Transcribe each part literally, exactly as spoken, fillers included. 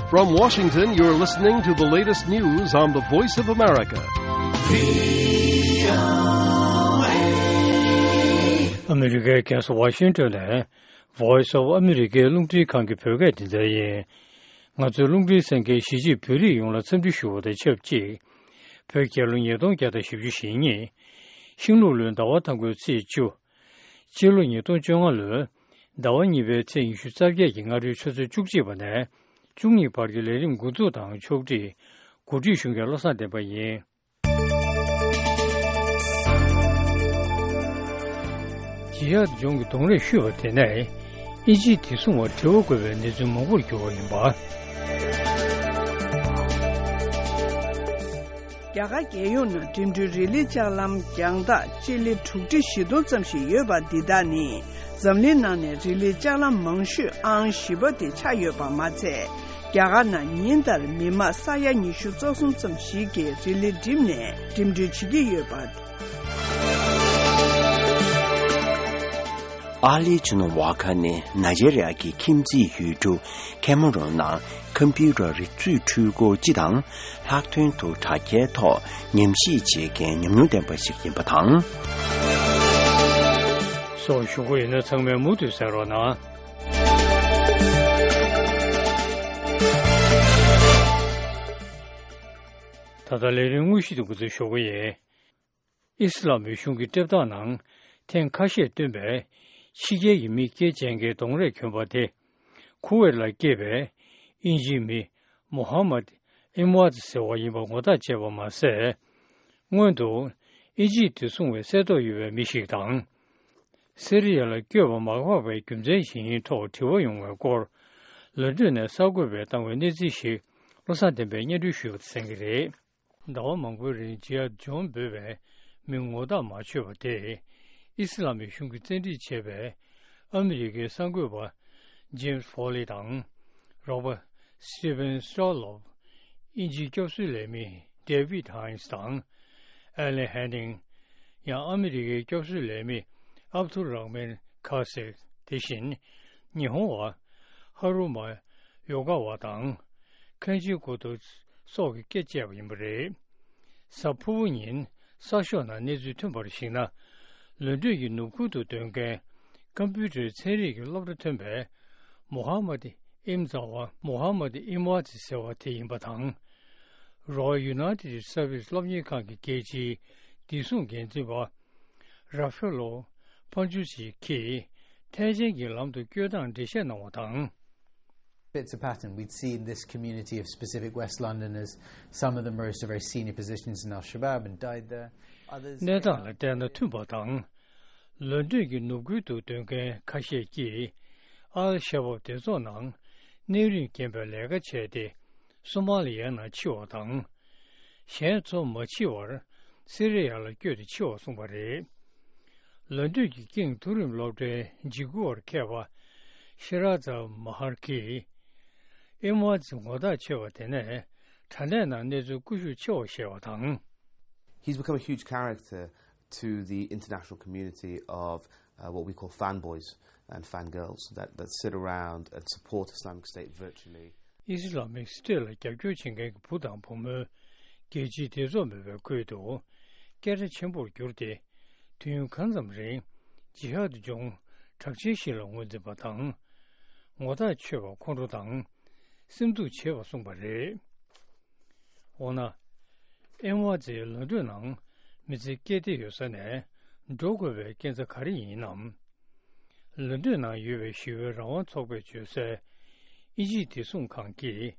From Washington, you're listening to the latest news on the Voice of America. ཨ་མི་རི་ཀའི་རྒྱལ་ས་ཝ་ཤིང་ཏོན་ནས་Voice of America རླུང་འཕྲིན་ཁང་གི་བོད་སྐད་སྡེ་ཚན་ཡིན། ང་ཚོའི་རླུང་འཕྲིན་གསན་མཁན་གཞིས་བྱེས་བོད་རིགས་ཡོངས་ལ་འཚམས་འདྲི་ཞུ་བ་དང་ཆབས་ཅིག་བོད་རྒྱལ་ལོ་ཉིས་སྟོང་བརྒྱ་དང་བཞི་བཅུ་ཞེ་གཉིས། ཤིང་ལུག་ལོའི་ཟླ་བ་དང་པོའི་ཚེས་བཅུ། སྤྱི་ལོ་ཉིས་སྟོང་བཅོ་ལྔ་ལོའི་ཟླ་བ་གཉིས་པའི་ཚེས་ཉི་ཤུ་རྩ་བརྒྱད་ཀྱི་སྔ་དྲོའི་ཆུ་ཚོད་བཅུ་གཅིག་པ་ནས་བཅུ་གཉིས་བར་གྱི་ལས་རིམ་འགོ་འཛུགས་དང་ཕྱོགས་སྒྲིག་གོ་སྒྲིག་ཞུ་མཁན་བློ་བཟང་བསྟན་པ་ཡིན། ཇི་ཧད་ལྗོངས་ཀྱི་གདོང་ལེན་ཞུས་པ་དེ་ནས་ཨིན་ཇིའི་བདེ་སྲུང་བ་དྲི་བ་བཀོད་པའི་གནས་ཚུལ་མང་པོར་གྱུར་བ་ཡིན་པ། རྒྱ་གར་རྒྱལ་ཡོངས་ནང་འགྲིམ་འགྲུལ་རི་ལི་ལྕགས་ལམ་རྒྱང་ཐག་སྤྱི་ལེ་དྲུག་ཁྲི་བཞི་སྟོང་ཙམ་ཞིག་ཡོད་པ་འདི་དག་ནི་འཛམ་གླིང་ནང་ནས་རི་ལི་ལྕགས་ལམ་མང་ཤོས་ཨང་བཞི་པ་དེ་ཆགས་ཡོད་པ་མ་ཚད། རྒྱ་གར་ནང་ཉིན་ལྟར་མི་མང་ས་ཡ་ཉི་ཤུ་རྩ་གསུམ་ཙམ་ཞིག་གིས་རི་ལི་འགྲིམས་ནས་འགྲིམ་འགྲུལ་བྱེད་ཀྱི་ཡོད་པ། ཨ་ལིའི་ཆུ་ནང་ཝ་ཁ་ནི་ནཱི་ཇེ་རི་ཡ་གི་ཁྱིམ་མཚེས་ཡུལ་གྲུ་ཁེ་མ་རོན་ནང་ཁམ་པུ་ཊར་རིག་མཛོད་འཕྲུལ་འཁོར་སྤྱི་དང་ལྷག་དོན་དུ་དྲ་རྒྱའི་ཐོག་ཉམས་ཞིབ་བྱེད་མཁན་ཉམས་མྱོང་ལྡན་པ་ཞིག་ཡིན་པ་དང་། སོགས་ཞུ་གི་ཡོད་ན་ཚང་མས་མུ་མཐུད་གསན་རོགས་གནང་། ད་ལྟ་ལས་རིམ་དངོས་གཞི་དུ་འགོ་འཛུགས་ཞུ་གི་ཡིན། ཨི་སི་ལ་མི་གཞུང་གི་ལྟེ་བ་ནང་ཐེངས་ཁ་ཤས་བཏོན་པའི་ཕྱི་རྒྱལ་གྱི་མི་སྐྱེས་ཅན་གྱི་གདོང་རས་གྱོན་པ་དེ། ཁུ་ཝེར་ལ་སྐྱེས་པའི་དབྱིན་ཇིའི་མི་མོ་ཧ་མད་ཨིམ་ཝཱད་ཟེར་བ་ཡིན་པ་ངོ་རྟགས་བྱས་པ་མ་ཟད། སྔོན་དུ་ཨི་ཇིབ་དེ་སྲུང་བའི་གསལ་ཐོ་ཡོད་པའི་མི་ཞིག་དང་། སི་རི་ཡ་ལ་བསྐྱོད་པ་མ་འགོག་པའི་རྒྱུ་མཚན་ཞིག་ཡིན་ཐོག་དྲི་བ་ཡོང་བའི་སྐོར། ལོན་ཏོན་ནས་གསར་འགོད་པས་བཏང་བའི་གནས་ཚུལ་ཞིག་བློ་བཟང་བསྟན་པས་སྙན་སྒྲོན་ཞུས་པ་གསན་གྱི་རེད། ཟླ་བ་མང་པོའི་རིང་ཇི་ཧད་ཇོན་འབོད་པའི་མི་ངོ་རྟགས་མ་ཆོད་པ་དེས་ཨི་སི་ལ་མི་གཞུང་གིས་བཙན་ཁྲིད་བྱས་པའི་ཨ་མི་རི་ཀའི་གསར་འགོད་པ་ཇེམ་སི་ཕོ་ལི་དང་། རོགས་པ་སི་ཏི་ཝན་སི་ཊོ་ལོབ། དབྱིན་ཇིའི་སྐྱོབ་གསོའི་ལས་མི་ཌེ་བིད་ཧའིན་སི་དང་། ཨེ་ལན་ཧན་ནིང་། ཡང་ཨ་མི་རི་ཀའི་སྐྱོབ་གསོའི་ལས་མི་ཨབ་དུལ་ར་མན་ཁ་སེ། དེ་བཞིན་ཉི་ཧོང་བ་ཧ་རུ་མ་ཡོ་ག་བ་དང་། ཁན་ཇི་གོ་ཏོ་སོགས་ཀྱིས་སྐད་བཅད་པ་ཡིན་པ་རེད། གཟའ་ཕུར་བུ་ཉིན་གསར་ཤོག་ནང་གནས་ཚུལ་ཐོན་པར་གཞིགས་ན། ལོན་ཏོན་གྱི་ནུབ་ཁུལ་དུ་སྡོད་མཁན་ཀམ་པུ་ཊར་ཚན་རིག་གི་སློབ་གྲྭ་ཐོན་པའི་མོ་ཧ་མད་ཨིམ་ཛ་ཝ། མོ་ཧ་མད་ཨིམ་ཝཱ་ཛི་ཟེར་བ་དེ་ཡིན་པ་དང་། རོ་ཡལ་ཡུ་ནའི་ཊེཌ་སར་བིས་སློབ་གཉེར་ཁང་གི་རྒྱལ་སྤྱིའི་བདེ་སྲུང་འགན་འཛིན་པ་ར་ཕེ་ལོ་པན་ཇུ་ཆི་གིས་ཐེངས་ཆེན་གྱི་ལམ་དུ་བསྐྱོད་སྟངས་འགྲེལ་བཤད་གནང་བ་དང་། It's a pattern we'd see in this community of specific West Londoners. Some of them rose to very senior positions in Al Shabaab and died there. Others གནས་སྟངས་ལ་བལྟས་ན་མཐུན་པ་དང་། ལོན་ཏོན་གྱི་ནུབ་ཁུལ་དུ་སྡོད་མཁན་ཁ་ཤས་ཀྱིས་ཨལ་ཤ་བབ་སྡེ་ཚོགས་ནང་གནས་རིམ་རྐྱེན་པས་ལས་ཀ་བྱས་ཏེ་སོ་མ་ལི་ཡའི་ནང་འཆི་བ་དང་། གཞན་ཚོ་མ་འཆི་བར་སི་རི་ཡ་ལ་བསྐྱོད་དེ་འཆི་བ་གསུངས་པ་རེད། ལོན་ཏོན་གྱི་ཀིང་མཐོ་རིམ་སློབ་གྲྭའི་འཇིགས་སྐུལ་བར་མཁས་པ་ཤེ་ར་ཛ་མ་ཧར་གྱིས། ཨེ་མ་ཛི་ངོ་རྟགས་ཆེ་བ་དེ་ནས་དྲ་གནས་ནང་གནས་ཚུལ་སྐུ་ཞབས་ཆེ་བ་བཤད་པ་དང་། He's become a huge character to the international community of uh, what we call fanboys and fangirls that, that sit around and support Islamic State virtually. ཨི་སི་ལ་མིག་སི་ཊེཊ་ལ་རྒྱབ་སྐྱོར་བྱེད་མཁན་གྱི་བུ་དང་བུ་མོའི་རྒྱལ་སྤྱིའི་སྡེ་ཚོགས་མེད་པའི་ཁུལ་དུ་སྐད་གྲགས་ཆེན་པོར་གྱུར་ཏེ། དུས་ཡུན་གང་ཙམ་རིང་ཇི་ཧད་ཇོང་གྲགས་ཅན་ཞིག་ལ་ངོས་འཛིན་པ་དང་། ངོ་ཐག་ཆོད་པ་ཁོང་ཁྲོ་དང་། སེམས་སྡུག་ཆེ་བ་གསུངས་པ་རེད། འོ་ན། ཨེ་མ་ཛི་ལོན་ཏོན་ནང་མི་ཚེ་སྐྱེལ་བསྡད་ཡོད་ས་ནས་འགྲོ་དགོས་པའི་རྐྱེན་རྩ་ག་རེ་ཡིན་ནམ། ལོན་ཏོན་ནང་ཡོད་པའི་ཞི་བའི་རང་དབང་ཚོགས་པས་བརྗོད་གསལ། ཨིན་ཇིའི་བདེ་སྲུང་ཁང་གིས་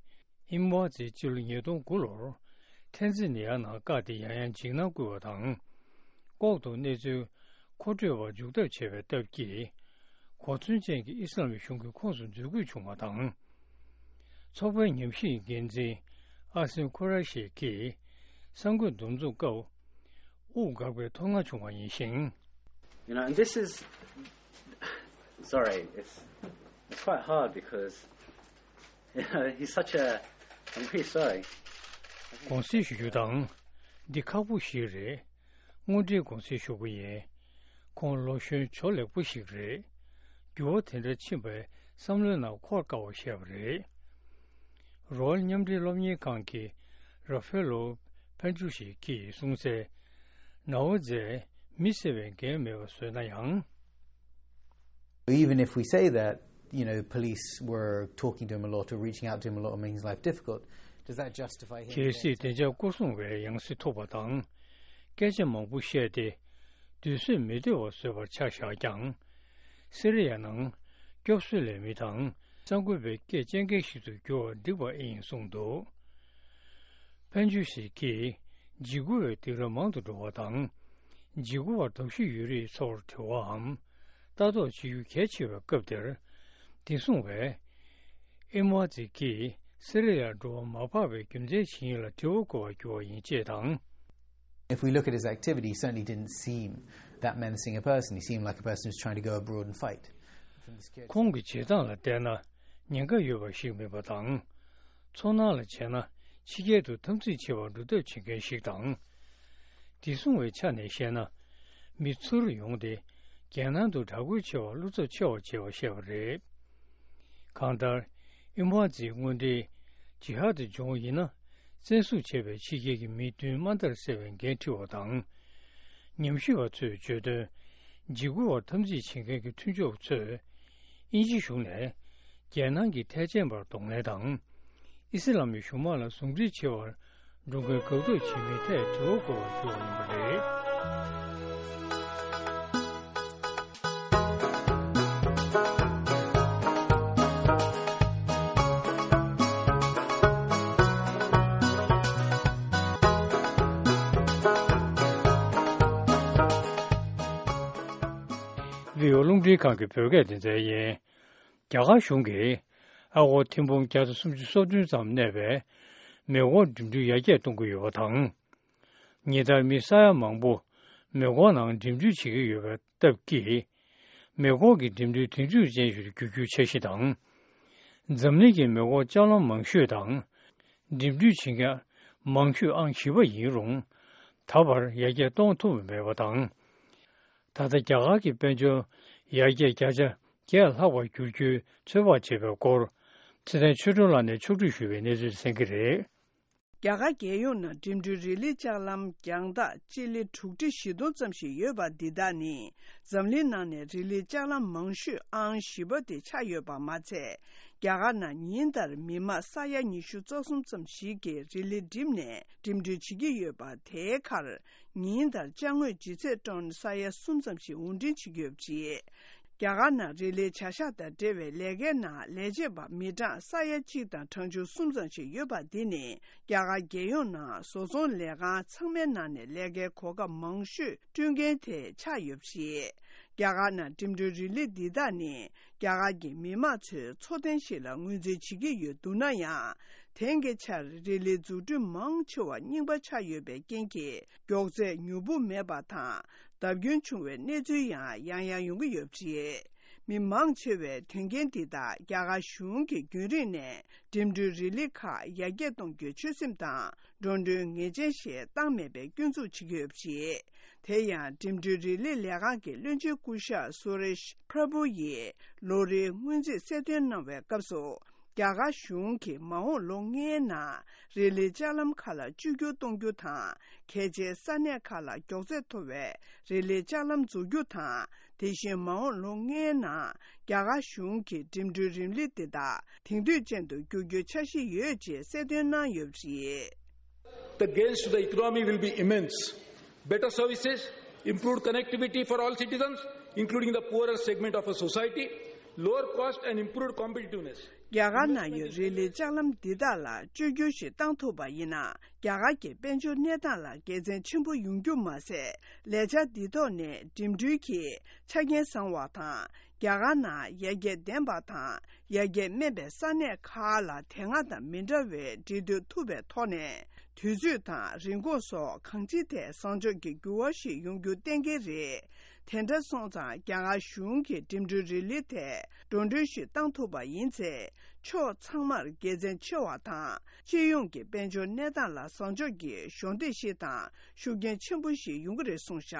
ཨེ་མ་ཛི་སྤྱི་ལོ་ཉིས་སྟོང་དགུ་ལོར་ཐན་ཛི་ནི་ཡ་ནང་བཀག་སྟེ་ཡང་ཡང་འཇིགས་སྣང་བསྐུལ་བ་དང་། ལྐོག་ཏུ་གནས་ཚུལ་མཁོ་སྤྲོད་པར་འཇུག་ཐབས་བྱས་པའི་སྟབས་ཀྱིས། གོ་མཚོན་ཅན་གྱི་ཨི་སི་ལམ་གཞུང་གི་ཁོངས་སུ་འཛུལ་དགོས་བྱུང་བ་དང་། ཚོགས་པའི་ཉམས་ཞིབ་འགན་འཛིན་ཨ་སིན་ཁུ་ར་ཤི་གིས་གསར་འགོད་འདུ་འཛོམས་སྐབས་དབུགས་འགག་པའི་མཐོང་སྣང་བྱུང་བ་ཡིན་ཞིང་། You know, and this is, sorry, it's, it's quite hard because, you know, he's such a, I'm really sorry. དགོངས་སེལ་ཞུ་རྒྱུ་དང་། འདི་ཁག་པོ་ཞིག་རེད། དངོས་འབྲེལ་དགོངས་སེལ་ཞུ་གི་ཡིན། ཁོང་ལོ་གཞོན་ཇོ་ལེགས་པོ་ཞིག་རེད། འགྱུར་བ་དེ་འདྲ་ཕྱིན་པའི་བསམ་བློའི་ནང་འཁོར་དཀའ་བ་བཤད་པ་རེད། རོ་ཨལ་མཉམ་འབྲེལ་སློབ་གཉེར་ཁང་གི་ར་ཧྥེ་ལོ་ཕན་ཆུ་ཤི་ཀིས་གསུངས་གསལ། ནའོ་ཛེས་མི་བསད་པའི་འགན་མེད་པ་བཟོས་ན་ཡང་། Even if we say that, you know, police were talking to him a lot or reaching out to him a lot or making his life difficult, does that justify him? གལ་སྲིད་བདེ་འཇགས་སྐོར་སྲུང་བས་ཡང་སེ་ཐུག་པ་དང་། སྐད་ཆ་མང་པོ་བཤད་དེ། སྡུག་བསྔལ་མི་འདོད་པ་བཟོས་པར་ཆ་བཞག་ཀྱང་། སི་རི་ཡ་ནང་སྐྱོབ་གསོའི་ལས་མི་དང་གསར་འགོད་པའི་སྐད་བཅད་མཁན་ཞིག་ཏུ་འགྱུར་བ་འགྲིག་པ་ཨིན་གསུངས་འདུག་ཕན་ཆུ་ཤི་ཀིས་འཇིགས་སྐུལ་བའི་སྡིགས་ར་མང་དུ་འགྲོ་བ་དང་། འཇིགས་སྐུལ་བ་དོགས་གཞི་ཡོད་རིགས་ཚོར་དྲི་བའམ་ལྟ་རྟོག་བྱེད་རྒྱུ་གལ་ཆེ་བའི་སྐབས་དེར། དེ་གསུངས་པས། ཨིམ་ཝ་ཛི་ཀིས་སི་རི་ཡར་འགྲོ་བ་མ་ཕབ་པའི་རྒྱུ་མཚན་ཇི་ཡིན་ལ་དྲི་བ་བཀོད་པར་འགྱུར་བ་ཡིན་ཅེས་དང་། If we look at his activity, he certainly didn't seem that menacing a person. He seemed like a person who's trying to go abroad and fight. ཁོང་གི་བྱེད་སྟངས་ལ་བལྟས་ན་ཉེན་ཁ་ཡོད་པ་ཞིག་མིན་པ་དང་། ཚོར་སྣང་ལ་བྱས་ན་ཕྱི་རྒྱལ་དུ་འཐབ་འཛིང་ཆེ་བར་འགྲོ་ཐབས་བྱེད་མཁན་ཞིག་དང་། དེ་གསུངས་པའི་ཆ་ནས་བཤད་ན། མི་ཚུར་ཡོང་སྟེ་རྒྱལ་ནང་དུ་དྲག་རྒོལ་ཆེ་བར་བློ་འཚབ་ཆེ་བ་བྱས་པ་བཤད་པ་རེད། གང་ལྟར། ཨིམ་ཧྥལ་གྱི་དངོས་འབྲེལ་ཇི་ཧ་དུ་སྦྱོང་བ་ཡིན་ན། བཙན་བཟུང་བྱས་པའི་ཕྱི་རྒྱལ་གྱི་མི་བདུན་དམའ་མཐར་བསད་པའི་འགན་འཁྲི་བ་དང་། ཉམས་ཞིབ་པ་ཚོས་བརྗོད་དོན། འཇིགས་སྐུལ་བར་འཐབ་འཛིང་བྱེད་མཁན་གྱི་མཐུན་ཕྱོགས་ཚོས། དབྱིན་ཇི་གཞུང་ནས། རྒྱལ་ནང་གི་ཐེག་ཆེན་པར་གདོང་ལེན་དང་། ཨི་སི་ལམ་གྱི་གཞུང་དམག་ལ་ཟུང་འབྲེལ་བྱེད་པར། འགྲོ་མཁན་དགག་སྒྲུབ་བྱེད་མིན་ཐད་དྲི་བ་བཀོད་པར་འགྱུར་བ་ཡིན་པ་རེད། བྷི་ཨོ་རླུང་འཕྲིན་ཁང་གི་བོད་སྐད་སྡེ་ཚན་ཡིན། རྒྱ་གར་གཞུང་གིས་ཨ་སྒོར་ཐེར་འབུམ་བརྒྱ་དང་སུམ་ཅུ་སོ་བདུན་ཙམ་གནས་པའི་མེ་འཁོར་འགྲིམ་འགྲུལ་ཡར་རྒྱས་གཏོང་གི་ཡོད་པ་དང་། ཉིན་ལྟར་མི་ས་ཡ་མང་པོ་མེ་འཁོར་ནང་འགྲིམ་འགྲུལ་བྱེད་ཀྱི་ཡོད་པའི་སྟབས་ཀྱིས། མེ་འཁོར་གྱི་འགྲིམ་འགྲུལ་དུས་ཚོད་ཅན་ཞིག་ཏུ་འགྱུར་རྒྱུའི་འཆར་གཞི་དང་། འཛམ་གླིང་གི་མེ་འཁོར་ལྕགས་ལམ་མང་ཤོས་དང་། འགྲིམ་འགྲུལ་བྱེད་མཁན་མང་ཤོས་ཨང་བཞི་པ་ཡིན་རུང་། ད་བར་ཡར་རྒྱས་གཏོང་ཐུབ་མེད་པ་དང་། ད་ལྟ་རྒྱ་གར་གྱི་དཔལ་འབྱོར་ཡར་རྒྱས་བརྒྱ་ཆ་བརྒྱད་ལྷག་པར་འགྱུར་རྒྱུའི་ཚོད་དཔག་བྱས་པའི་སྐོར། ཚེ་བརྟན་ཆོས་སྒྲོན་ལགས་ནས་ཕྱོགས་བསྒྲིགས་ཞུས་པའི་གནས་ཚུལ་གསན་གྱི་རེད། རྒྱ་གར་རྒྱལ་ཡོངས་ནང་འགྲིམ་འགྲུལ་རི་ལི་ལྕགས་ལམ་རྒྱང་ཐག་སྤྱི་ལེ་དྲུག་ཁྲི་བཞི་སྟོང་ཙམ་ཞིག་ཡོད་པ་འདི་དག་ནི། འཛམ་གླིང་ནང་ནས་རི་ལི་ལྕགས་ལམ་མང་ཤོས་ཨང་བཞི་པ་དེ་ཆགས་ཡོད་པ་མ་ཚད། རྒྱ་གར་ནང་ཉིན་ལྟར་མི་མང་ས་ཡ་ཉི་ཤུ་རྩ་གསུམ་ཙམ་ཞིག་གིས་རི་ལི་འགྲིམས་ནས་འགྲིམ་འགྲུལ་བྱེད་ཀྱི་ཡོད་པ། དེའི་ཁར་ཉིན་ལྟར་ཅ་དངོས་ལྗིད་ཚད་ཊོན་ས་ཡ་གསུམ་ཙམ་ཞིག་དབོར་འདྲེན་བྱེད་ཀྱི་ཡོད་པ་རེད། རྒྱ་གར་ནང་རི་ལིའི་བྱ་གཞག་དང་འབྲེལ་བའི་ལས་ཀའི་ནང་ལས་བྱེད་པ་མི་གྲངས་ས་ཡ་གཅིག་དང་གྲངས་ཆུང་གསུམ་ཙམ་ཞིག་ཡོད་པ་འདི་ནི། རྒྱ་གར་རྒྱལ་ཡོངས་ནང་བཟོ་ཚོང་ལས་ཁང་ཚང་མའི་ནང་ནས་ལས་ཀའི་གོ་སྐབས་མང་ཤོས་བསྐྲུན་མཁན་དེ་ཆགས་ཡོད་པ་རེད། རྒྱ་གར་ནང་འགྲིམ་འགྲུལ་རི་ལི་འདི་དག་ནི། རྒྱ་གར་གྱི་མི་དམངས་ཚོའི་འཚོ་རྟེན་ཞིག་ལ་ངོས་འཛིན་བྱེད་ཀྱི་ཡོད་འདུག་ན་ཡང་། དེང་གི་ཆར་རི་ལིའི་འཛུགས་སྐྲུན་མང་ཆེ་བ་རྙིང་པ་ཆགས་ཡོད་པའི་རྐྱེན་གྱིས། མགྱོགས་ཚད་མྱུར་པོ་མེད་པ་དང་། བརྡབ་སྐྱོན་བྱུང་བའི་གནས་ཚུལ་ཡང་ཡང་ཡང་ཡོང་གི་ཡོད་པ་རེད། མི་མང་ཆེ་བས་དོན་རྐྱེན་འདི་དག་རྒྱ་གར་གཞུང་གིས་རྒྱུན་རིང་ནས་འགྲིམ་འགྲུལ་རི་ལི་ཁག་ཡར་རྒྱས་གཏོང་རྒྱུའི་ཆོད་སེམས་དང་འགྲོ་གྲོན་ངེས་ཅན་ཞིག་བཏང་མེད་པའི་སྐྱོན་འཛུགས་བྱེད་ཀྱི་ཡོད་པ་རེད། དེ་ཡང་འགྲིམ་འགྲུལ་རི་ལི་ལས་ཁང་གི་བློན་ཆེན་སྐུ་ཞབས་སུ་རེཤ་པྲ་བྷུ་ཡིས་ལོ་རེའི་སྔོན་རྩིས་གསལ་སྟོན་གནང་བའི་སྐབས་སུ། རྒྱ་གར་གཞུང་གིས་མ་འོངས་ལོ་ལྔའི་ནང་རི་ལིའི་ལྕགས་ལམ་ཁག་ལ་བཅོས་བསྒྱུར་གཏོང་རྒྱུ་དང་། གལ་ཆེའི་ས་གནས་ཁག་ལ་མགྱོགས་ཚད་མཐོ་བའི་རི་ལིའི་ལྕགས་ལམ་འཛུགས་རྒྱུ་དང་། དེ་བཞིན་མ་འོངས་ལོ་ལྔའི་ནང་རྒྱ་གར་གཞུང་གིས་འགྲིམ་འགྲུལ་རི་ལི་འདི་དག་དེང་དུས་ཅན་དུ་བསྒྱུར་རྒྱུའི་འཆར་གཞི་ཡོད་ཅེས་གསལ་སྟོན་གནང་ཡོད་པ་རེད། The gains to the economy will be immense. Better services, improved connectivity for all citizens, including the poorer segment of a society, lower cost and improved competitiveness. རྒྱ་གར་ནང་ཡོད་རི་ལིའི་ལྕགས་ལམ་འདི་དག་ལ་བཅོས་བསྒྱུར་ཞིག་བཏང་ཐུབ་པ་ཡིན་ན། རྒྱ་གར་གྱི་དཔལ་འབྱོར་གནས་སྟངས་ལ་དགེ་མཚན་ཆེན་པོ་ཡོང་རྒྱུ་མ་ཟད། ལས་འཆར་འདི་ཐོག་ནས་འགྲིམ་འགྲུལ་གྱི་ཆ་རྐྱེན་བཟང་བ་དང་། རྒྱ་གར་ནང་ཡར་རྒྱས་ལྡན་པ་དང་ཡར་རྒྱས་དམན་པའི་ས་གནས་ཁག་ལ་དེ་སྔ་དང་མི་འདྲ་བའི་འབྲེལ་མཐུད་ཐུབ་པའི་ཐོག་ནས། དུས་ཚོད་དང་རིན་གོང་སོགས་གང་ཅིའི་ཐད་བཟང་ཕྱོགས་ཀྱི་འགྱུར་བ་ཞིག་ཡོང་རྒྱུ་གཏན་འཁེལ་རེད། དེ་འདྲ་སོང་ཙང་རྒྱ་གར་གཞུང་གིས་འགྲིམ་འགྲུལ་རི་ལི་ཐད་འགྲོ་གྲོན་ཞིག་བཏང་ཐུབ་པ་ཡིན་ཚེ། ཕྱོགས་ཚང་མར་དགེ་མཚན་ཆེ་བ་དང་། སྤྱི་ཡོངས་ཀྱི་དཔལ་འབྱོར་གནས་སྟངས་ལ་བཟང་ཕྱོགས་ཀྱི་གཞོགས་འདེགས་ཤིག་དང་ཤུགས་རྐྱེན་ཆེན་པོ་ཞིག་ཡོང་གི་རེད་གསུངས་བཞག་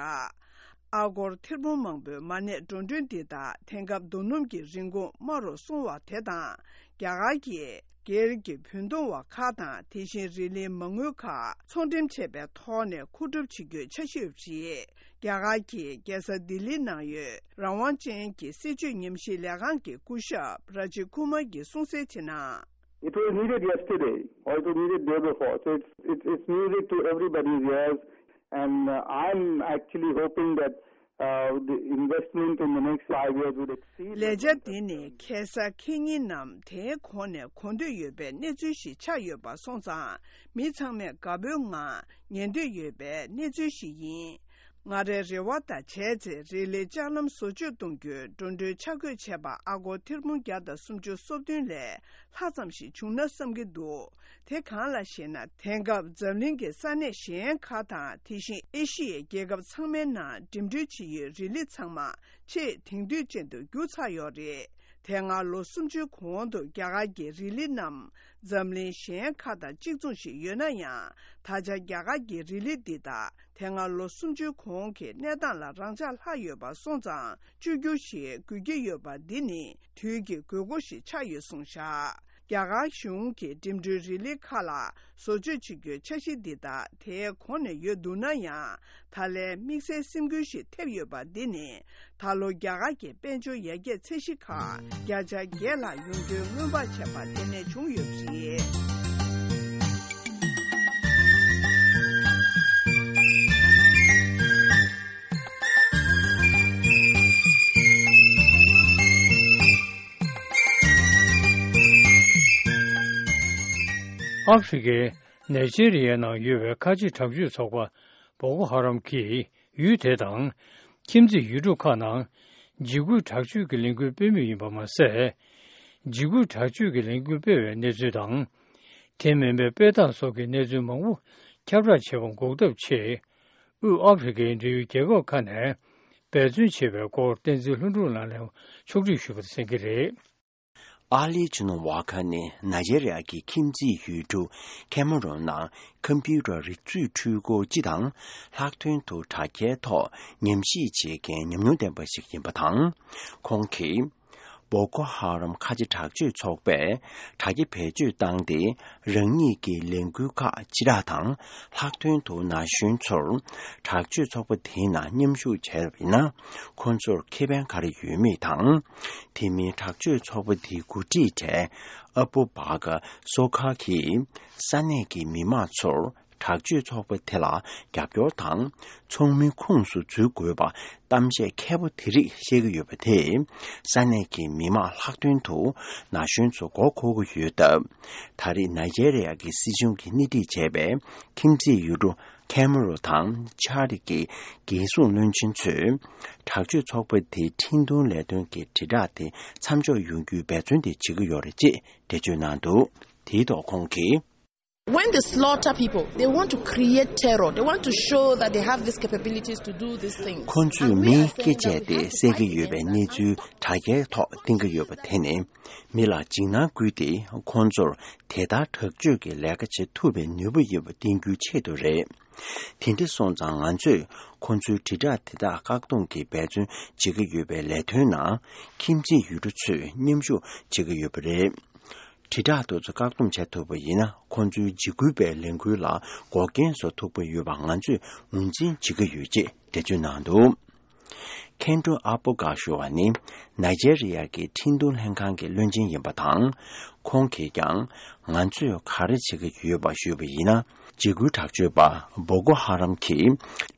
ཨ་སྒོར་ཐེར་འབུམ་མང་པོའི་མ་གནས་འགྲོ་གྲོན་འདི་དག་དེང་སྐབས་རྡོ་སྣུམ་གྱི་རིན་གོང་དམའ་རུ་སོང་བ་དེ་དང་། རྒྱ་གར་གྱིས་ སྒེར་གྱི་བུན་གཏོང་བ་ཁག་དང་། དེ་བཞིན་རི་ལིའི་མ་དངུལ་ཁག་ཚོང་འགྲེམས་བྱས་པའི་ཐོག་ནས་མཁོ་སྒྲུབ་བྱེད་རྒྱུའི་འཆར་གཞི་ཡོད་པ་རེད། རྒྱ་གར་གྱི་རྒྱལ་ས་ལྡི་ལི་ནང་ཡོད་རང་དབང་ཅན་གྱི་སྲིད་བྱུས་ཉམས་ཞིབ་ལས་ཁང་གི་སྐུ་ཞབས་ར་ཇི་ཁུ་མར་གྱིས་གསུངས་གསལ་བྱས་ན། It was needed yesterday, or it was needed day before. So it's, it's, it's music to everybody's ears, and uh, I'm actually hoping that uh, the investment in the next five years would exceed. ལས་འཆར་འདི་ནི་ཁ་སང་ཁེ་ཉིན་ནམ་དེའི་གོང་ནས་གོ་འདོད་ཡོད་པའི་གནས་ཚུལ་ཞིག་ཆགས་ཡོད་པ་སོང་ཙང་། མི་ཚང་མས་དགའ་པོའི་ངང་ཉན་འདོད་ཡོད་པའི་གནས་ཚུལ་ཞིག་ཡིན། ང་རའི་རེ་བ་དང་བྱས་ཚེ། རི་ལིའི་ལྕགས་ལམ་བཟོ་བཅོས་གཏོང་རྒྱུའི་འགྲོ་གྲོན་ཆ་བགོས་བྱས་པ་ཨ་སྒོར་ཐེར་འབུམ་བརྒྱ་དང་སུམ་ཅུ་སོ་བདུན་ལས་ལྷག་ཙམ་ཞིག་བྱུང་ན་བསམ་གྱི་འདུག་དེ་གང་ལགས་ཤེ་ན། དེང་སྐབས་འཛམ་གླིང་གི་ས་གནས་གཞན་ཁག་དང་། དེ་བཞིན་ཨེ་ཤི་ཡའི་རྒྱལ་ཁབ་ཚང་མའི་ནང་འགྲིམ་འགྲུལ་བྱེད་ཡུལ་རི་ལི་ཚང་མ་ཆེས་དེང་དུས་ཅན་དུ་གྱུར་ཚར་ཡོད་རེད། དེ་སྔ་ལོ་སུམ་ཅུའི་གོང་དུ་རྒྱ་གར་གྱི་རི་ལི་རྣམས་འཛམ་གླིང་གཞན་ཁག་དང་གཅིག་མཚུངས་ཤིག་ཡོད་ན་ཡང་། ད་ཆ་རྒྱ་གར་གྱི་རི་ལི་འདི་དག་དེ་སྔ་ལོ་སུམ་ཅུའི་གོང་གི་གནས་སྟངས་ལ་རང་འཇགས་ལྷག་ཡོད་པ་སོང་ཙང་། བཅོས་བསྒྱུར་ཞིག་དགོས་ཀྱི་ཡོད་པ་འདི་ནི་དུས་ཀྱི་དགོས་མཁོ་ཞིག་ཆགས་ཡོད་གསུངས་བཞག་རྒྱ་གར་གཞུང་གིས་འགྲིམ་འགྲུལ་རི་ལི་ཁག་ལ་བཟོ་བཅོས་བྱེད་རྒྱུའི་འཆར་གཞི་འདི་དག་དེའི་གོང་ནས་ཡོད་འདུག་ན་ཡང་། ད་ལན་དམིགས་བསལ་སེམས་འགུལ་ཞིག་ཐེབས་ཡོད་པ་འདི་ནི། ད་ལོ་རྒྱ་གར་གྱི་དཔལ་འབྱོར་ཡར་རྒྱས་ཚད་གཞི་ཁག་བརྒྱ་ཆ་བརྒྱད་ལྷག་ཡོང་རྒྱུའི་སྔོན་དཔག་བྱས་པ་དེ་ནས་བྱུང་ཡོད་པ་རེད། ཨ་ཧྥེ་རི་ཁའི་ནཱི་ཇེ་རི་ཡའི་ནང་ཡོད་པའི་ཁ་ཆེ་དྲག་སྤྱོད་ཚོགས་པ་བོ་ཀོ་ཧ་རམ་གྱིས་ཡུལ་དེ་དང་ཁྱིམ་མཚེས་ཡུལ་གྲུ་ཁག་ནང་འཇིགས་སྐུལ་དྲག་སྤྱོད་ཀྱི་ལས་འགུལ་སྤེལ་མུས་ཡིན་པ་མ་ཟད། འཇིགས་སྐུལ་དྲག་སྤྱོད་ཀྱི་ལས་འགུལ་སྤེལ་བའི་གནས་ཚུལ་དང་། དེ་མིན་པའི་དཔེ་རྟགས་སོགས་ཀྱི་གནས་ཚུལ་མང་པོ་ཁྱབ་བསྒྲགས་བྱེད་པ་འགོག་ཐབས་ཆེད། དབུས་ཨ་ཧྥེ་རི་ཁའི་འབྲེལ་ཡོད་རྒྱལ་ཁབ་ཁག་ནས་འབད་བརྩོན་བྱེད་པའི་སྐོར་བསྟན་འཛིན་ལྷུན་གྲུབ་ལགས་ནས་ཕྱོགས་སྒྲིག་ཞུས་པ་དེ་གསན་གྱི་རེད། ཨ་ལི་ཇི་ནོ་ཝ་ཁ་ནི་ནཱི་ཇེ་རི་ཡ་གི་ཁྱིམ་མཚེས་ཡུལ་གྲུ་ཁེ་མ་རོན་ནང་ཁམ་པུ་ཊར་རིག་མཛོད་འཕྲུལ་འཁོར་སྤྱི་དང་ལྷག་དོན་དུ་དྲ་རྒྱའི་ཐོག་ཉམས་ཞིབ་བྱེད་མཁན་ཉམས་མྱོང་ལྡན་པ་ཞིག་ཡིན་པ་དང་། ཁོང་གིས་བོ་ཀོ་ཧ་རམ་ཁ་ཆེ་དྲག་སྤྱོད་ཚོགས་པས་དྲ་རྒྱ་བེད་སྤྱོད་བཏང་སྟེ། རང་ཉིད་ཀྱི་ལས་འགུལ་ཁག་སྤྱི་བསྒྲགས་དང་། ལྷག་དོན་དུ་ན་གཞོན་ཚོར་དྲག་སྤྱོད་ཚོགས་པ་དེའི་ནང་མཉམ་ཞུགས་བྱས་པ་ཡིན་ན། ཁོང་ཚོར་ཁེ་ཕན་ག་རེ་ཡོད་མེད་དང་། དེ་མིན་དྲག་སྤྱོད་ཚོགས་པ་དེའི་འགོ་ཁྲིད་གྲས་ཨ་བུ་བྷ་ག་སོ་ཁ་གིས་ས་གནས་ཀྱི་མི་མང་ཚོར་དྲག་སྤྱོད་ཚོགས་པ་དེ་ལ་རྒྱབ་སྐྱོར་དང་། ཚོགས་མིའི་ཁོངས་སུ་འཛུལ་དགོས་པ་གཏམ་བཤད་མཁས་པོ་དེ་རིགས་བཤད་ཀྱི་ཡོད་པ་དེས། ས་གནས་ཀྱི་མི་མང་ལྷག་དོན་དུ་ན་གཞོན་ཚོ་མགོ་འཁོར་གྱི་ཡོད་སྟབས། ད་རེས་ནཱི་ཇེ་རི་ཡ་གི་སྲིད་གཞུང་གིས་སྣེ་ཁྲིད་བྱས་པའི་ཁྱིམ་མཚེས་ཡུལ་གྲུ་ཁེ་མ་རོ་དང་ཆ་རི་གི་རྒྱལ་སྲུང་བློན་ཆེན་ཚོས་དྲག་སྤྱོད་ཚོགས་པ་དེའི་འཕྲིན་གཏོང་ལས་དོན་གྱི་དྲིལ་བསྒྲགས་དེ་མཚམས་འཇོག་ཡོང་རྒྱུའི་འབད་བརྩོན་དེ་བྱེད་ཀྱི་ཡོད་རེད་ཅེས་འགྲེལ་བརྗོད་གནང་འདུག་དེའི་ཐོག་ཁོང་གིས། When they slaughter people, they want to create terror. They want to show that they have these capabilities to do these things. ཁོང་ཚོས་མིའི་སྐེ་བཅད་དེ་བསད་ཀྱི་ཡོད་པའི་གནས་ཚུལ་དྲ་རྒྱའི་ཐོག་བཏིང་གི་ཡོད་པ་དེ་ནི། མི་ལ་འཇིགས་སྣང་བསྐུལ་ཏེ། ཁོང་ཚོར་དེ་ལྟར་དྲག་སྤྱོད་ཀྱི་ལས་ཀ་བྱེད་ཐུབ་པའི་ནུས་པ་ཡོད་པ་བསྟན་རྒྱུའི་ཆེད་དུ་རེད། དེ་འདྲ་སོང་ཙང་། ང་ཚོས་ཁོང་ཚོའི་དྲིལ་བསྒྲགས་དེ་དག་བཀག་སྡོམ་གྱི་འབད་བརྩོན་བྱེད་ཀྱི་ཡོད་པའི་ལས་དོན་ནང་ཁྱིམ་མཚེས་ཡུལ་གྲུ་ཚོས་མཉམ་ཞུགས་བྱེད་ཀྱི་ཡོད་པ་རེད། དྲིལ་བསྒྲགས་དེ་ཚོ་བཀག་སྡོམ་བྱེད་ཐུབ་པ་ཡིན་ན། ཁོང་ཚོའི་འཇིགས་སྐུལ་བའི་ལས་འགུལ་ལ་འགོག་རྐྱེན་བཟོ་ཐུབ་ཀྱི་ཡོད་པ་ང་ཚོས་ངོས་འཛིན་བྱེད་ཀྱི་ཡོད་ཅེས་འགྲེལ་བརྗོད་གནང་འདུག་ཁེན་ཏྲོ་ཨ་པོ་ག་ཞུ་བ་ནི་ནཱི་ཇེ་རི་ཡ་གི་འཕྲིན་གཏོང་ལྷན་ཁང་གི་བློན་ཆེན་ཡིན་པ་དང་། ཁོང་གིས་ཀྱང་ང་ཚོས་ག་རེ་བྱེད་ཀྱི་ཡོད་པ་ཞུས་པ་ཡིན་ན། འཇིགས་སྐུལ་དྲག་སྤྱོད་པ་བོ་ཀོ་ཧ་རམ་གྱིས་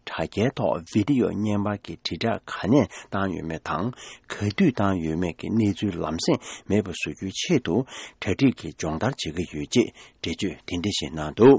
དྲ་རྒྱའི་ཐོག་བི་ཌི་ཡོ་བརྙན་པར་གྱི་དྲིལ་བསྒྲགས་ག་ནས་བཏང་ཡོད་མེད་དང་། ག་དུས་བཏང་ཡོད་མེད་ཀྱི་གནས་ཚུལ་ལམ་སེང་མེད་པ་བཟོ་རྒྱུའི་ཆེད་དུ། གྲ་སྒྲིག་གི་སྦྱོང་བརྡར་བྱེད་ཀྱི་ཡོད་ཅེས་འགྲེལ་བརྗོད་དེ་འདྲ་ཞིག་གནང་འདུག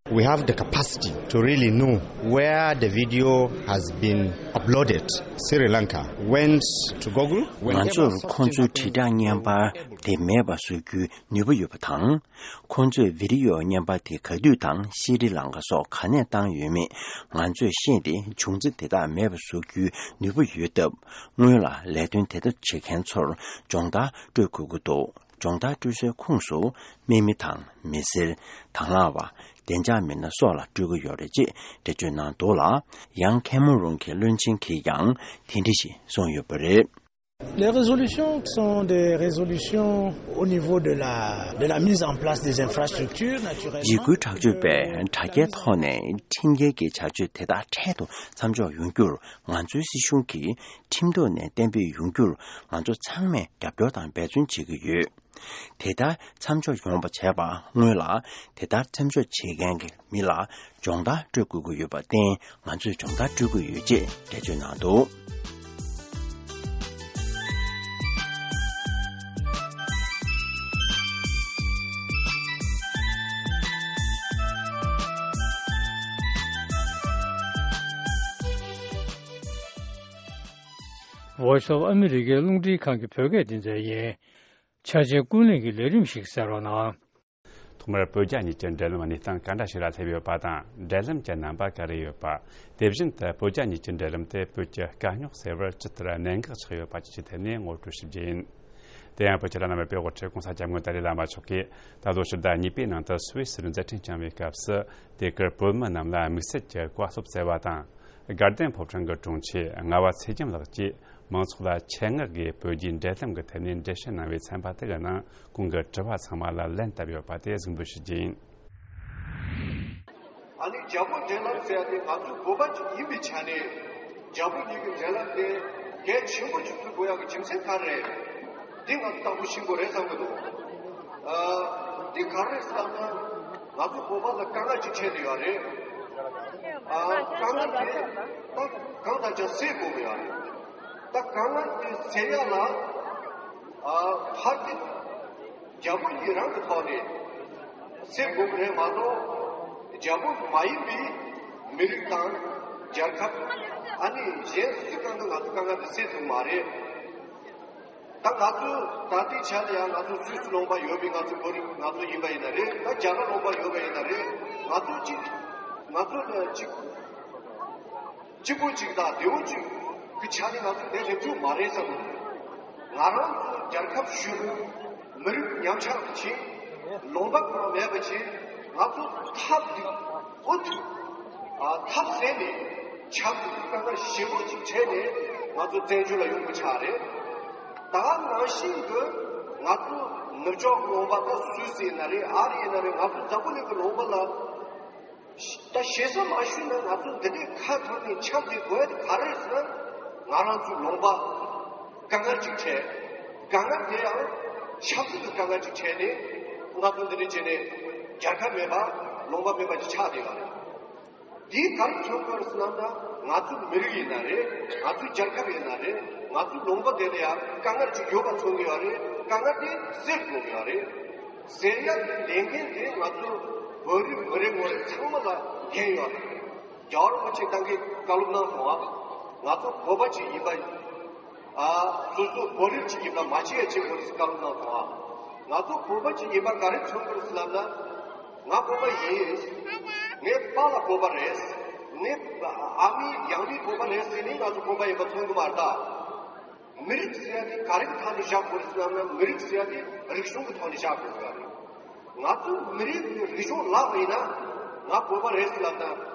We have the capacity to really know where the video has been uploaded. Sri Lanka went to Google. ང་ཚོར་ཁོང་ཚོའི་དྲིལ་བསྒྲགས་བརྙན་པར་དེ་མེད་པ་བཟོ་རྒྱུའི་ནུས་པ་ཡོད་པ་དང་། ཁོང་ཚོས་བི་ཌི་ཡོ་བརྙན་པར་དེ་ག་དུས་དང་ཤི་རི་ལང་ཀ་སོགས་ག་ནས་བཏང་ཡོད་མེད་ང་ཚོས་ཤེས་ཏེ། བྱུང་རྩིས་དེ་དག་མེད་པ་བཟོ་རྒྱུའི་ནུས་པ་ཡོད་སྟབས། སྔོན་ལ་ལས་དོན་དེ་དག་བྱེད་མཁན་ཚོར་སྦྱོང་བརྡར་སྤྲོད་དགོས་ཀྱི་འདུག་སྦྱོང་བརྡར་སྤྲོད་སའི་ཁོངས་སུ་དམག་མི་དང་། མི་སེར། དང་བླངས་པ། བདེ་འཇགས་མི་སྣ་སོགས་ལ་སྤྲོད་ཀྱི་ཡོད་རེད་ཅེས་འགྲེལ་བརྗོད་གནང་འདུག་ལ། ཡང་ཁེ་མ་རོན་གྱི་བློན་ཆེན་གྱིས་ཀྱང་དེ་འདྲ་ཞིག་གསུངས་ཡོད་པ་རེད། Les résolutions sont des résolutions au niveau de la, de la mise en place des infrastructures, naturellement. ཡི་གུའི་དྲག་སྤྱོད་པས་དྲ་རྒྱའི་ཐོག་ནས་ཁྲིམས་འགལ་གྱི་བྱ་སྤྱོད་དེ་དག་འཕྲལ་དུ་མཚམས་འཇོག་ཡོང་རྒྱུར་ང་ཚོའི་སྲིད་གཞུང་གིས་ཁྲིམས་ཐོག་ནས་གཏན་འབེབས་ཡོང་རྒྱུར་ང་ཚོ་ཚང་མས་རྒྱབ་སྐྱོར་དང་འབད་བརྩོན་བྱེད་ཀྱི་ཡོད། དེ་ལྟར་མཚམས་འཇོག་ཡོང་བ་བྱས་པ་སྔོན་ལ་དེ་ལྟར་མཚམས་འཇོག་བྱེད་མཁན་གྱི་མི་ལ་སྦྱོང་བརྡར་སྤྲོད་དགོས་ཀྱི་ཡོད་པར་བརྟེན་ང་ཚོས་སྦྱོང་བརྡར་སྤྲོད་ཀྱི་ཡོད་ཅེས་འགྲེལ་བརྗོད་གནང་འདུག Voice of America རླུང་འཕྲིན་ཁང་གི་བོད་སྐད་སྡེ་ཚན་ཡིན། འཆར་ཅན་ཀུན་གླེང་གི་ལས་རིམ་ཞིག་གསན་རོགས་གནང་། ཐོག་མར་བོད་རྒྱ་གཉིས་ཀྱི་འབྲེལ་ལམ་གནས་སྟངས་ག་འདྲ་ཞིག་ལ་སླེབས་ཡོད་པ་དང་འབྲེལ་ལམ་གྱི་རྣམ་པ་ག་རེ་ཡོད་པ། དེ་བཞིན་དུ་བོད་རྒྱ་གཉིས་ཀྱི་འབྲེལ་ལམ་དེ་བོད་ཀྱི་དཀའ་རྙོག་སེལ་བར་ཇི་ལྟར་གནད་འགག་ཆགས་ཡོད་པ་བཅས་ཀྱི་ཐད་ནས་ངོ་སྤྲོད་ཞུ་རྒྱུ་ཡིན། དེ་ཡང་བོད་ཀྱི་བླ་ན་མེད་པའི་དབུ་ཁྲིད་༸གོང་ས་༸སྐྱབས་མགོན་ཏཱ་ལའི་བླ་མ་མཆོག་གིས་ད་ལོ་ཕྱི་ཟླ་གཉིས་པའི་ནང་དུ་སུད་སིར་མཛད་འཕྲིན་བསྐྱངས་པའི་སྐབས་སུ། དེ་གར་བོད་མི་རྣམས་ལ་དམིགས་བསལ་གྱི་བཀའ་སློབ་སྩལ་བ་དང་། དགའ་ལྡན་ཕོ་བྲང་གི་དྲུང་ཆེ་ངག་དབང་ཚེ་རྒྱམ་ལགས་ཀྱིས་མང་ཚོགས་ལ་ཆེད་མངགས་ཀྱིས་བོད་རྒྱའི་འབྲེལ་ལམ་གྱི་ཐད་ནས་འགྲེལ་བཤད་གནང་བའི་ཚན་པ་དེ་གའི་ནང་ཁོང་གི་དྲི་བ་ཚང་མ་ལ་ལན་བཏབ་ཡོད་པ་དེ་གཟིགས་འབུལ་ཞུ་རྒྱུ་ཡིན། ཨ་ནི་རྒྱ་བོད་འབྲེལ་ལམ་ཟེར་ཡ་དེ་ང་ཚོ་བོད་པ་ཅིག་ཡིན་པའི་ཆ་ནས་རྒྱ་བོད་གཉིས་ཀྱི་འབྲེལ་ལམ་དེ་གལ་ཆེན་པོ་ཅིག་བརྩི་དགོས་ཡ་གི་རྒྱུ་མཚན་ག་རེ་རེད། འདི་ང་ཚོ་དང་པོ་ཤེས་དགོས་རེད་བསམ་གྱི་འདུག་ཨ། འདི་ག་རེ་རེད་ཟེར་ན། ང་ཚོ་བོད་པ་ལ་དཀའ་ངལ་ཅིག་འཕྲད་བསྡད་ཡོད་རེད། ཨ། དཀའ་ངལ་དེ་ད་གང་ལྟར་ཀྱང་སེལ་དགོས་ཀྱི་ཡོད་རེད། ད་དཀའ་ངལ་དེ་སེལ་ཡ་ལ། ཨ། ཕར་གྱི་རྒྱ་བོད་གཉིས་རང་གི་ཐོག་ནས་སེལ་དགོས་ཀྱི་རེད་མ་གཏོགས། རྒྱ་བོད་མ་ཡིན་པའི་མི་རིགས་དང་རྒྱལ་ཁབ། ཨ་ནི་གཞན་སུ་གང་གིས་ང་ཚོ་དཀའ་ངལ་དེ་སེལ་ཐུབ་མ་རེད། ད་ང་ཚོ་ད་ལྟའི་ཆ་ལ་ཡང་ང་ཚོ་སུད་སི་ལུང་པ་ཡོད་པའི་ང་ཚོ་བོད་རིགས་ང་ཚོ་ཡིན་པ་ཡིན་ན་རེད། ད་རྒྱ་གར་ལུང་པ་ཡོད་པ་ཡིན་ན་རེད། ང་ཚོ་གཅིག་ང་ཚོ་ལ་གཅིག་གཅིག་པོ་གཅིག་དང་བདེ་བོ་གཅིག་གི་ཆ་ནས་ང་ཚོ་བསྡད་ཐུབ་རྒྱུ་མ་རེད་བསམ་གྱི་འདུག་ང་རང་ཚོ་རྒྱལ་ཁབ་ཞུ། མི་རིགས་ཉམས་ཆག་གི་ཆེད། ལུང་པ་ཁོ་རང་མེད་པ་ཆེད། ང་ཚོ་ཐབས་འདི་འུ་ཐུག་ཨ། ཐབས་ཟད་ནས་ཆབ་སྲིད་ཀྱི་དཀའ་ངལ་ཞེ་པོ་ཅིག་འཕྲད་ནས་ང་ཚོ་བཙན་བྱོལ་ལ་ཡོང་དགོས་ཆགས་རེད། ད་ནང་བཞིན་དུ་ང་ཚོ་ནུབ་ཕྱོགས་ལུང་པ་ད་སུད་སི་ཡིན་ན་རེད། ཨ་རི་ཡིན་ན་རེད། ང་ཚོ་འཛམ་བུ་གླིང་གི་ལུང་པ་ལ་ད་ཞེ་ས་མ་ཞུས་ན་ང་ཚོ་འདི་ནས་ཁ་ཐོར་ནས་ཆབ་འདི་དགོས་ཡ་དེ་ག་རེ་རེད་ཟེར་ན། ང་རང་ཚོའི་ལུང་པ་དཀའ་ངལ་ཅིག་འཕྲད། དཀའ་ངལ་དེ་ཡང་ཆབ་སྲིད་ཀྱི་དཀའ་ངལ་ཅིག་འཕྲད་ནས་ང་ཚོ་འདི་འདྲ་བྱས་ནས་རྒྱལ་ཁབ་མེད་པ་ལུང་པ་མེད་པ་ཅིག་ཆགས་བསྡད་ཡོད་རེད། དེས་ག་རེ་མཚོན་གྱི་ཡོད་རེད་ཟེར་ན། ང་ཚོའི་མི་རིགས་ཡིན་ན་རེད། ང་ཚོའི་རྒྱལ་ཁབ་ཡིན་ན་རེད། ང་ཚོའི་ལུང་པ་དེ་ལ་ཡང་དཀའ་ངལ་ཅིག་ཡོད་པ་མཚོན་གྱི་ཡོད་རེད། དཀའ་ངལ་དེ་སེལ་དགོས་ཀྱི་ཡོད་རེད། ཟེར་ཡག་གི་ལས་འགན་དེ་ང་ཚོ་བོད་རིགས་མི་རེ་ངོ་རེ་ཚང་མ་ལ་འགན་ཡོད་རེད། རྒྱལ་བ་རིན་པོ་ཆེ་ད་གིན་བཀའ་སློབ་གནང་སོང་ང་། ང་ཚོ་བོད་པ་ཅིག་ཡིན་པ། ཨ། སོ་སོ་བོད་རིགས་ཅིག་ཡིན་པ་མ་བརྗེད་ཡ་བྱེད་དགོས་ཟེར་བཀའ་སློབ་གནང་སོང་ང་། ང་ཚོ་བོད་པ་ཅིག་ཡིན་པ་ག་རེ་མཚོན་གྱི་རེད་ཟེར་ལབ་ན། ང་བོད་པ་ཡིན། ངའི་པཱ་ལགས་བོད་པ་རེད། ངའི་ཨ་མའི་ཡང་མི་བོད་པ་རེད་ཟེར་ནས་ང་ཚོ་བོད་པ་ཡིན་པ་མཚོན་གྱི་མ་རེད་ད། མི་རིགས་ཟེར་ཡ་དེ་ག་རེ་གི་ཐོག་ནས་བཞག་དགོས་རེད་ཟེར་ལབ་ན། མི་རིགས་ཟེར་ཡ་དེ་རིག་གཞུང་གི་ཐོག་ནས་བཞག་དགོས་ཟེར་བ་རེད། ང་ཚོ་མི་རིགས་ཀྱི་རིག་གཞུང་བརླག་པ་ཡིན་ན། ང་བོད་པ་རེད་ཟེར་ལབ་ན།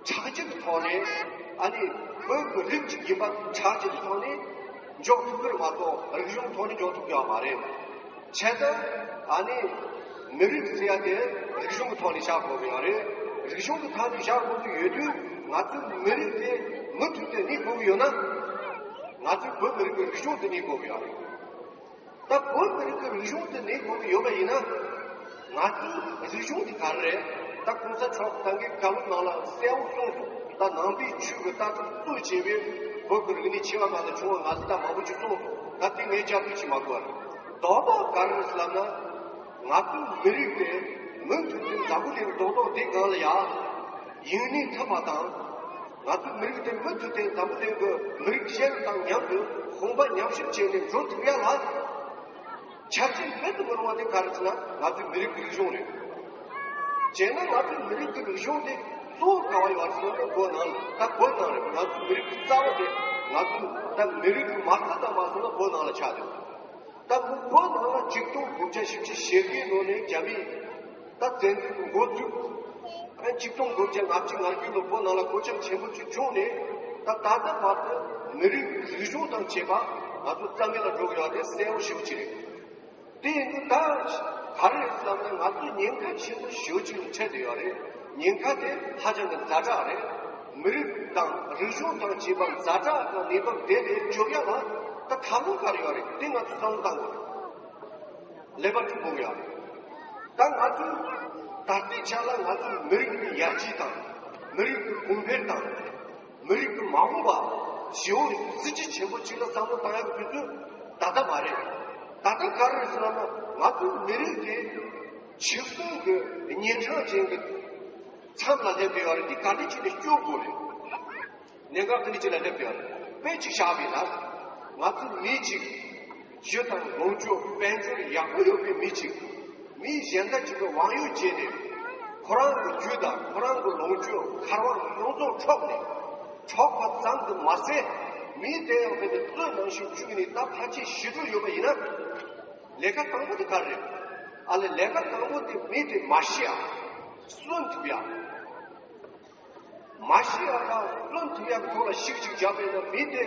ཆགས་སྤྱོད་ཀྱི་ཐོག་ནས། ཨ་ནི་བོད་ཀྱི་རིགས་ཅིག་ཡིན་པ་ཆགས་སྤྱོད་ཀྱི་ཐོག་ནས་འཇོག་ཐུབ་ཀྱི་རེད་མ་གཏོགས། རིག་གཞུང་ཐོག་ནས་འཇོག་ཐུབ་ཀྱི་ཡོད་མ་རེད། བྱས་ཙང་ཨ་ནི་མི་རིགས་ཟེར་ཡ་དེ་རིག་གཞུང་གི་ཐོག་ནས་བཞག་དགོས་ཀྱི་ཡོད་རེད། རིག་གཞུང་གི་ཐོག་ནས་བཞག་དགོས་ཀྱི་ཡོད་དུས། ང་ཚོའི་མི་རིགས་དེ་མུ་མཐུད་དེ་གནས་དགོས་ཀྱི་ཡོད་ན། ང་ཚོའི་བོད་མི་རིགས་ཀྱི་རིག་གཞུང་དེ་གནས་དགོས་ཀྱི་ཡོད་རེད། ད་བོད་མི་རིགས་ཀྱི་རིག་གཞུང་དེ་གནས་དགོས་ཀྱི་ཡོད་པ་ཡིན་ན། ང་ཚོའི་རིག་གཞུང་དེ་ག་རེ་རེད། ད་གོང་ས་མཆོག་ད་གིན་བཀའ་སློབ་ནང་ལ་གསལ་བོ་གསུངས་སོང་། ད་ནང་པའི་ཆོས་ཀྱི་ལྟ་གྲུབ་གཙོ་བྱས་པའི་བོད་ཀྱི་རིག་གནས་ཆེ་བ་གང་ལ་བྱུང་བ་ང་ཚོ་ད་མང་པོ་ཅིག་གསུངས་སོང་། ད་དེ་ངས་བསྐྱར་ཟློས་བྱེད་མ་དགོས་པ་རེད། དོགས་པ་ག་རེ་རེད་ཟེར་ལབ་ན། ང་ཚོའི་མི་རིགས་དེ་མུ་མཐུད་དུ་འཛམ་བུ་གླིང་རྡོག་རྡོག་འདི་སྒང་ལ་ཡ་ཡུན་གནས་ཐུབ་པ་དང་། ང་ཚོའི་མི་རིགས་དེ་མུ་མཐུད་དེ་འཛམ་བུ་གླིང་གི་མི་རིགས་གཞན་དང་མཉམ་དུ་དཔུང་པ་མཉམ་གཤིབ་བྱས་ནས་འགྲོ་ཐུབ་ཡ་ལ། ཆ་རྐྱེན་མེད་དུ་མི་རུང་བ་དེ་ག་རེ་ཟེར་ན། ང་ཚོའི་མི་རིགས་ཀྱི་རིག་གཞུང་རེད། བྱས་ན་ང་ཚོའི་མི་རིགས་ཀྱི་རིག་གཞུང་དེ་གཙོ་བོ་ག་བ་ཡོད་རེད་ཟེར་ན། བོད་ནང་ལ། ད་བོད་ནང་རེད། ང་ཚོའི་མི་རིགས་ཀྱི་རྩ་བ་དེ། ང་ཚོའི་ད་མི་རིགས་ཀྱི་མ་རྩ་དང་མ་སོང་ན་བོད་ནང་ལ་ཆགས་ཡོད། ད་བོད་ནང་ལ་ཆིག་སྟོང་དགུ་བརྒྱ་བཞི་བཅུ་ཞེ་དགུའི་ནང་ནས་རྒྱ་མིས་ད་བཙན་འཛུལ་གྱི་འགོ་བཙུགས། ཨ། ཆིག་སྟོང་དགུ་བརྒྱ་ལྔ་བཅུ་ང་དགུའི་ལོ་བོད་ནང་ལ་གོད་ཆག་ཆེན་པོ་ཅིག་བྱུང་ནས། ད་ད་ལྟ་བར་དུ་མི་རིགས་རིག་གཞུང་དང་བཅས་པ་ང་ཚོ་རྩ་མེད་ལ་འགྲོ་གི་ཡོད་རེད། གསལ་བོ་ཞེ་པོ་ཅིག་རེད། དེ་ཡིན་དུས་ད་ག་རེ་རེད་ཟེར་ལབ་ན། ང་ཚོ་ཉེན་ཁ་ཆེན་པོ་ཞེ་པོ་ཅིག་ལ་འཕྲད་བསྡད་ཡོད་རེད། ཉེན་ཁ་དེ་ཧ་ཅང་གི་ཛ་དྲག་རེད། མི་རིགས་དང་རིག་གཞུང་དང་བཅས་པ་ཛ་དྲག་དང་གནས་བབ་དེ་ལས་སྐྱོབ་ཡ་ལ་ད་ཐབས་ལམ་ག་རེ་ཡོད་རེད། དེ་ང་ཚོ་བསམ་བློ་གཏང་དགོས་རེད། ཀླད་པ་འཁྲུག་དགོས་ཀྱི་ཡོད་རེད། ད་ང་ཚོས་ད་ལྟའི་ཆ་ལ་ང་ཚོའི་མི་རིགས་ཀྱི་ཡར་རྒྱས་དང་། མི་རིགས་ཀྱི་གོང་འཕེལ་དང་། མི་རིགས་ཀྱི་མ་འོངས་པ་ཞེ་པོ་གཟི་བརྗིད་ཆེན་པོ་ཅིག་ལ་བསམ་བློ་བཏང་ཡག་གི་དུས་ཚོད་ད་ལྟ་མ་རེད། ད་ལྟ་ག་རེ་རེད་ཟེར་ན། ང་ཚོའི་མི་རིགས་དེ་འཆི་གསོན་གྱི་གཉན་འཕྲང་ཅན་གྱི་མཚམས་ལ་སླེབས་ཡོད་རེད། འདི་ག་འདྲ་བྱས་ནས་སྐྱོབ་དགོས་རེད། གནད་འགག་དེ་འདྲ་ཅིག་ལ་སླེབས་ཡོད་རེད། དཔེ་ཅིག་བཞག་པ་ཡིན་ན། ང་ཚོ་མི་གཅིག་རྒྱུ་དང་ལོངས་སྤྱོད་དཔལ་འབྱོར་ཡག་པོ་ཡོད་པའི་མི་གཅིག་མི་གཞན་དག་ཅིག་གི་དབང་ཡོད་བྱས་ཏེ། ཁོ་རང་གི་རྒྱུ་དང་ཁོ་རང་གི་ལོངས་སྤྱོད་ཁ་རོག་ཡོངས་རྫོགས་འཕྲོག་ནས། འཕྲོག་པ་ཙམ་དུ་མ་ཟད། མི་དེ་ཡང་དཔེ་དེ་གཙོད་ནང་བཞིན་བཅུག་ནས་ད་ཕལ་ཆེར་ཤི་འགྲོ་ཡོད་པ་ཡིན་ན། ལས་ཀ་དང་པོ་དེ་ག་རེ་རེད། ཨ་ལས་ལས་ཀ་དང་པོ་དེ་མི་དེ་མ་ཤི་ཡ། གསོན་ཐུབ་ཡ། མ་ཤི་ཡ་དང་གསོན་ཐུབ་ཡ་གི་ཐོག་ལ་ཤིག་ཅིག་བརྒྱབ་པ་ཡིན་ན། མི་དེ་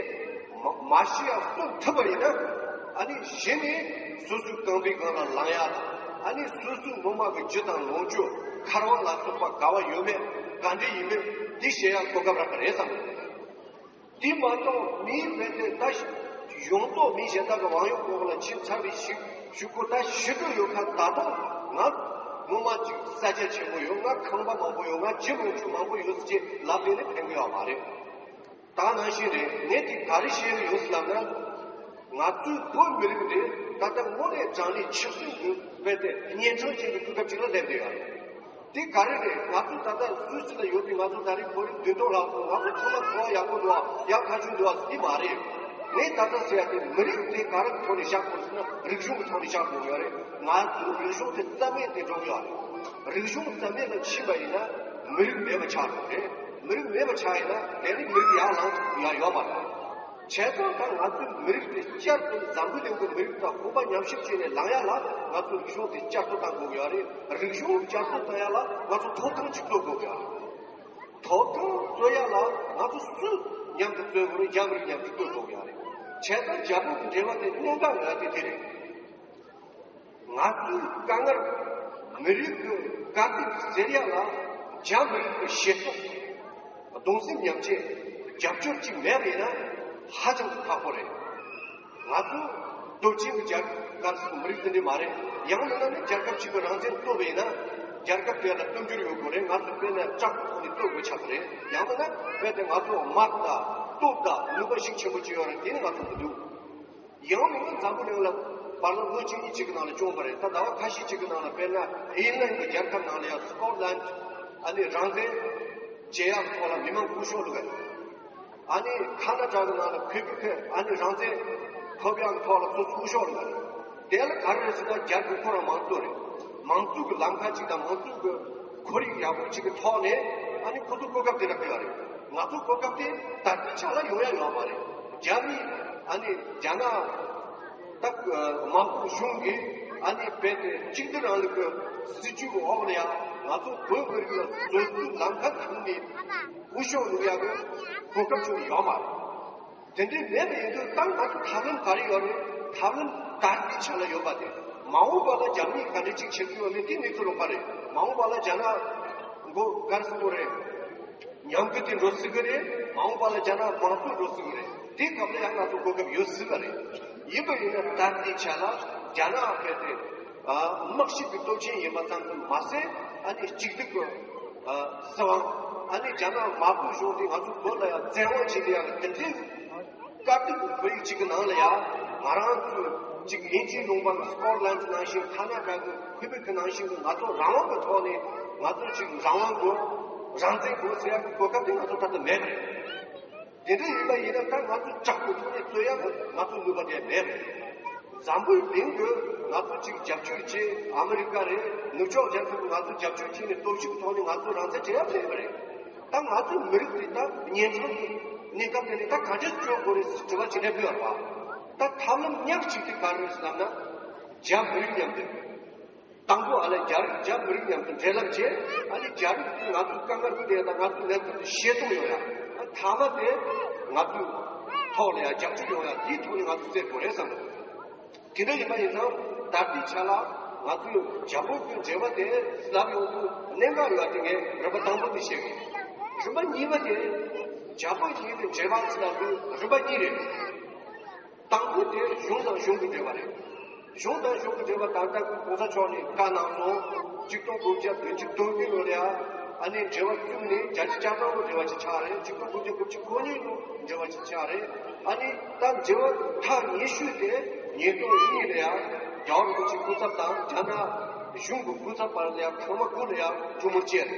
མ་མ་ཤི་ཡ་གསོན་ཐུབ་པ་ཡིན་ན། ཨ་ནི་གཞི་ནས་སོ་སོའི་རྐང་པའི་སྒང་ལ་ལངས་ཡ་དང་། ཨ་ནི་སོ་སོའི་སྔོན་མ་གི་རྒྱུ་དང་ལོངས་སྤྱོད་ཁ་རོག་ལ་སོགས་པ་ག་བ་ཡོད་མེད། ག་འདྲ་ཡིན་མིན་འདི་ཤེས་ཡ་གོ་སྐབས་རག་གི་རེད་བསམ། དེ་མ་གཏོགས་མིའི་བོད་དེ་ད་ཡོངས་རྫོགས་མི་གཞན་དག་གི་དབང་ཡོད་འོག་ལ་ཕྱིན་ཚར་བའི་ཤུ་ཤུ་ཁོ་ད་ཤི་འགྲོ་ཡོད་ཁ། ད་དུང་ང་ངོ་མ་ཅིག་ས་ཆ་ཆེན་པོ་ཡོད། ང་ཁང་པ་མང་པོ་ཡོད། ང་ཇི་མང་ཆུང་མང་པོ་ཡོད་ཟེར་ཅེས་ལབ་བསྡད་ནས་ཕན་གི་ཡོད་མ་རེད། ད་ནང་བཞིན་རེད། ངས་དེ་ག་རེ་བཤད་གི་ཡོད་ཟེར་ལབ་ན། ང་ཚོའི་བོད་མི་རིགས་དེ་ད་ལྟ་དངོས་གནས་དྲང་གནས་འཆི་གསོན་གྱི་བོད་དེ་གཉན་འཕྲང་ཅན་གྱི་དུས་སྐབས་ཅིག་ལ་སླེབས་བསྡད་ཡོད་རེད། དེ་ག་རེ་རེད། ང་ཚོ་ད་ལྟ་སུད་སི་ལ་ཡོད་པའི་ང་ཚོ་ད་རེས་བོད་རིགས་བདུན་སྟོང་ལྷག་ཙམ། ང་ཚོ་ཚང་མ་འཚོ་བ་ཡག་པོ་འདུག་ཨ། ཡག་ཐག་ཆོད་འདུག་ཨ་ཟེར་གྱི་མ་རེད། ངས་ད་ལྟ་ཟེར་ཡ་དེ་མི་རིགས་དེ་ག་རེ་གི་ཐོག་ནས་བཞག་དགོས་ཟེར་ན། རིག་གཞུང་གི་ཐོག་ནས་བཞག་དགོས་ཡོད་རེད། ང་ཚོའི་རིག་གཞུང་དེ་རྩ་མེད་དེ་འགྲོ་གི་ཡོད་རེད། རིག་གཞུང་རྩ་མེད་ལ་ཕྱིན་པ་ཡིན་ན་མི་རིགས་མེད་པ་ཆགས་འགྲོ་རེད། མི་རིགས་མེད་པ་ཆགས་ཡིན་ན་དེ་ནི་མི་རིགས་ཡར་ལངས་ཐུབ་ཡ་ཡོད་མ་རེད། བྱས་ཙང་ད་ང་ཚོའི་མི་རིགས་དེ་བསྐྱར་དུ་འཛམ་བུ་གླིང་གི་མི་རིགས་དང་དབུ་མ་མཉམ་གཤིབ་བྱས་ནས་ལངས་ཡ་ལ་ང་ཚོ་རིག་གཞུང་དེ་བསྐྱར་གསོ་གཏང་དགོས་ཀྱི་ཡོད་རེད། རིག་གཞུང་བསྐྱར་གསོ་གཏང་ཡ་ལ་ང་ཚོ་ཐོབ་ཐང་གཅིག་རྩོད་དགོས་ཀྱི་ཡོད་རེད། ཐོབ་ཐང་རྩོད་ཡ་ལ་ང་ཚོ་སུ་མཉམ་དུ་རྩོད་དགོས་རེད། རྒྱ་མི་རིགས་མཉམ་དུ་རྩོད་དགོས་ཀྱི་ཡོད་རེད། བྱས་ཙང་རྒྱ་བོད་ཀྱི་འབྲེལ་བ་དེ་གནད་འགག་ང་དེ་དེ་རེད། ང་ཚོའི་དཀའ་ངལ། མི་རིགས་ཀྱི་དཀའ་སྡུག་སེལ་ཡ་ལ་རྒྱ་མི་རིགས་ཀྱི་ཞེ་སྡང་། གདུང་སེམས་མཉམ་སྐྱེད། རྒྱབ་སྐྱོར་གཅིག་མེད་པ་ཡིན་ན་ཧ་ཅང་གི་ཁག་པོ་རེད། ང་ཚོ་སྟོབས་ཆེན་གྱི་རྒྱལ་ཁབ་སུ་མི་རིགས་དེ་འདྲ་མ་རེད། ཡང་མིན་ན་ནི་རྒྱལ་ཁབ་ཅིག་གི་རང་བཙན་རྩོད་པ་ཡིན་ན་རྒྱལ་ཁབ་དེ་ལ་དཔལ་འབྱོར་ཡོད་དགོས་རེད། ང་ཚོ་དཔེར་ན་ལྕགས་ཀྱི་ཐོག་ནས་རྩོད་དགོས་ཆགས་ཀྱི་རེད། ཡང་མིན་ན་དཔེར་ན་ང་ཚོ་དམག་དང་སྟོབས་དང་ནུས་པ་ཤུགས་ཆེན་པོ་ཅིག་ཡོད་རེད། དེ་ནི་ང་ཚོ་མི་འདུག་ཡང་མིན་ན་འཛམ་བུ་གླིང་ལ་བར་ལོ་ལོ་གཅིག་གཉིས་གཅིག་གི་ནང་ལ་བྱུང་བ་རེད། ད་ཟླ་བ་ཁ་ཤས་གཅིག་གི་ནང་ལ་དཔེར་ན་ཨེ་ལན་གྱི་རྒྱལ་ཁབ་ནང་ལ་ཡང་སི་ཀོཊ་ལན་ཨ་ནི་རང་བཙན་བྱེད་ཡག་ཐོག་ལ་མི་མང་སྐུ་ཤོག་བླུགས་ཡ། ཨ་ནི་ཁ་ན་ཌ་གི་ནང་ལ་ཁུ་བི་ཁི་ཨ་ནི་རང་བཙན་ཐོབ་ཡག་གི་ཐོག་ལ་ཚོ་སྐུ་ཤོག་བླུགས་ཡ། དེ་ལ་ག་རེ་རེད་ཟེར་ན་རྒྱ་གི་ཁོ་རང་མང་གཙོ་རེད། མང་གཙོ་གི་ལམ་ཁ་གཅིག་དང་མང་གཙོ་གི་ཁོར་ཡུག་ཡག་པོ་གཅིག་གི་ཐོག་ནས་ཨ་ནི་ཁོ་ཚོ་གོ་སྐབས་དེ་འདྲ་སྤྲད་ཡོད་རེད། ང་ཚོ་གོ་སྐབས་དེ་ད་ལྟའི་ཆ་ལ་ཡོང་ཡ་ཡོད་མ་རེད། རྒྱ་མི་ཨ་ནི་རྒྱ་ནག་ད་དམག་དཔུང་གཞུང་གིས་ཨ་ནི་རྦད་དེ་གཅིག་སྡུད་རིང་ལུགས་ཀྱི་སྲིད་ཇུས་ཀྱི་འོག་ལ་ཡང་ང་ཚོ་བོད་མི་རིགས་ལ་སོ་སོའི་ལམ་ཁ་བཟུང་ནས་སྐུ་ཞབས་བླུག་ཡ་གི་གོ་སྐབས་བྱུང་ཡོད་མ་རེད། དེ་འདྲའི་མེད་པ་ཡིན་དུས་ད་ང་ཚོ་ཐབས་ལམ་ག་རེ་ཡོད་རེད། ཐབས་ལམ་ད་ལྟའི་ཆ་ལ་ཡོད་པ་དེ། མ་འོངས་པ་ལ་རྒྱ་མིས་ག་འདྲ་ཅིག་བྱེད་ཀྱི་ཡོད་མེད་དེ་གནས་ཚུལ་ལོགས་པ་རེད། མ་འོངས་པ་ལ་རྒྱ་ནག་མགོ་དཀར་སྲིད་པོ་རེད། ཉམས་རྒུད་དེ་འགྲོ་སྲིད་ཀྱི་རེད། མ་འོངས་པ་ལ་རྒྱ་ནག་དམངས་གཙོ་འགྲོ་སྲིད་ཀྱི་རེད། དེའི་སྐབས་ལ་ཡང་ང་ཚོ་གོ་སྐབས་ཡོད་སྲིད་པ་རེད། ཡིན་པ་ཡིན་ན་ད་ལྟའི་ཆ་ལ་རྒྱ་ནག་ཕལ་ཏེ་དམག་ཤུགས་ཀྱི་སྟོབས་ཆེན་ཡིན་པ་ཙམ་དུ་མ་ཟད། ཨ་ནི་གཅིག་སྡུད་ཀྱི་སྲིད་དབང་། ཨ་ནི་རྒྱ་ནག་དམར་པོའི་གཞུང་དེ་ང་ཚོ་བོད་ལ་ཡང་བཙན་དབང་བྱེད་ཀྱི་ཡག་གི་དེ་འདྲའི་དཀའ་སྡུག་གི་བོད་ཡིག་ཅིག་གི་ནང་ལ་ཡང་ང་རང་ཚོས་ཅིག་དབྱིན་ཇིའི་ལུང་པ་སི་ཀོཊ་ལན་ནང་བཞིན། ཁ་ན་ཌ་གི་ཁུ་བེག་ནང་བཞིན་གྱི་ང་ཚོ་རང་དབང་གི་ཐོག་ནས་ང་ཚོ་ཅིག་རང་དབང་དགོས། རང་བཙན་དགོས་ཟེར་ཡག་གི་གོ་སྐབས་དེ་ང་ཚོ་ད་ལྟ་མེད་པ་རེད། དེ་འདྲ་ཡིན་པ་ཡིན་ན་ད་ང་ཚོ་ལྕགས་ཀྱི་ཐོག་ནས་རྩོད་ཡག་གི་ང་ཚོ་ནུས་པ་དེ་མེད་པ་རེད། འཛམ་བུའི་གླིང་གི་ང་ཚོ་ཅིག་རྒྱབ་སྐྱོར་བྱེད། ཨ་མི་རི་ཀ་རེད། ནུབ་ཕྱོགས་རྒྱལ་ཁབ་ཀྱི་ང་ཚོ་རྒྱབ་སྐྱོར་བྱས་ནས་སྟོབས་ཤུགས་ཐོག་ནས་ང་ཚོ་རང་བཙན་སྤྲད་ཡག་མེད་པ་རེད། ད་ང་ཚོའི་མི་རིགས་དེ་ད་གཉན་འཕྲང་གི་གནས་སྐབས་དེ་ནས་ད་ག་འདྲས་སྐྱོབ་དགོས་རེད་ཟེར་དྲི་བ་ཅིག་སླེབས་ཀྱི་ཡོད་རེད་པ། ད་ཐབས་ལམ་ཉག་གཅིག་དེ་ག་རེ་རེད་ཟེར་ལབ་ན། རྒྱ་མི་རིགས་མཉམ་དུ། དང་པོ་ཨ་ལས་རྒྱ་རིགས་རྒྱ་མི་རིགས་མཉམ་དུ་འབྲེལ་ལམ་བྱས། ཨ་ནི་རྒྱ་རིགས་ཀྱིས་ང་ཚོའི་དཀའ་ངལ་དེ་དང་ང་ཚོའི་གནད་དོན་དེ་ཤེས་རྟོགས་ཡོང་ཡ། ཨ་ ཐ་མ་དེ་ང་ཚོའི་ཐོག་ལ་ཡང་རྒྱབ་སྐྱོར་ཡོང་ཡ་དེའི་ཐོག་ནས་ང་ཚོ་བཙལ་དགོས་རེད་བསམ་གི་འདུག་དེ་འདྲ་ཡིན་པ་ཡིན་ཙང་ད་ལྟའི་ཆ་ལ་ང་ཚོས་རྒྱ་བོད་ཀྱི་འབྲེལ་བ་དེ་ལབ་ཡོང་དུས་གནད་འགག་ཡོད་པ་དེ་ངས་རིམ་པ་དང་པོ་དེ་བཤད་གི། རིམ་པ་གཉིས་པ་དེ་རྒྱ་བོད་གཉིས་ཀྱི་འབྲེལ་བ་ཟེར་ལབ་དུས་རིམ་པ་གཉིས་རེད། དང་པོ་དེ་གཞུང་དང་གཞུང་གི་འབྲེལ་བ་རེད། གཞུང་དང་གཞུང་གི་འབྲེལ་བ་ད་ལྟ་གི་གོང་ས་མཆོག་ནས་བཀའ་གནང་སོང་། ཆིག་སྟོང་དགུ་བརྒྱ་བདུན་ཅུ་དོན་བདུན་ལོ་ལ་ཡ་ཨ་ནི་འབྲེལ་བ་བཙུགས་ནས་བརྒྱད་ཅུ་གྱ་གྲངས་ལོ་འབྲེལ་བ་ཅིག་ཆགས་རེད། ཆིག་སྟོང་དགུ་བརྒྱ་དགུ་བཅུ་གོ་གཉིས་ལོ་འབྲེལ་བ་ཅིག་ཆགས་རེད། ཨ་ནི་ད་འབྲེལ་བ་མཐའ་ཉེ་ཤོས་དེ་ཉིས་སྟོང་གཉིས་ལ་ཡ་རྒྱལ་བ་རིན་པོ་ཆེའི་སྐུ་ཚབ་དང་རྒྱ་ནག་གཞུང་གི་སྐུ་ཚབ་བར་ལ་ཡ་ཐེངས་མ་དགུ་ལ་ཡ་གྲོས་མོལ་བྱས་རེད།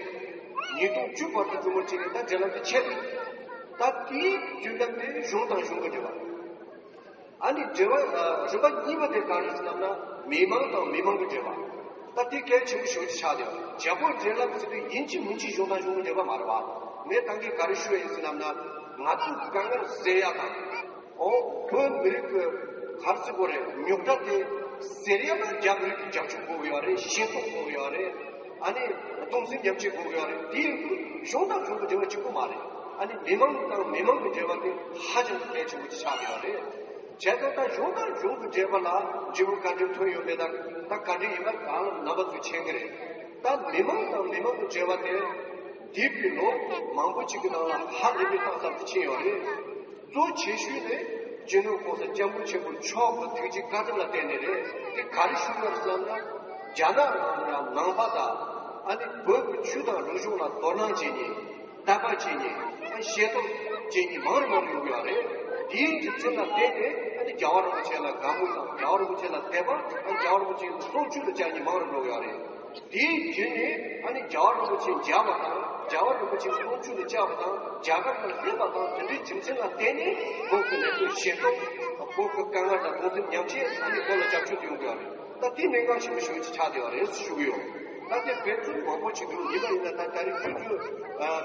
ཉིས་སྟོང་བཅུ་བར་དུ་གྲོས་མོལ་བྱས་རེད། ད་འབྲེལ་ལམ་དེ་ཆད་རེད། ད་དེའི་རྒྱུན་ལམ་དེ་གཞུང་དང་གཞུང་གི་འབྲེལ་བ། ཨ་ནི་འབྲེལ་བ་ཨ་རིམ་པ་གཉིས་པ་དེ་ག་རེ་ཟེར་ལབ་ན་མི་མང་དང་མི་མང་གི་འབྲེལ་བ། ད་དེ་གལ་ཆེན་པོ་ཞེ་པོ་ཅིག་ཆགས་བསྡད་ཡོད། རྒྱལ་པོའི་འབྲེལ་ལམ་ཟེར་དུས་ཡིན་གཅིག་མིན་གཅིག་གཞུང་དང་གཞུང་གི་འབྲེལ་བ་མ་རེད་བ། ངས་ད་གིན་ག་རེ་ཞུ་ཡ་ཡིན་ཟེར་ལབ་ན་ང་ཚོའི་དཀའ་ངལ་སེལ་ཡ་དང་། ཨོ་བོད་མི་རིགས་ཀྱི་ག་རེ་ཟེར་དགོས་རེད། རྙོག་དྲ་དེ་སེལ་ཡ་ལ་རྒྱ་མི་རིགས་ཀྱི་རྒྱབ་སྐྱོར་དགོས་ཀྱི་ཡོད་རེད། ཤེས་རྟོགས་དགོས་ཀྱི་ཡོད་རེད། ཨ་ནི་གདུང་སེམས་མཉམ་སྐྱེད་དགོས་ཀྱི་ཡོད་རེད། དེ་ཡིན་དུས་གཞུང་དང་གཞུང་གི་འབྲེལ་བ་གཅིག་པུ་མ་རེད། ཨ་ནི་མི་མང་དང་མི་མང་གི་འབྲེལ་བ་དེ་ཧ་ཅང་གི་གལ་ཆེན་པོ་ཅིག་ཆགས་ཀྱི་ཡོད་རེད། བྱས་ཙང་ད་གཞུང་དང་གཞུང་གི་འབྲེལ་བ་ལ་འབྲས་བུ་ག་འདྲ་ཐོན་ཡོད་མེད་དང་ད་ག་འདྲ་ཡིན་པ་གང་ལ་རྣམ་པ་ཚོས་མཁྱེན་གྱི་རེད། ད་མི་མང་དང་མི་མང་གི་འབྲེལ་བ་དེ་འདས་པའི་ལོ་མང་པོ་ཅིག་གི་ནང་ལ་ཧ་ལས་པའི་གཏིང་ཟབ་ཏུ་ཕྱིན་ཡོད་རེད། གཙོ་ཆེ་ཤོས་ནི་སྤྱི་ནོར་༸གོང་ས་༸སྐྱབས་མགོན་ཆེན་པོ་མཆོག་གི་ཐུགས་རྗེ་བཀའ་དྲིན་ལ་བརྟེན་ནས་རེད། དེ་ག་རེ་ཞུ་དགོས་རེད་ཟེར་ན། རྒྱ་ནག་ནང་ལ་ཡང་ནང་པ་དང་ཨ་ནི་བོད་ཀྱི་ཆོས་དང་རིག་གཞུང་ལ་དོ་སྣང་བྱེད་མཁན། དད་པ་བྱེད་མཁན། ཨ་ཤེས་རྟོགས་བྱེད་མཁན་མང་རུ་མང་རུ་ཡོང་གི་ཡོད་རེད། དེའི་རྒྱུ་མཚན་ལ་བརྟེན་ནས་ཨ་ནི་རྒྱལ་བ་རིན་པོ་ཆེ་ལ་དགའ་མོས་དང་རྒྱལ་བ་རིན་པོ་ཆེ་ལ་དད་པ། ཨ་རྒྱལ་བ་རིན་པོ་ཆེ་གསུང་ཆོས་ལ་བཅར་མཁན་མང་རུ་འགྲོ་གི་ཡོད་རེད། དེའི་རྒྱུན་ནས་ཨ་ནི་རྒྱལ་བ་རིན་པོ་ཆེ་མཇལ་བ་དང་རྒྱལ་བ་རིན་པོ་ཆེའི་གསུང་ཆོས་ལ་བཅར་བ་དང་རྒྱ་གར་ལ་སླེབས་པ་དང་དེ་འདྲའི་རྒྱུ་མཚན་ལ་བརྟེན་ནས་བོད་ཀྱི་གནད་དོན་ཤེས་རྟོགས། བོད་ཀྱི་དཀའ་ངལ་ལ་གདུང་སེམས་མཉམ་སྐྱེད། ཨ་ནི་བོད་ལ་རྒྱབ་སྐྱོར་དུ་ཡོང་གི་ཡོད་རེད། ད་དེ་གནད་འགག་ཆེན་པོ་ཞེ་པོ་ཅིག་ཆགས་བསྡད་ཡོད་རེད་ཞུ་གི་ཡོད། ད་དེ་འབད་བརྩོན་མང་པོ་བྱེད་དགོས། ཡིན་པ་ཡིན་ན་ད་ད་རེས་དུས་ཚོད་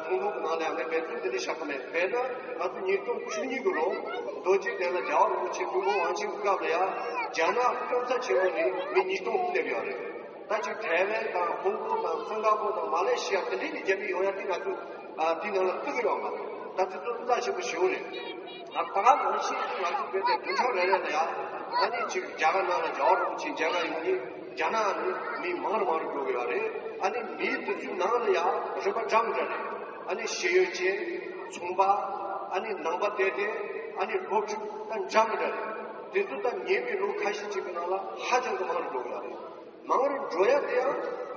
ཐུང་ཐུང་གི་ནང་ལ་ཡང་ངས་འབད་བརྩོན་དེ་འདྲ་བྱ་གི་མེད། དཔེར་ན་ང་ཚོ་ཉིས་སྟོང་བཅུ་གཉིས་ཀྱི་ལོ་རྡོ་རྗེ་གདན་ལ་རྒྱལ་བ་རིན་པོ་ཆེ་ཐུགས་དགོངས་དབང་ཆེན་གྱི་སྐབས་ལ་ཡང་རྒྱ་ནག་༸གོང་ས་ཆེན་པོ་ནས་མི་ཉིས་སྟོང་སླེབས་ཡོད་རེད། ད་ཅིག་ཐའེ་ཝན་དང་ཧོང་ཀོང་དང་སིང་ག་པོར་དང་མ་ལེ་ཤི་ཡ་དེ་འདྲའི་ནས་རྒྱ་མི་ཡོང་ཡ་དེ་ང་ཚོས་ཨ་དེའི་ནང་ལ་བརྩི་གི་ཡོད་མ་རེད། ད་དེ་ཚོ་རྩ་ཆེན་པོ་ཞེ་པོ་རེད། ང་ད་ག་ནང་བཞིན་ང་ཚོ་བོད་དེ་བདུན་ཕྲག་རེ་རེ་ལ་ཡ་ཨ་ནི་ཅིག་རྒྱ་གར་ནང་ལ་རྒྱལ་བ་རིན་པོ་ཆེ་མཇལ་ག་ཡོང་ནི་རྒྱ་ནག་ནས་མི་མང་རུ་མང་རུ་འགྲོ་གི་ཡོད་རེད། ཨ་ནི་མི་དེ་ཚོའི་ནང་ལ་ཡ་རིམ་པ་འདྲ་མི་འདྲ་རེད། ཨ་ནི་ཤེས་ཡོན་ཅན། ཚོང་པ། ཨ་ནི་ནང་པ་དད་ལྡན། ཨ་ནི་སློབ་ཕྲུག་ད་འདྲ་མི་འདྲ་རེད། དེ་ཚོ་ད་ཉེ་བའི་ལོ་ཁ་ཤས་ཅིག་གི་ནང་ལ་ཧ་ཅང་གི་མང་རུ་འགྲོ་གི་ཡོད་རེད། མང་རུ་འགྲོ་ཡ་དེ་ཡང་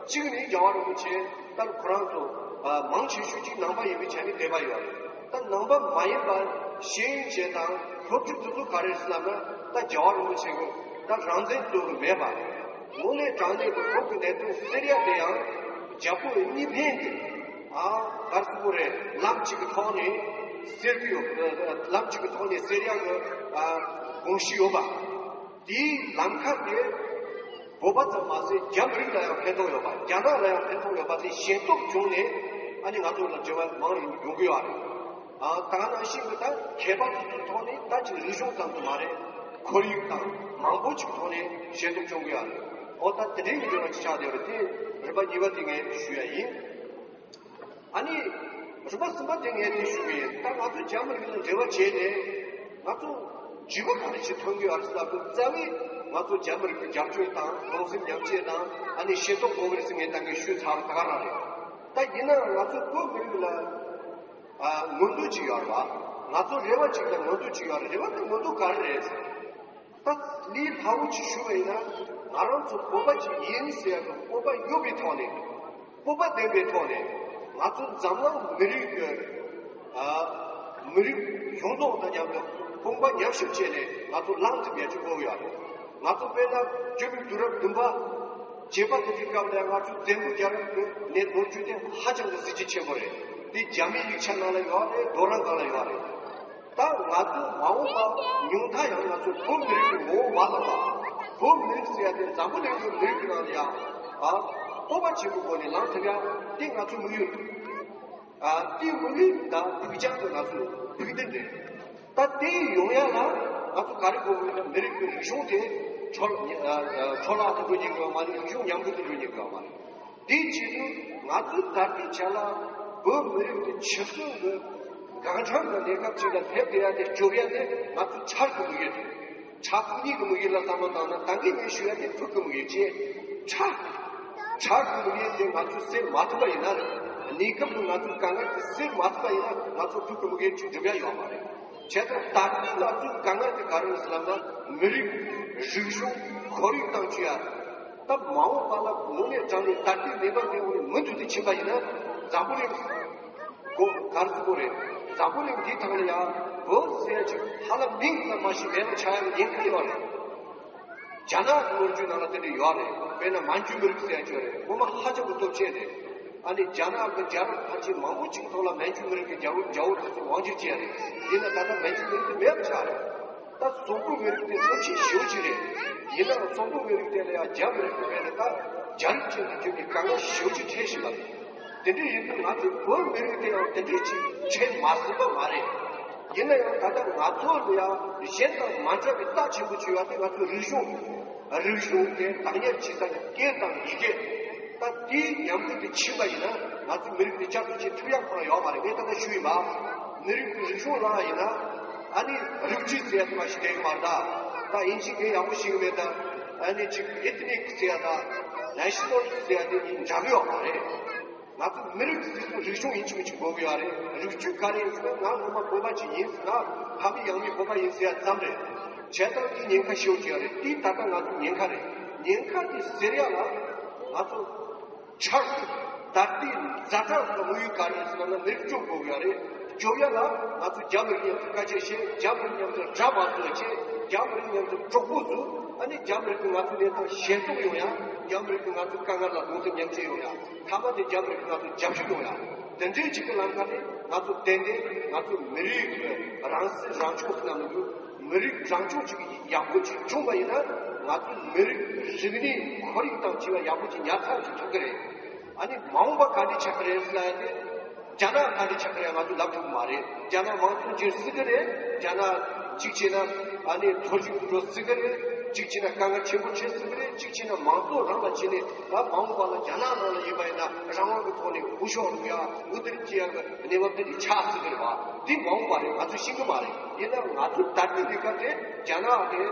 གཅིག་ནི་རྒྱལ་བ་རིན་པོ་ཆེ་ད་ཁོ་རང་ཚོ་ཨ་མང་ཆེ་ཤོས་ཀྱི་ནང་པ་ཡིན་པའི་ཆ་ནས་དད་པ་ཡོད་རེད། ད་ནང་པ་མ་ཡིན་པ་ཤེས་ཡོན་ཅན་དང་སློབ་ཕྲུག་དེ་ཚོ་ག་རེ་ཟེར་ལབ་ན་ད་རྒྱལ་བ་རིན་པོ་ཆེ་གི་ད་རང་བཙན་རྩོད་གི་མེད་པ། དངོས་གནས་དྲང་གནས་ཀྱི་བོད་ཀྱི་གནད་དོན་སེལ་ཡ་དེ་ཡང་རྒྱལ་པོ་གཉིས་ཕན་གྱི་ཨ་ག་རེ་ཟེར་དགོས་རེད། ལམ་གཅིག་གི་ཐོག་ནས་སེལ་གི་ཡོད། ལམ་གཅིག་གི་ཐོག་ནས་སེལ་ཡ་གི་ཨ་དགོངས་གཞི་ཡོད་པ། དེའི་ལམ་ཁ་དེ་བོད་པ་ཙམ་མ་ཟད་རྒྱ་མི་རིགས་ལ་ཡང་ཕན་ཐོགས་ཡོད་པ། རྒྱ་ནག་ལ་ཡང་ཕན་ཐོགས་ཡོད་པ་དེ་ཤེས་རྟོགས་བྱུང་ནས་ཨ་ནི་ང་ཚོ་ལ་འབྲེལ་བ་མང་རུ་ཡོང་གི་ཡོད་རེད། ཨ་ད་ག་ནང་བཞིན་གྱི་ད་མཁས་པ་དེ་ཚོའི་ཐོག་ནས་ད་ཅིག་རིག་གཞུང་ཙམ་དུ་མ་རེད། ཁོར་ཡུག་དང་མང་པོ་ཅིག་ཐོག་ནས་ཤེས་རྟོགས་བྱུང་གི་ཡོད་རེད། ཨོ་ད་དེ་འདྲའི་འབྲེལ་བ་ཅིག་ཆགས་བསྡད་ཡོད་རེད། དེ་རིམ་པ་གཉིས་པ་དེ་ངས་ཞུ་ཡ་ཡིན། ཨ་ནི་རིམ་པ་གསུམ་པ་དེ་ངས་དེ་ཞུ་གི་ཡིན། ད་ང་ཚོ་རྒྱ་མི་རིགས་ལ་འབྲེལ་བ་བྱས་ནས་ང་ཚོ་འབྲས་བུ་ག་རེ་ཞིག་ཐོན་གི་ཡོད་རེད་ཟེར་སྐབས་རྩ་བའི་ང་ཚོ་རྒྱ་མི་རིགས་ཀྱི་རྒྱབ་སྐྱོར་དང་གདུང་སེམས་མཉམ་སྐྱེད་དང་ཨ་ནི་ཤེས་རྟོགས་དགོས་གི་རེད་ཟེར་ངས་ད་གིན་ཞུས་ཚར་བ་ད་ག་རང་རེད། ད་ཡིན་ནའང་ང་ཚོ་བོད་མི་རིགས་ལ་ཨ་མངོན་འདོད་ཅིག་ཡོད་རེད་བ། ང་ཚོ་རེ་བ་ཅིག་དང་མངོན་འདོད་ཅིག་ཡོད་རེད། རེ་བ་དང་མངོན་འདོད་ག་རེ་རེད་ཟེར། ད་ལས་སླ་བོ་ཅིག་ཞུ་བ་ཡིན་ན་ང་རང་ཚོ་བོད་པ་ཅིག་ཡིན་ཟེར་ཡག་གི་སྤོབས་པ་ཡོད་པའི་ཐོག་ནས་སྤོབས་པ་ལྡན་པའི་ཐོག་ནས་ང་ཚོ་འཛམ་གླིང་མི་རིགས་ཀྱི་ཨ་མི་རིགས་ཡོངས་རྫོགས་དང་མཉམ་དུ་དཔུང་པ་མཉམ་གཤིབ་བྱས་ནས་ང་ཚོ་ལངས་ཐུབ་ཡག་ཅིག་དགོས་ཀྱི་ཡོད་རེད། ང་ཚོ་དཔེར་ན་བཅུ་པའི་དུས་རབས་བདུན་པ་བརྒྱད་པ་དེ་དུས་སྐབས་ལ་ང་ཚོ་བཙན་པོ་རྒྱལ་རབས་ཀྱི་ནས་ལོ་རྒྱུས་དེ་ཧ་ཅང་གི་གཟི་བརྗིད་ཆེན་པོ་རེད། དེ་རྒྱ་མིའི་ཡིག་ཆ་ནང་ལ་ཡོད་རེད། རྡོ་རིང་སྒང་ལ་ཡོད་རེད། ད་ང་ཚོ་མ་འོངས་པ་ཉུང་མཐའ་ཡང་ང་ཚོ་བོད་མི་རིགས་ཀྱི་ངོ་བོ་མ་ལོག་པ། བོད་མི་རིགས་ཟེར་ཡ་དེ་འཛམ་བུ་གླིང་གི་མི་རིགས་ཀྱི་ནང་ལ་ཡང་ཨ་སྤོབས་པ་ཆེན་པོའི་སྒོ་ནས་ལངས་ཐུབ་ཡ་དེ་ང་ཚོའི་དམིགས་ཡུལ་རེད། ཨ་དེའི་དམིགས་ཡུལ་དང་ཕུགས་རྒྱང་དེ་ང་ཚོའི་ཕུགས་འདུན་རེད། ད་དེ་ཡོང་ཡ་ལ་ང་ཚོ་ག་རེ་དགོས་ཀྱི་ཡོད་ན། མི་རིགས་ཀྱི་རིག་གཞུང་དེ་འཕྲོ་ཨ་ཨ་འཕྲོ་བརླག་ཏུ་འགྲོ་ཉན་གྱི་ཡོད་མ་རེད། རིག་གཞུང་ཉམས་རྒུད་དུ་འགྲོ་ཉན་གྱི་ཡོད་མ་རེད། དེའི་ཆེད་དུ་ང་ཚོའི་ད་ལྟའི་ཆ་ལ་བོད་མི་རིགས་ཀྱི་ཆབ་སྲིད་ཀྱི་ གང་འཚམ་གྱི་གནས་སྐབས་ཅིག་ལ་སླེབས་བསྡད་ཡ་དེ་སྐྱོབ་ཡ་དེ་ང་ཚོ་ཆག་གི་དམིགས་ཡུལ་རེད། ཆག་ཁོ་གཉིས་ཀྱི་དམིགས་ཡུལ་ལ་བསམ་བློ་བཏང་ན་ད་གིན་ངས་ཞུ་ཡ་དེ་ཕུགས་ཀྱི་དམིགས་ཡུལ་ཅེས། ཆག་ཆག་གི་དམིགས་ཡུལ་དེ་ང་ཚོས་སེལ་མ་ཐུབ་པ་ཡིན་ན་རེད། གནས་སྐབས་ཀྱི་ང་ཚོའི་དཀའ་ངལ་དེ་སེལ་མ་ཐུབ་པ་ཡིན་ན་ང་ཚོ་ཕུགས་ཀྱི་དམིགས་ཡུལ་ཅིག་འགྲུབ་ཡ་ཡོད་མ་རེད། བྱས་ཙང་ད་ལྟའི་ང་ཚོའི་དཀའ་ངལ་དེ་ག་རེ་ཡིན་ཟེར་ལབ་ན་མི་རིགས་རིག་གཞུང་ཁོར་ཡུག་དང་བཅས་ཡ། ད་མ་འོངས་པ་ལ་དངོས་གནས་དྲང་གནས་ད་ལྟའི་གནས་བབ་དེ་འོག་ནས་མུ་མཐུད་དུ་ཕྱིན་པ་ཡིན་ན་འཛམ་བུ་གླིང་། གོ་གར་ཚུགས་པོ་རེད། འཛམ་བུ་གླིང་འདིའི་ཐང་ལ་ཡང་བོད་ཟེར་ཡ་ཅིག་ཧ་ལམ་མིང་ཙམ་མ་ཞིག་མེད་པ་ཆགས་ཡ་ཉེན་ཁ་ཡོད་རེད། རྒྱ་ནག་གི་ལོ་རྒྱུས་ནང་ལ་དེ་འདྲ་ཡོད་རེད། དཔེར་ན་མན་ཇུ་མི་རིགས་ཟེར་ཡ་ཅིག་ཡོད་རེད། སྔོན་མ་ཧ་ཅང་གི་སྟོབས་ཆེན་རེད། ཨ་ནི་རྒྱ་ནག་གི་རྒྱལ་རབས་ཕལ་ཆེར་མང་པོ་ཅིག་ཐོག་ལ་མན་ཇུ་མི་རིགས་ཀྱི་རྒྱལ་པོ་རྒྱལ་པོ་དེ་ཚོ་དབང་སྒྱུར་བྱས་རེད། ཡིན་ན་ད་ལྟ་མན་ཇུ་མི་རིགས་དེ་མེད་པ་ཆགས་རེད། ད་སོག་པོའི་མི་རིགས་དེ་སྟོབས་ཆེན་ཞེ་པོ་ཅིག་རེད། ཡིན་ནའང་སོག་པོའི་མི་རིགས་དེ་ལ་ཡང་རྒྱ་མི་རིགས་ཀྱི་དཔེར་ན་ད་རྒྱ་རིགས་ཅན་དུ་གྱུར་ནས་དཀའ་ངལ་ཞེ་པོ་ཅིག་འཕྲད་བཞིན་པ་རེད། དེ་འདྲ་ཡིན་དུས་ང་ཚོའི་བོད་མི་རིགས་དེ་ཡང་དེ་འདྲའི་ཅིག་འཕྲད་མ་སྲིད་པ་མ་རེད། ཡིན་ན་ཡང་ད་ལྟ་ང་ཚོ་ལ་ཡང་གཞན་དང་མ་འདྲ་བའི་རྟགས་ཆེན་པོ་ཅིག་ཡོད་པ་དེ་ང་ཚོའི་རིག་གཞུང་། རིག་གཞུང་དེ་བདག་གཉེར་བྱེད་ས་ཀྱི་སྐད་དང་ཡི་གེ། ད་དེའི་ཉམས་རྒུད་དེ་ཕྱིན་པ་ཡིན་ན་ང་ཚོའི་མི་རིགས་དེ་བསྐྱར་གསོ་བྱེད་ཐུབ་ཡག་ཁོ་རང་ཡོད་མ་རེད། ངས་ད་ལྟ་ཞུས་ཡིན་པ། མི་རིགས་ཀྱི་རིག་གཞུང་བརླག་ཡིན་ན་ཨ་ནི་རིགས་རྒྱུད་ཟེར་ཡ་དེ་མ་ཞིག་བསྡད་ཀྱི་མ་རེད་ད། ད་དབྱིན་ཇིའི་སྐད་ཡག་པོ་ཤེས་ཀྱི་མེད་ད། ཨ་ནི་ཅིག་ཨེ་ཐི་ནིག་ཟེར་ཡ་ད་ནེ་ཤི་ནལ་ཟེར་ཡ་དེ་གཉིས་འདྲ་གི་ཡོད་མ་རེད། ང་ཚོ་མི་རིགས་ཟེར་དུས་རིག་གཞུང་ཡིན་གཅིག་མིན་གཅིག་དགོས་ཀྱི་ཡོད་རེད། རིགས་རྒྱུད་ག་རེ་ཡིན་ཟེར་ན་ང་སྔོན་མ་བོད་པ་ཅིག་ཡིན་ཟེར་ན་ཕ་མེས་ཡང་མེས་བོད་པ་ཡིན་ཟེར་ཡ་ཙམ་རེད། བྱས་ཙང་དེ་ཉེན་ཁ་ཞེ་པོ་ཅིག་ཡོད་རེད། དེ་ད་ལྟ་ང་ཚོ་ཉེན་ཁ་རེད། ཉེན་ཁ་དེ་སེལ་ཡ་ལ་ང་ཚོ་ཆག་ད་ལྟའི་ཛ་དྲག་གི་དམིགས་ཡུལ་ག་རེ་ཡིན་ཟེར་ན་མི་རིགས་སྐྱོབ་དགོས་ཀྱི་ཡོད་རེད། སྐྱོབ་ཡ་ལ་ང་ཚོ་རྒྱ་མི་རིགས་མཉམ་དུ་དཀའ་སྤྱད་བྱེད། རྒྱ་མི་རིགས་མཉམ་དུ་དགྲ་མ་བཟོ་བྱེད། རྒྱ་མི་རིགས་མཉམ་དུ་གྲོགས་པོ་བཟོ། ཨ་ནི་རྒྱ་མི་རིགས་ཀྱིས་ང་ཚོའི་གནས་སྟངས་ཞན་སེལ་ཡོང་ཡ། རྒྱ་མི་རིགས་ཀྱིས་ང་ཚོའི་དཀའ་ངལ་ལ་གདུང་སེམས་མཉམ་སྐྱེད་ཡོང་ཡ། མཐའ་མ་དེ་རྒྱ་མི་རིགས་ཀྱིས་ང་ཚོ་རྒྱབ་སྐྱོར་ཡོང་ཡ། དེ་འདྲའི་ཅིག་གི་ལམ་ཁ་ནས་ང་ཚོ་ཏན་ཏན་ང་ཚོ་མི་རིགས་ཀྱི་རང་སྲིད་རང་སྐྱོང་ཟེར་ན་མི་འདུག་མི་རིགས་རང་སྐྱོང་ཅིག་ཡག་པོ་ཅིག་བྱུང་བ་ཡིན་ན་ང་ཚོའི་མི་རིགས་རིག་གནས་ཁོར་ཡུག་དང་བཅས་པ་ཡག་པོ་ཅིག་ཉར་ཚགས་ཅིག་ཐུབ་ཀྱི་རེད། ཨ་ནི་མ་འོངས་པ་ག་འདྲ་ཆགས་ཀྱི་རེད་ཟེར་ན་ཡང་དེ། རྒྱ་ནག་ག་འདྲ་ཆགས་ཀྱི་རེད་ང་ཚོས་ལབ་ཐུབ་ཀྱི་མ་རེད། རྒྱ་ནག་དམངས་གཙོ་འགྱུར་སྲིད་ཀྱི་རེད། རྒྱ་ནག་གཅིག་བྱས་ན་ཨ་ནི་མཐོ་རིམ་དུ་འགྲོ་སྲིད་ཀྱི་རེད། གཅིག་བྱས་ན་དཀའ་ངལ་ཆེན་པོ་འཕྲད་སྲིད་ཀྱི་རེད། གཅིག་བྱས་ན་མང་གཙོ་རང་ལ་བྱས་ནས་ཨ་མ་འོངས་པ་ལ་རྒྱ་ནག་ནང་ལ་ཡིན་པ་ཡིན་ན་རང་དབང་གི་ཐོག་ནས་འུ་ཤོག་རུ་ཡ་འུ་དིར་སྐྱེ་ཡ་གི་གནས་བབ་དེ་འདྲ་ཆགས་སྲིད་ཀྱི་རེད་བ། འདི་མ་འོངས་པ་རེད། ང་ཚོས་ཤེས་ཀྱི་མ་རེད། ཡིན་ན་ང་ཚོ་ད་ལྟའི་ལས་ཀ་དེ་རྒྱ་ནག་དེ་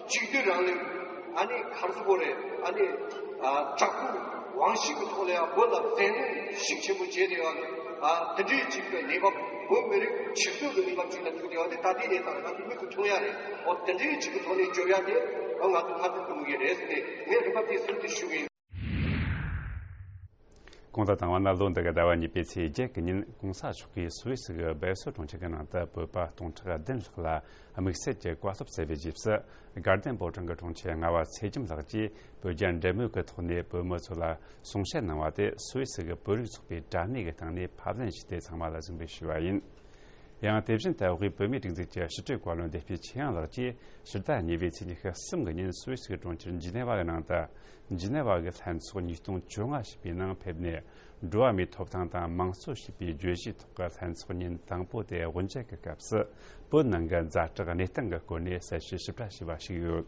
གཅིག་སྡུད་རང་ལུགས་ཨ་ནི་ག་རེ་ཟེར་དགོས་རེད། ཨ་ནི་ཨ་དྲག་པོའི་དབང་ཤེད་ཀྱི་ཐོག་ལ་ཡང་བོད་ལ་བཙན་གནོན་ཤུགས་ཆེན་པོ་བྱས་ཏེ་ཡང་ཨ་དེ་འདྲའི་ཅིག་གི་གནས་བབ་བོད་མི་རིགས་ཆིག་སྡུད་ཀྱི་གནས་བབ་ཅིག་ལ་ཐུག་བསྡད་པ་དེ་ད་ལྟའི་གནས་སྟངས་ལ་ང་ཚོ་མིག་གིས་མཐོང་ཡ་རེད། འོ་དེ་འདྲའི་ཅིག་གི་ཐོག་ནས་སྐྱོབ་ཡ་དེ་ཨ་ང་ཚོ་མཐར་ཐུག་གི་དམིགས་ཡུལ་རེད་ཟེར་ནས་ངས་རིམ་པ་དེ་གསུམ་དེ་ཞུ་གི་ཡིན། གོང་དུ་བཏང་བ་ན་ལོ་འདི་གའི་ཟླ་བ་གཉིས་པའི་ཚེས་བརྒྱད་ཀྱི་ཉིན་གོང་ས་མཆོག་གིས་སུད་སི་གི་སྦེལ་སོར་གྲོང་ཁྱེར་གྱི་ནང་དུ་བོད་པ་སྟོང་ཕྲག་བདུན་ལྷག་ལ་དམིགས་བསལ་གྱི་བཀའ་སློབ་སྩལ་བའི་རྗེས་སུ། དགའ་ལྡན་ཕོ་བྲང་གི་དྲུང་ཆེ་རྔ་བ་ཚེ་རྒྱམ་ལགས་ཀྱིས་བོད་རྒྱ་འབྲེལ་མོལ་གྱི་ཐོག་ནས་བོད་མི་ཚོ་ལ་གསུང་བཤད་གནང་བ་དེ་སུད་སི་གི་བོད་རིགས་ཚོགས་པའི་དྲ་གནས་ཀྱི་སྟེང་ནས་ཕབ་ལེན་བྱས་ཏེ་ཚང་མ་ལ་གཟིགས་འབུལ་ཞུས་པ་ཡིན། ཡང་དེ་བཞིན་དུ་དབུས་བོད་མིའི་སྒྲིག་འཛུགས་ཀྱི་ཕྱི་དྲིལ་བཀའ་བློན་བདེ་སྐྱིད་ཆོས་དབྱངས་ལགས་ཀྱིས་ཕྱི་ཟླ་གཉིས་པའི་ཚེས་ཉི་ཤུ་གསུམ་གྱི་ཉིན་སུད་སི་གི་གྲོང་ཁྱེར་ཇི་ནེ་ཝ་གི་ནང་དུ་ཇི་ནེ་ཝ་གི་ལྷན་ཚོགས་ཉིས་སྟོང་བཅོ་ལྔ་ཞེས་པའི་ནང་ཕེབས་ནས། འགྲོ་བ་མིའི་ཐོབ་ཐང་དང་དམངས་གཙོ་ཞེས་པའི་བརྗོད་གཞིའི་ཐོག་གི་ལྷན་ཚོགས་ཉིན་དང་པོ་དེ་དབུ་འབྱེད་ཀྱི་སྐབས་སུ། བོད་ནང་གི་ཛ་དྲག་གནས་སྟངས་ཀྱི་སྐོར་ནས་གསལ་བཤད་ཞིབ་ཕྲ་ཞུས་པ་ཞིག་ཡོད།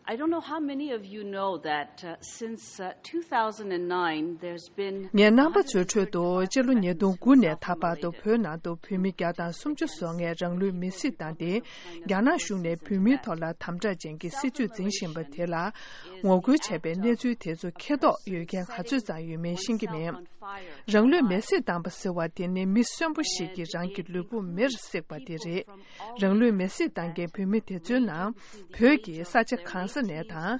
I don't know how many of you know that, uh, since, uh, two thousand nine, there's been ངའི་རྣམ་པ་ཚོའི་ཁྲོད་དུ་སྤྱི་ལོ་ཉིས་སྟོང་དགུ་ནས་ད་བར་དུ་བོད་ནང་དུ་བོད་མི་བརྒྱ་དང་སུམ་ཅུ་སོ་ལྔས་རང་ལུས་མེར་སྲེག་བཏང་སྟེ། རྒྱ་ནག་གཞུང་ནས་བོད་མིའི་ཐོག་ལ་དམ་དྲག་ཅན་གྱི་སྲིད་བྱུས་འཛིན་བཞིན་པ་དེ་ལ་ངོ་རྒོལ་བྱས་པའི་གནས་ཚུལ་དེ་ཚོ་མཁྱེན་རྟོགས་ཡོད་མཁན་ག་ཚོད་ཙམ་ཡོད་མེད་ཤེས་ཀྱི་མེད། རང་ལུས་མེར་སྲེག་བཏང་པ་ཟེར་བ་དེ་ནི་མི་གསོན་པོ་ཞིག་གིས་རང་གི་ལུས་པོ་མེར་བསྲེགས་པ་དེ་རེད། རང་ལུས་མེར་སྲེག་བཏང་མཁན་བོད་མི་དེ་ཚོའི་ནང་བོད་ཀྱི་ས་ཆ་གང་ས་ནས་དང་།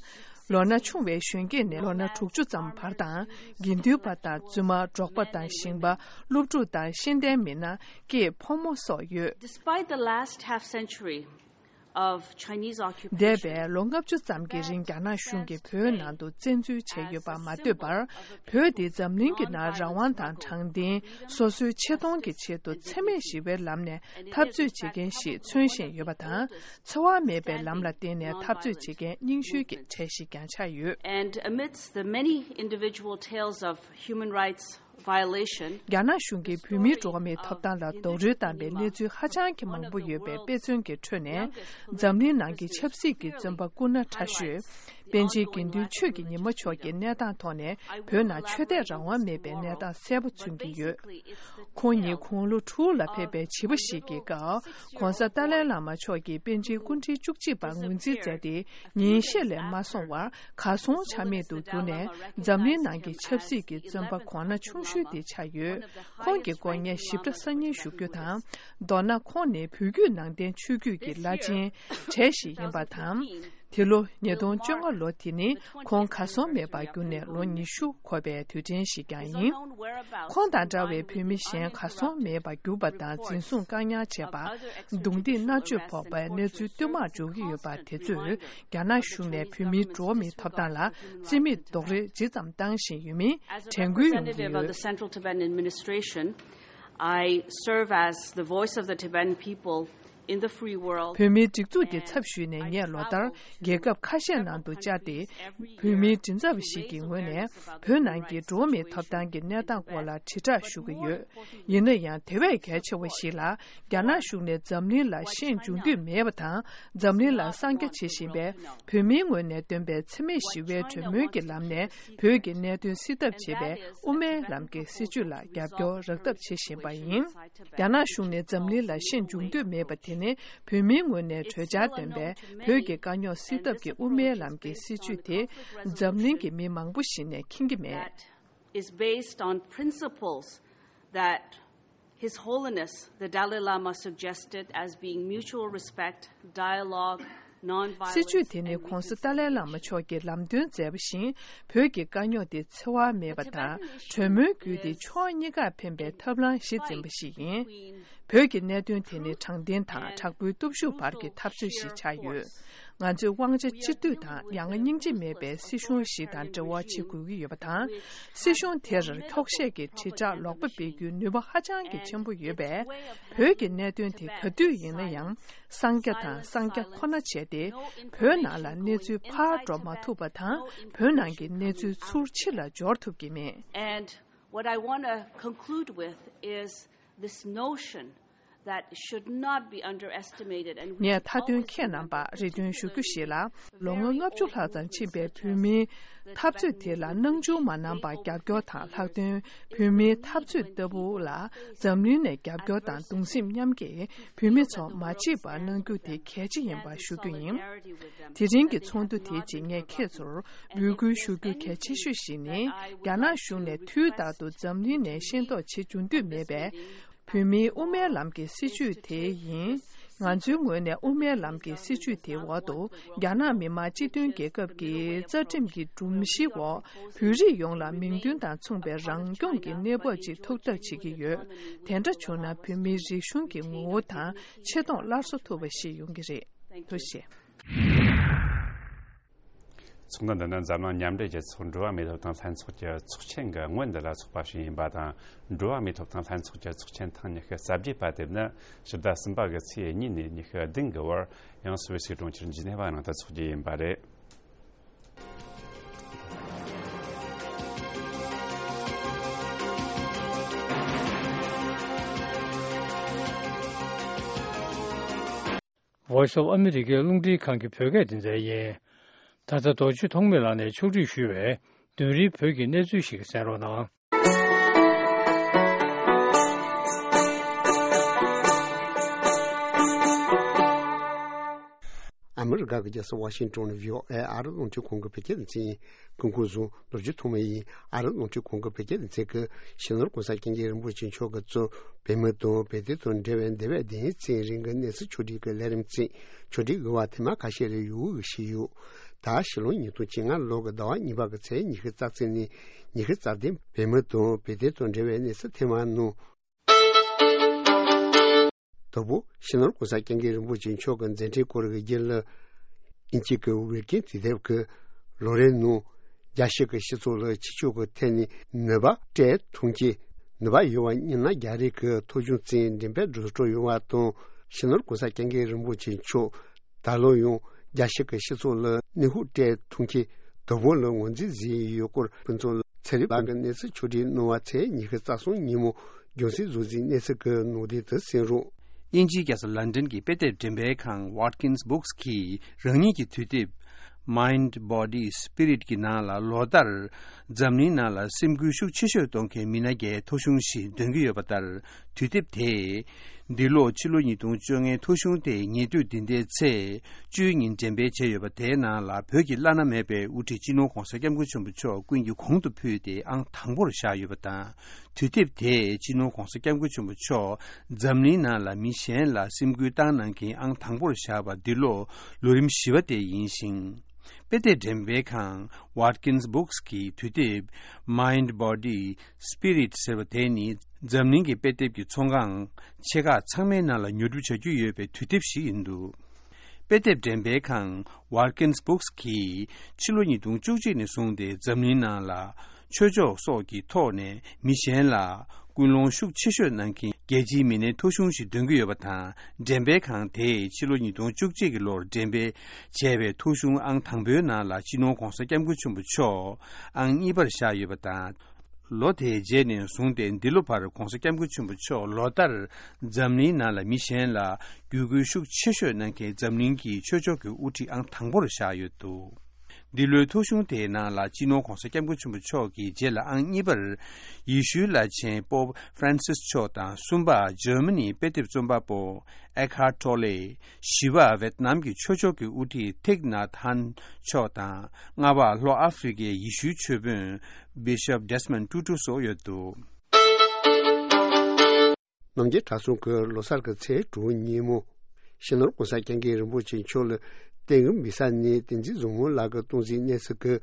ལོ་ན་ཆུང་བའི་གཞོན་སྐྱེས་ནས་ལོ་ན་དྲུག་ཅུ་ཙམ་བར་དང་། དགེ་འདུན་པ་དང་བཙུན་མ། འབྲོག་པ་དང་ཞིང་པ། སློབ་ཕྲུག་དང་ཤེས་ལྡན་མི་སྣ། སྐྱེས་ཕོ་མོ་སོགས་ཡོད། Despite the last half century of Chinese occupation, འདས་པའི་ལོ་ལྔ་བཅུ་ཙམ་གྱི་རིང་རྒྱ་ནག་གཞུང་གིས་བོད་ནང་དུ་བཙན་འཛུལ་བྱས་ཡོད་པ་མ་ཟད་པར། བོད་འདི་འཛམ་གླིང་གི་ནང་རང་དབང་དང་དྲང་བདེན། སོ་སོའི་ཆེ་མཐོང་གི་ཆེད་དུ་འཚེ་མེད་ཞི་བའི་ལམ་ནས་འཐབ་རྩོད་བྱེད་མཁན་ཞིག་མཚོན་བཞིན་ཡོད་པ་དང་། འཚེ་བ་མེད་པའི་ལམ་ལ་བརྟེན་ནས་འཐབ་རྩོད་བྱེད་མཁན་རྙིང་ཤོས་ཀྱི་གྲས་ཤིག་ཀྱང་ཆགས་ཡོད། And amidst the many individual tales of human rights violation, རྒྱ་ནག་གཞུང་གིས་བོད་མིའི་འགྲོ་བ་མིའི་ཐོབ་ཐང་ལ་རྡོག་རོལ་བཏང་བའི་གནས་ཚུལ་ཧ་ཅང་གི་མང་པོ་ཡོད་པའི་དཔེ་མཚོན་གྱི་ཁྲོད་ནས། འཛམ་གླིང་ནང་གི་ཆབ་སྲིད་ཀྱི་བཙོན་པ་སྐུ་ན་ཕྲ་ཤོས། པཎ་ཆེན་དགེ་འདུན་ཆོས་ཀྱི་ཉི་མ་མཆོག་གི་གནས་སྟངས་ཐོག་ནས་བོད་ནང་ཆོས་དད་རང་དབང་མེད་པའི་གནས་སྟངས་གསལ་པོ་མཚོན་གྱི་ཡོད། ཁོང་ཉིད་དགུང་ལོ་དྲུག་ལ་ཕེབས་པའི་བྱིས་པ་ཞིག་གི་སྐབས་༸གོང་ས་ཏཱ་ལའི་བླ་མ་མཆོག་གིས་པཎ་ཆེན་སྐུ་ཕྲེང་བཅུ་གཅིག་པ་ངོས་འཛིན་མཛད་དེ་ཉིན་ཤས་ལས་མ་སོང་བར་གར་སོང་ཆ་མེད་དུ་གྱུར་ནས་འཛམ་གླིང་ནང་གི་ཆབ་སྲིད་ཀྱི་བཙོན་པ་གོང་ན་ཆུང་ཤོས་དེ་ཆགས་ཡོད། ཁོང་གི་སྐོར་ངས་ཞིབ་ཕྲ་གསར་རྙིང་ཞུ་རྒྱུ་དང་། མདོར་ན་ཁོང་ནི་བོད་བརྒྱུད་ནང་བསྟན་ཆོས་བརྒྱུད་ཀྱི་བླ་ཆེན་གྲས་ཤིག་ཡིན་པ་དང་། དེ་ལོ་ཉིས་སྟོང་བཅོ་ལྔ་ལོ་དེ་ནི་ཁོང་གར་སོང་མེད་པར་གྱུར་ནས་ལོ་ཉི་ཤུ་འཁོར་བའི་དུས་དྲན་ཞིག་ཀྱང་ཡིན། ཁོང་དང་འདྲ་བའི་བོད་མི་གཞན་གར་སོང་མེད་པར་གྱུར་པ་དང་འཛིན་བཟུང་བཀག་ཉར་བྱས་པ། རྡུང་རྡེག་མནར་གཅོད་ཕོག་པའི་གནས་ཚུལ་བསྟུད་མར་འབྱུང་གི་ཡོད་པ་དེ་ཚོས་རྒྱ་ནག་གཞུང་ནས་བོད་མིའི་འགྲོ་བ་མིའི་ཐོབ་ཐང་ལ་རྩིས་མེད་རྡོག་རོལ་ཇི་ཙམ་བཏང་བཞིན་ཡོད་མིན་དྲན་སྐུལ་ཡོང་གི་ཡོད། I serve as the voice of the Tibetan people in the free world. བོད་མིའི་སྒྲིག་འཛུགས་ཀྱི་ཚབ་ཞུས་ནས་ངས་ལོ་ལྟར་རྒྱལ་ཁབ་ཁ་ཤས་ནང་དུ་བཅར་ཏེ། བོད་མིའི་མགྲིན་ཚབ་ཞིག་གི་ངོས་ནས་བོད་ནང་གི་འགྲོ་བ་མིའི་ཐོབ་ཐང་གི་གནས་སྟངས་སྐོར་ལ་དྲིལ་བསྒྲགས་ཞུ་གི་ཡོད། ཡིན་ན་ཡང་དེ་བས་གལ་ཆེ་བ་ཞིག་ལ་རྒྱ་ནག་གཞུང་ནས་འཛམ་གླིང་ལ་ཤེས་འཇུག་འདོད་མེད་པ་དང་། འཛམ་གླིང་ལ་གསང་རྒྱ་བྱེད་བཞིན་པའི་བོད་མིའི་ངོས་ནས་བཏོན་པའི་འཚེ་མེད་ཞི་བའི་གྲོས་མོལ་གྱི་ལམ་ནས་བོད་ཀྱི་གནད་དོན་སེལ་ཐབས་བྱེད་པའི་དབུ་མའི་ལམ་གྱི་སྲིད་བྱུས་ལ་རྒྱབ་སྐྱོར་རག་ཐབས་བྱེད་བཞིན་པ་ཡིན། རྒྱ་ནག་གཞུང་ནས་འཛམ་གླིང་ལ་ཤེས་འཇུག་འདོད་མེད་པ་དེ་ནི་བོད་མིའི་ངོས་ནས་གྲོས་འཆར་བཏོན་པའི་བོད་ཀྱི་དཀའ་རྙོག་སེལ་ཐབས་ཀྱི་དབུ་མའི་ལམ་གྱི་སྲིད་བྱུས་དེ་འཛམ་གླིང་གི་མི་མང་པོ་ཞིག་ནས་མཁྱེན་གྱི་མེད། Is based on principles that His Holiness the Dalai Lama suggested as being mutual respect, dialogue, non-violence, and mutual སྲིད་བྱུས་དེ་ནི་༸གོང་ས་ཏཱ་ལའི་བླ་མ་མཆོག་གིས་ལམ་སྟོན་མཛད་པ་བཞིན་བོད་ཀྱི་དཀའ་རྙོག་དེ་འཚེ་བ་མེད་པ་དང་གྲོས་མོལ་བརྒྱུད་དེ་ཕྱོགས་གཉིས་ཀར་ཕན་པའི་ཐབས་ལམ་གཞི་འཛིན་པ་ཞིག་ཡིན། བོད་ཀྱི་གནད་དོན་དེ་ནི་དྲང་བདེན་དང་དྲག་པོའི་སྟོབས་ཤུགས་བར་གྱི་འཐབ་རྩོད་ཞིག་ཆགས་ཡོད། ང་ཚོས་དབང་ཆ་གཅིག་སྡུད་དང་ཡ་ང་སྙིང་རྗེ་མེད་པའི་སྲིད་གཞུང་ཞིག་དང་འབྲེལ་བ་བྱེད་དགོས་ཀྱི་ཡོད་པ་དང་། སྲིད་གཞུང་དེར་འཁྱོག་བཤད་ཀྱི་དྲིལ་བསྒྲགས་ལོག་པ་སྤེལ་རྒྱུའི་ནུས་པ་ཧ་ཅང་གི་ཆེན་པོ་ཡོད་པས། བོད་ཀྱི་གནད་དོན་དེ་ག་དུས་ཡིན་ན་ཡང་གསང་རྒྱ་དང་གསང་རྒྱ་ཁོ་ན་བྱས་ཏེ། བོད་ནང་ལ་གནས་ཚུལ་ཕར་འགྲོ་མ་ཐུབ་པ་དང་། བོད་ནང་གི་གནས་ཚུལ་ཚུར་ཕྱི་ལ་འབྱོར་ཐུབ་ཀྱི་མེད། And what I want to conclude with is this notion that should not be underestimated and we ངས་མཐའ་དོན་ཁྱེད་རྣམ་པར་རེ་འདུན་ཞུ་རྒྱུ་ཞིག་ལ། ལོ་ངོ་ལྔ་བཅུ་ལྷག་ཙམ་ཕྱིན་པའི་བོད་མིའི་འཐབ་རྩོད་དེ་ལ་སྣང་ཆུང་མ་གནང་བར་རྒྱབ་སྐྱོར་དང་ལྷག་དོན་བོད་མིའི་འཐབ་རྩོད་ལྟ་བུ་ལ་འཛམ་གླིང་ནས་རྒྱབ་སྐྱོར་དང་གདུང་སེམས་མཉམ་སྐྱེད་བོད་མི་ཚོ་མ་བརྗེད་པར་གནང་རྒྱུ་དེ་གལ་ཆེ་ཡིན་པ་ཞུ་རྒྱུ་ཡིན། དེ་རིང་གི་ཚོགས་འདུ་དེའི་རྗེས་ངས་ཁྱེད་ཚོར་འབོད་སྐུལ་ཞུ་རྒྱུ་གལ་ཆེ་ཤོས་ཤིག་ནི་རྒྱ་ནག་གཞུང་ནས་དུས་རྟག་ཏུ་འཛམ་གླིང་ནས་ཤེས་རྟོགས་བྱེད་འཇུག་འདོད་མེད་པའི། བོད་མིའི་དབུ་མའི་ལམ་གྱི་སྲིད་བྱུས་དེ་ཡིན། ང་ཚོའི་ངོས་ནས་དབུ་མའི་ལམ་གྱི་སྲིད་བྱུས་དེའི་འོག་ཏུ་རྒྱ་ནག་མི་དམངས་སྤྱི་མཐུན་རྒྱལ་ཁབ་ཀྱི་རྩ་ཁྲིམས་ཀྱི་སྒྲོམ་གཞིའི་འོག་བོད་རིགས་ཡོངས་ལ་མིང་དོན་དང་མཚུངས་པའི་རང་སྐྱོང་གི་གནས་བབ་ཅིག་ཐོབ་ཐབས་བྱེད་ཀྱི་ཡོད། དེ་འདྲ་བྱུང་ན་བོད་མིའི་རིག་གཞུང་གི་ངོ་བོ་དང་ཆེ་མཐོང་སླར་གསོ་ཐུབ་པ་ཞིག་ཡོང་གི་རེད། ཐུགས་རྗེ་ཆེ། ཚོགས་འདུ་འདི་ནི་འཛམ་གླིང་མཉམ་འབྲེལ་རྒྱལ་ཚོགས་འགྲོ་བ་མིའི་ཐོབ་ཐང་ལྷན་ཚོགས་ཀྱི་ཚོགས་ཆེན་གྱི་སྔོན་དུ་ལ་ཚོགས་པ་ཞིག་ཡིན་པ་དང་། འགྲོ་བ་མིའི་ཐོབ་ཐང་ལྷན་ཚོགས་ཀྱི་ཚོགས་ཆེན་ཐེངས་ཉི་ཤུ་རྩ་བརྒྱད་པ་དེ་ནི་ཕྱི་ཟླ་གསུམ་པ་གི་ཚེས་གཉིས་ནས་ཉི་ཤུ་བདུན་གྱི་བར་ཡང་སུད་སི་གྲོང་ཁྱེར་ཇི་ནེ་ཝ་ནང་དུ་འཚོགས་རྒྱུ་ཡིན་པ་རེད། Voice of America རླུང་འཕྲིན་ཁང་གི་བོད་སྐད་སྡེ་ཚན་ཡིན། ད་ལྟ་རྡོ་རྗེ་ཐོགས་མེད་ལགས་ནས་ཕྱོགས་སྒྲིག་ཞུས་པའི་བདུན་རེའི་བོད་ཀྱི་གནས་ཚུལ་ཞིག་གསན་རོགས་གནང་། ཨ་མི་རི་ཀ་གི་རྒྱལ་ས་ཝ་ཤིང་ཏོན་ནས་བྷི་ཨོ་ཨེ་ཨ་རི་རླུང་འཕྲིན་ཁང་གི་བོད་སྐད་སྡེ་ཚན་ཡིན། སྐུ་ཁམས་བཟང་། རྡོ་རྗེ་ཐོགས་མེད་ཡིན། ཨ་རི་རླུང་འཕྲིན་ཁང་གི་བོད་སྐད་སྡེ་ཚན་གྱིས་སྤྱི་ནོར་༸གོང་ས་༸སྐྱབས་མགོན་རིན་པོ་ཆེ་མཆོག་གིས་གཙོས་བོད་མི་དང་བོད་དོན་དང་འབྲེལ་བའི་འདས་པའི་བདུན་ཕྲག་ཚན་རིང་གི་གནས་ཚུལ་ཕྱོགས་སྒྲིག་གི་ལས་རིམ་ཚན་ཕྱོགས་སྒྲིག་གི་བར་ཐེངས་མ་ཁ་ཤས་ལ་ཡུལ་དབུས་ཀྱི་ཞིག་ཡོད། ད་ཕྱི་ལོ་ཉིས་སྟོང་བཅོ་ལྔ་ལོ་གི་ཟླ་བ་གཉིས་པ་གི་ཚེས་ཉི་ཤུ་རྩ་གཅིག་ནས་ཉི་ཤུ་རྩ་བདུན་བོད་མི་དང་བོད་དོན་དང་འབྲེལ་བའི་གནས་ཚུལ་ཐེངས་མ་ནང་། དང་པོ་སྤྱི་ནོར་༸གོང་ས་༸སྐྱབས་མགོན་རིན་པོ་ཆེ་མཆོག་གི་མཛད་འཕྲིན་སྐོར་གྱི་རྒྱུན་ལ། དབྱིན་ཇི་གི་ཝིལ་ཀིན་དུས་དེབ་ཀྱི་ལོ་རེའི་ནང་རྒྱལ་སྤྱི་གི་སྤྱི་ཚོགས་ལ་ཕྱི་ཕྱོགས་ཀྱི་ཐད་ནས་ནུས་པ་སྤྲད་ཐོན་སྐྱེད། ནུས་པ་ཡོད་པ་གཉིས་ན་རྒྱ་རིགས་ཀྱི་ཐོ་གཞུང་བཙན་འདྲེན་པའི་འགྲོ་སྤྲོ་ཡོང་བ་དང་། སྤྱི་ནོར་༸གོང་ས་༸སྐྱབས་མགོན་རིན་པོ་ཆེ་མཆོག་ད་ལོ་ཡང་རྒྱལ་སྤྱི་གི་སྤྱི་ཚོགས་ལ་ནུས་ཤུགས་སྤྲད་ཐོན་སྐྱེད་དང་པོ་ལ་ངོས་འཛིན་བཟོས་ཡོད་སྐོར་ཕུན་ཚོགས་ཚེ་རིང་ལགས་ཀྱིས་གནས་ཚུལ་ཕྱོགས་སྒྲིག་གནང་བ་ཚེས་ཉི་ཤུ་རྩ་གསུམ་ཉིན་མོ་རྒྱང་སྲིང་བཟོ་རྩིས་གནས་ཚུལ་གྱི་ནང་དོན་དུ་གསན་རོགས། དབྱིན་ཇིའི་རྒྱལ་ས་ལན་ཌན་གྱི་དཔེ་དེབ་འགྲེམས་སྤེལ་ཁང་Watkins Books གིས་རང་ཉིད་ཀྱི་དུས་དེབ་ Mind Body Spirit གྱི་ནང་ལ་ལོ་ལྟར་འཛམ་གླིང་ནང་ལ་སེམས་འགུལ་ཤུགས་ཆེ་ཤོས་གཏོང་མཁན་མི་སྣ་བརྒྱའི་ཐོ་གཞུང་ཞིག་འདོན་གྱི་ཡོད་པ་ལྟར། དུས་དེབ་དེས་འདི་ལོ་ཕྱི་ལོ་ཉིས་སྟོང་བཅོ་ལྔའི་ཐོ་གཞུང་དེ་ཉེ་དུས་འདི་ཟླའི་ཚེས་བཅུའི་ཉིན་འགྲེམས་སྤེལ་བྱས་ཡོད་པ་དེའི་ནང་ལ་བོད་ཀྱི་བླ་ན་མེད་པའི་དབུ་ཁྲིད་སྤྱི་ནོར་༧གོང་ས་༧སྐྱབས་མགོན་ཆེན་པོ་མཆོག་ཀུན་གྱིས་གོང་དུ་ཕུལ་ཏེ་ཨང་དང་པོར་བཞག་ཡོད་པ་དང་། དུས་དེབ་དེས་སྤྱི་ནོར་༧གོང་ས་༧སྐྱབས་མགོན་ཆེན་པོ་མཆོག་འཛམ་གླིང་ནང་ལ་མི་གཞན་ལ་སེམས་འགུལ་བཏང་གནང་མཁན་ཨང་དང་པོར་བཞག་པ་འདི་ལོ་ལོ་རིམ་བཞི་པ་དེ་ཡིན་ཞིང་། དཔེ་དེབ་འགྲེམས་སྤེལ་ཁང་Watkins Books གི་དུས་དེབ་Mind Body Spirit ཟེར་བ་དེ་ནི་འཛམ་གླིང་གི་དཔེ་དེབ་ཀྱི་ཚོང་ཁང་ཆེ་ཁག་ཚང་མའི་ནང་ལ་ཉོ་སྒྲུབ་བྱ་རྒྱུ་ཡོད་པའི་དུས་དེབ་ཞིག་ཡིན་འདུག་དཔེ་དེབ་འགྲེམས་སྤེལ་ཁང་Watkins Books གིས་ཕྱི་ལོ་ཉིས་སྟོང་བཅུ་གཅིག་ནས་བཟུང་སྟེ་འཛམ་གླིང་ནང་ལ་ཆོས་ཕྱོགས་སོགས་ཀྱི་ཐོག་ནས་མི་གཞན་ལ་སྐུལ་སློང་ཤུགས་ཆེ་ཤོས་གནང་མཁན་རྒྱལ་སྤྱིའི་མི་སྣའི་ཐོ་གཞུང་ཞིག་འདོན་གྱི་ཡོད་པ་དང་། འགྲེམས་སྤེལ་ཁང་དེས་ཕྱི་ལོ་ཉིས་སྟོང་བཅུ་གཅིག་གི་ལོར་འགྲེམས་སྤེལ་བྱས་པའི་ཐོ་གཞུང་ཨང་དང་པོའི་ནང་ལ་སྤྱི་ནོར་༧གོང་ས་༧སྐྱབས་མགོན་ཆེན་པོ་མཆོག་ཨང་གཉིས་པར་བཞག་ཡོད་པ་དང་། ལོ་དེའི་རྗེས་ནས་བཟུང་སྟེ་འདི་ལོ་བར་༧གོང་ས་༧སྐྱབས་མགོན་ཆེན་པོ་མཆོག་ལོ་ལྟར་འཛམ་གླིང་ནང་ལ་མི་གཞན་ལ་བརྒྱུད་སྐུལ་ཤུགས་ཆེ་ཤོས་གནང་མཁན་འཛམ་གླིང་གི་ཆོས་ཕྱོགས་ཀྱི་དབུ་ཁྲིད་ཨང་དང་པོར་བཞག་ཡོད་འདུག་འདི་ལོའི་ཐོ་གཞུང་དེའི་ནང་ལ་སྤྱི་ནོར་༧གོང་ས་༧སྐྱབས་མགོན་ཆེན་པོ་མཆོག་གི་རྗེས་ལ་ཨང་གཉིས་པར་ཡེ་ཤུའི་བླ་ཆེན་པོབ་ཧྥ་རན་སིས་མཆོག་དང་། གསུམ་པ་འཇར་མ་ནིའི་དཔེ་དེབ་རྩོམ་པ་པོ་ཨེག་ཧར་ཊོ་ལེ། བཞི་པ་ཝེད་ནམ་གྱི་ཆོས་ཕྱོགས་ཀྱི་དབུ་ཁྲིད་ཐིག་ནཱཐ་ཧན་མཆོག་དང་། ལྔ་པ་ལྷོ་ཨ་ཧྥེ་རི་ཀའི་ཡེ་ཤུའི་ཆོས་དཔོན་བི་ཤོབ་ཌེ་སི་མོན་ཊུ་ཊུ་སོགས་ཡོད་འདུག་རྣམ་རྒྱལ་གྲྭ་ཚང་གི་ལོ་གསར་གྱི་ཚེས་དྲུག་ཉིན་མོ། སྤྱི་ནོར་༧གོང་ས་༧སྐྱབས་མགོན་རིན་པོ་ཆེ་མཆོག་ལ་བསྟན་འཛིན་མི་ས་ནས་བསྟན་འཛིན་བཟང་མོ་ལགས་ཀྱིས་གཏོང་ཟིན་གནས་ཚུལ་གྱི་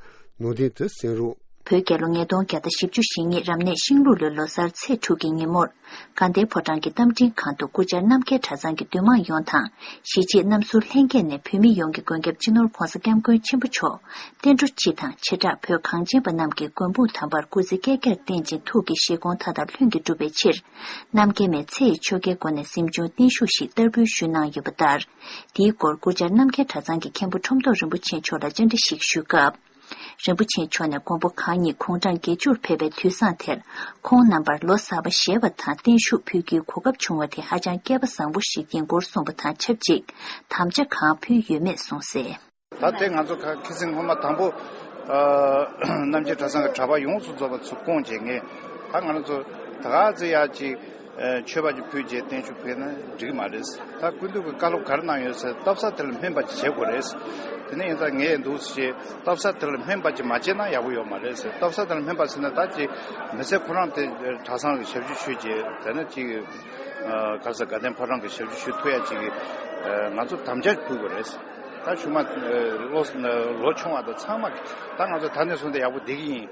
ནང་དོན་དུ་གསན་རོགས། བོད་རྒྱལ་ལོ་ཉིས་སྟོང་བརྒྱ་དང་བཞི་བཅུ་ཞེ་གཉིས་རབ་གནས་ཤིང་ལུག་ལོའི་ལོ་གསར་ཚེས་དྲུག་གི་ཉིན་མོར། དགའ་ལྡན་ཕོ་བྲང་གི་རྟ་མགྲིན་ཁང་དུ་སྐུ་བཅར་རྣམ་རྒྱལ་གྲྭ་ཚང་གི་འདུས་མང་ཡོངས་དང་། གཞིས་བྱེས་རྣམ་ཟུར་ལྷན་རྒྱས་ནས་བོད་མི་ཡོངས་ཀྱི་མགོན་སྐྱབས་སྤྱི་ནོར་༧གོང་ས་༧སྐྱབས་མགོན་ཆེན་པོ་མཆོག་བསྟན་འགྲོ་སྤྱི་དང་བྱེ་བྲག་བོད་གངས་ཅན་པ་རྣམས་ཀྱི་མགོན་དཔུང་དམ་པར་སྐུ་ཚེ་བསྐལ་བརྒྱར་བརྟན་ཅིང་ཐུགས་ཀྱི་བཞེད་དགོངས་མཐའ་དག་ལྷུན་གྱིས་འགྲུབ་པའི་ཕྱིར། རྣམ་རྒྱལ་མའི་ཚེ་ཡི་ཆོ་གའི་སྒོ་ནས་གཟིམ་ཆུང་བརྟན་བཞུགས་ཤིག་བསྟར་འབུལ་ཞུས་གནང་ཡོད་པ་ལྟར། དེའི་སྐོར་སྐུ་བཅར་རྣམ་རྒྱལ་གྲྭ་ཚང་གི་མཁན་པོ་ཁྲོམ་ཐོག་རིན་པོ་ཆེ་མཆོག་ལ་བཅར་འདྲི་ཞིག་ཞུས་སྐབས། རིན་པོ་ཆེ་མཆོག་ནས་མགོན་པོ་གང་ཉིད་དགུང་གྲངས་བརྒྱད་ཅུར་ཕེབས་པའི་དུས་བཟང་དེར། ཁོང་རྣམ་པར་ལོ་གསར་པ་བཞེས་པ་དང་བརྟན་བཞུགས་ཕུལ་རྒྱུའི་གོ་སྐབས་བྱུང་བ་དེ་ཧ་ཅང་སྐལ་པ་བཟང་པོ་ཞིག་ཡིན་སྐོར་གསུངས་པ་དང་ཆབས་ཅིག་དམ་བཅའ་གང་ཕུལ་ཡོད་མེད་གསུངས་གསལ། ད་དེ་ང་ཚོ་ཁ་ཁ་སང་སྔོན་མ་དང་པོ། ཨ། རྣམ་རྒྱལ་གྲྭ་ཚང་གི་གྲྭ་པ་ཡོངས་སུ་རྫོགས་པ་ཚུར་བསྐོངས་བྱས་ངས་ད་ང་རང་ཚོ་ད་ག་ཚོད་ཡག་ཅིག་ཨ། མཆོད་པ་ཅིག་ཕུལ་རྗེས་བརྟན་བཞུགས་ཕུལ་ན་འགྲིག་གི་མ་རེད། ད་སྐུ་མདུན་གྱི་བཀའ་སློབ་ག་རེ་གནང་ཡོད་ཟེར་སྟབས་གསལ་དེ་ལ་སྨན་པ་ཅིག་བྱེད་དགོས་རེད། དེ་ནས་ཡིན་ཙང་ངས་འདུག་སེ་སྟབས་གསལ་དེ་ལ་སྨན་པ་ཅིག་མ་བྱས་ན་ཡག་པོ་ཡོད་མ་རེད་ཟེར། སྟབས་གསལ་དེ་ལ་སྨན་པ་ཟེར་ན་ད་ཅིག་མི་ཚེ་ཁོ་རང་དེ་གྲྭ་ཚང་གི་ཞབས་ཞུ་ཞུས་རྗེས་དེ་ནས་ཅིག་ཨ། ག་རེ་ཟེར་དགའ་ལྡན་ཕོ་བྲང་གི་ཞབས་ཞུ་ཞུ་ཐུབ་ཡ་ཅིག་གི་ཨ། ང་ཚོ་དམ་བཅའ་ཕུལ་དགོས་རེད། ད་ཆུང་མ་ལོ་ལོ་ཆུང་བ་དང་ཚང་མ་ད་ང་ཚོ་ད་ནས་བཟུང་སྟེ་ཡག་པོ་བསྡད་ཀྱི་ཡིན།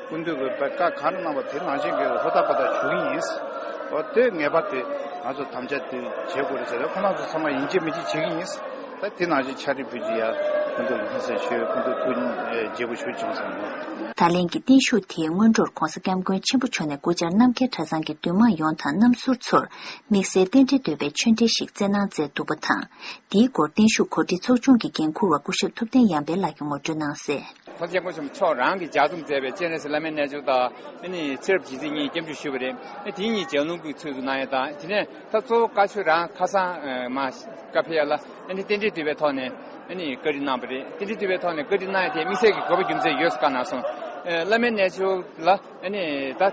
སྐུ་མདུན་གྱི་བཀའ་གང་གནང་བ་དེ་ནང་བཞིན་གྱི་ཧུར་ཐག་པ་ཐག་ཞུ་གི་ཡིན། འོ་དེ་ངེས་པར་དུ་ང་ཚོ་དམ་བཅའ་དེ་བྱེད་དགོས་རེད་ཟེར་ཏེ་ཁོང་རྣམ་ཚོ་ཚང་མ་ཡིན་གཅིག་མིན་གཅིག་བྱེད་ཀྱི་ཡིན། ད་དེ་ནང་བཞིན་ཕྱག་བྲིས་ཕུལ་རྒྱུ་ཡ་སྐུ་མདུན་ལ་སྙིང་སེང་ཞུ། སྐུ་མདུན་ཐུགས་དགྱེས་པོ་ཞུ་བྱུང་སོང་། ད་ལན་གྱི་བརྟན་བཞུགས་དེའི་སྔོན་འགྲོར་༧གོང་ས་༧སྐྱབས་མགོན་ཆེན་པོ་མཆོག་ནས་སྐུ་བཅར་རྣམ་རྒྱལ་གྲྭ་ཚང་གི་འདུས་མང་ཡོངས་དང་རྣམ་ཟུར་ཚོར་དམིགས་བསལ་རྟེན་འབྲེལ་བསྟོད་པའི་ཆོས་འབྲེལ་ཞིག་སྩལ་གནང་མཛད་འདུག་པ་དང་། དེའི་སྐོར་བརྟན་བཞུགས་གོ་སྒྲིག་ཚོགས་ཆུང་གི་འགན་འཁུར་བ་སྐུ་ཞབས་ཐུབ་བསྟན་ཡར་འཕེལ་ལགས་ཀྱིས་ངོ་སྤྲོད་གནང་གསལ། ༸གོང་ས་༸སྐྱབས་མགོན་ཆེན་པོ་མཆོག་རང་གིས་ལྗགས་རྩོམ་མཛད་པའི་སྤྱན་རས་གཟིགས་བླ་མའི་རྣལ་འབྱོར་དང་། ཨ་ནི་ཚེ་རབས་རྗེས་འཛིན་གཉིས་སྐྱབས་འཇུག་ཞུས་པ་རེད། ཨ་དེ་གཉིས་ལྗགས་ལུང་གི་ཚུལ་དུ་གནང་ཡ་དང་། དེ་ནས་ད་གཙོ་བོ་བཀའ་ཆོས་རང་ཁ་སང་མ་བཀའ་ཕེབས་ཡ་ལ་ཨ་ནི་རྟེན་འབྲེལ་བསྟོད་པའི་ཐོག་ནས་ཨ་ནི་བཀའ་འདྲི་གནང་བ་རེད། རྟེན་འབྲེལ་བསྟོད་པའི་ཐོག་ནས་བཀའ་འདྲི་གནང་ཡ་དེ་དམིགས་བསལ་གྱི་དགོས་པ་རྒྱུ་མཚན་ཡོད་ཟེར་བཀའ་གནང་སོང་། ཨ་བླ་མའི་རྣལ་འབྱོར་ལ་ཨ་ནི་ད་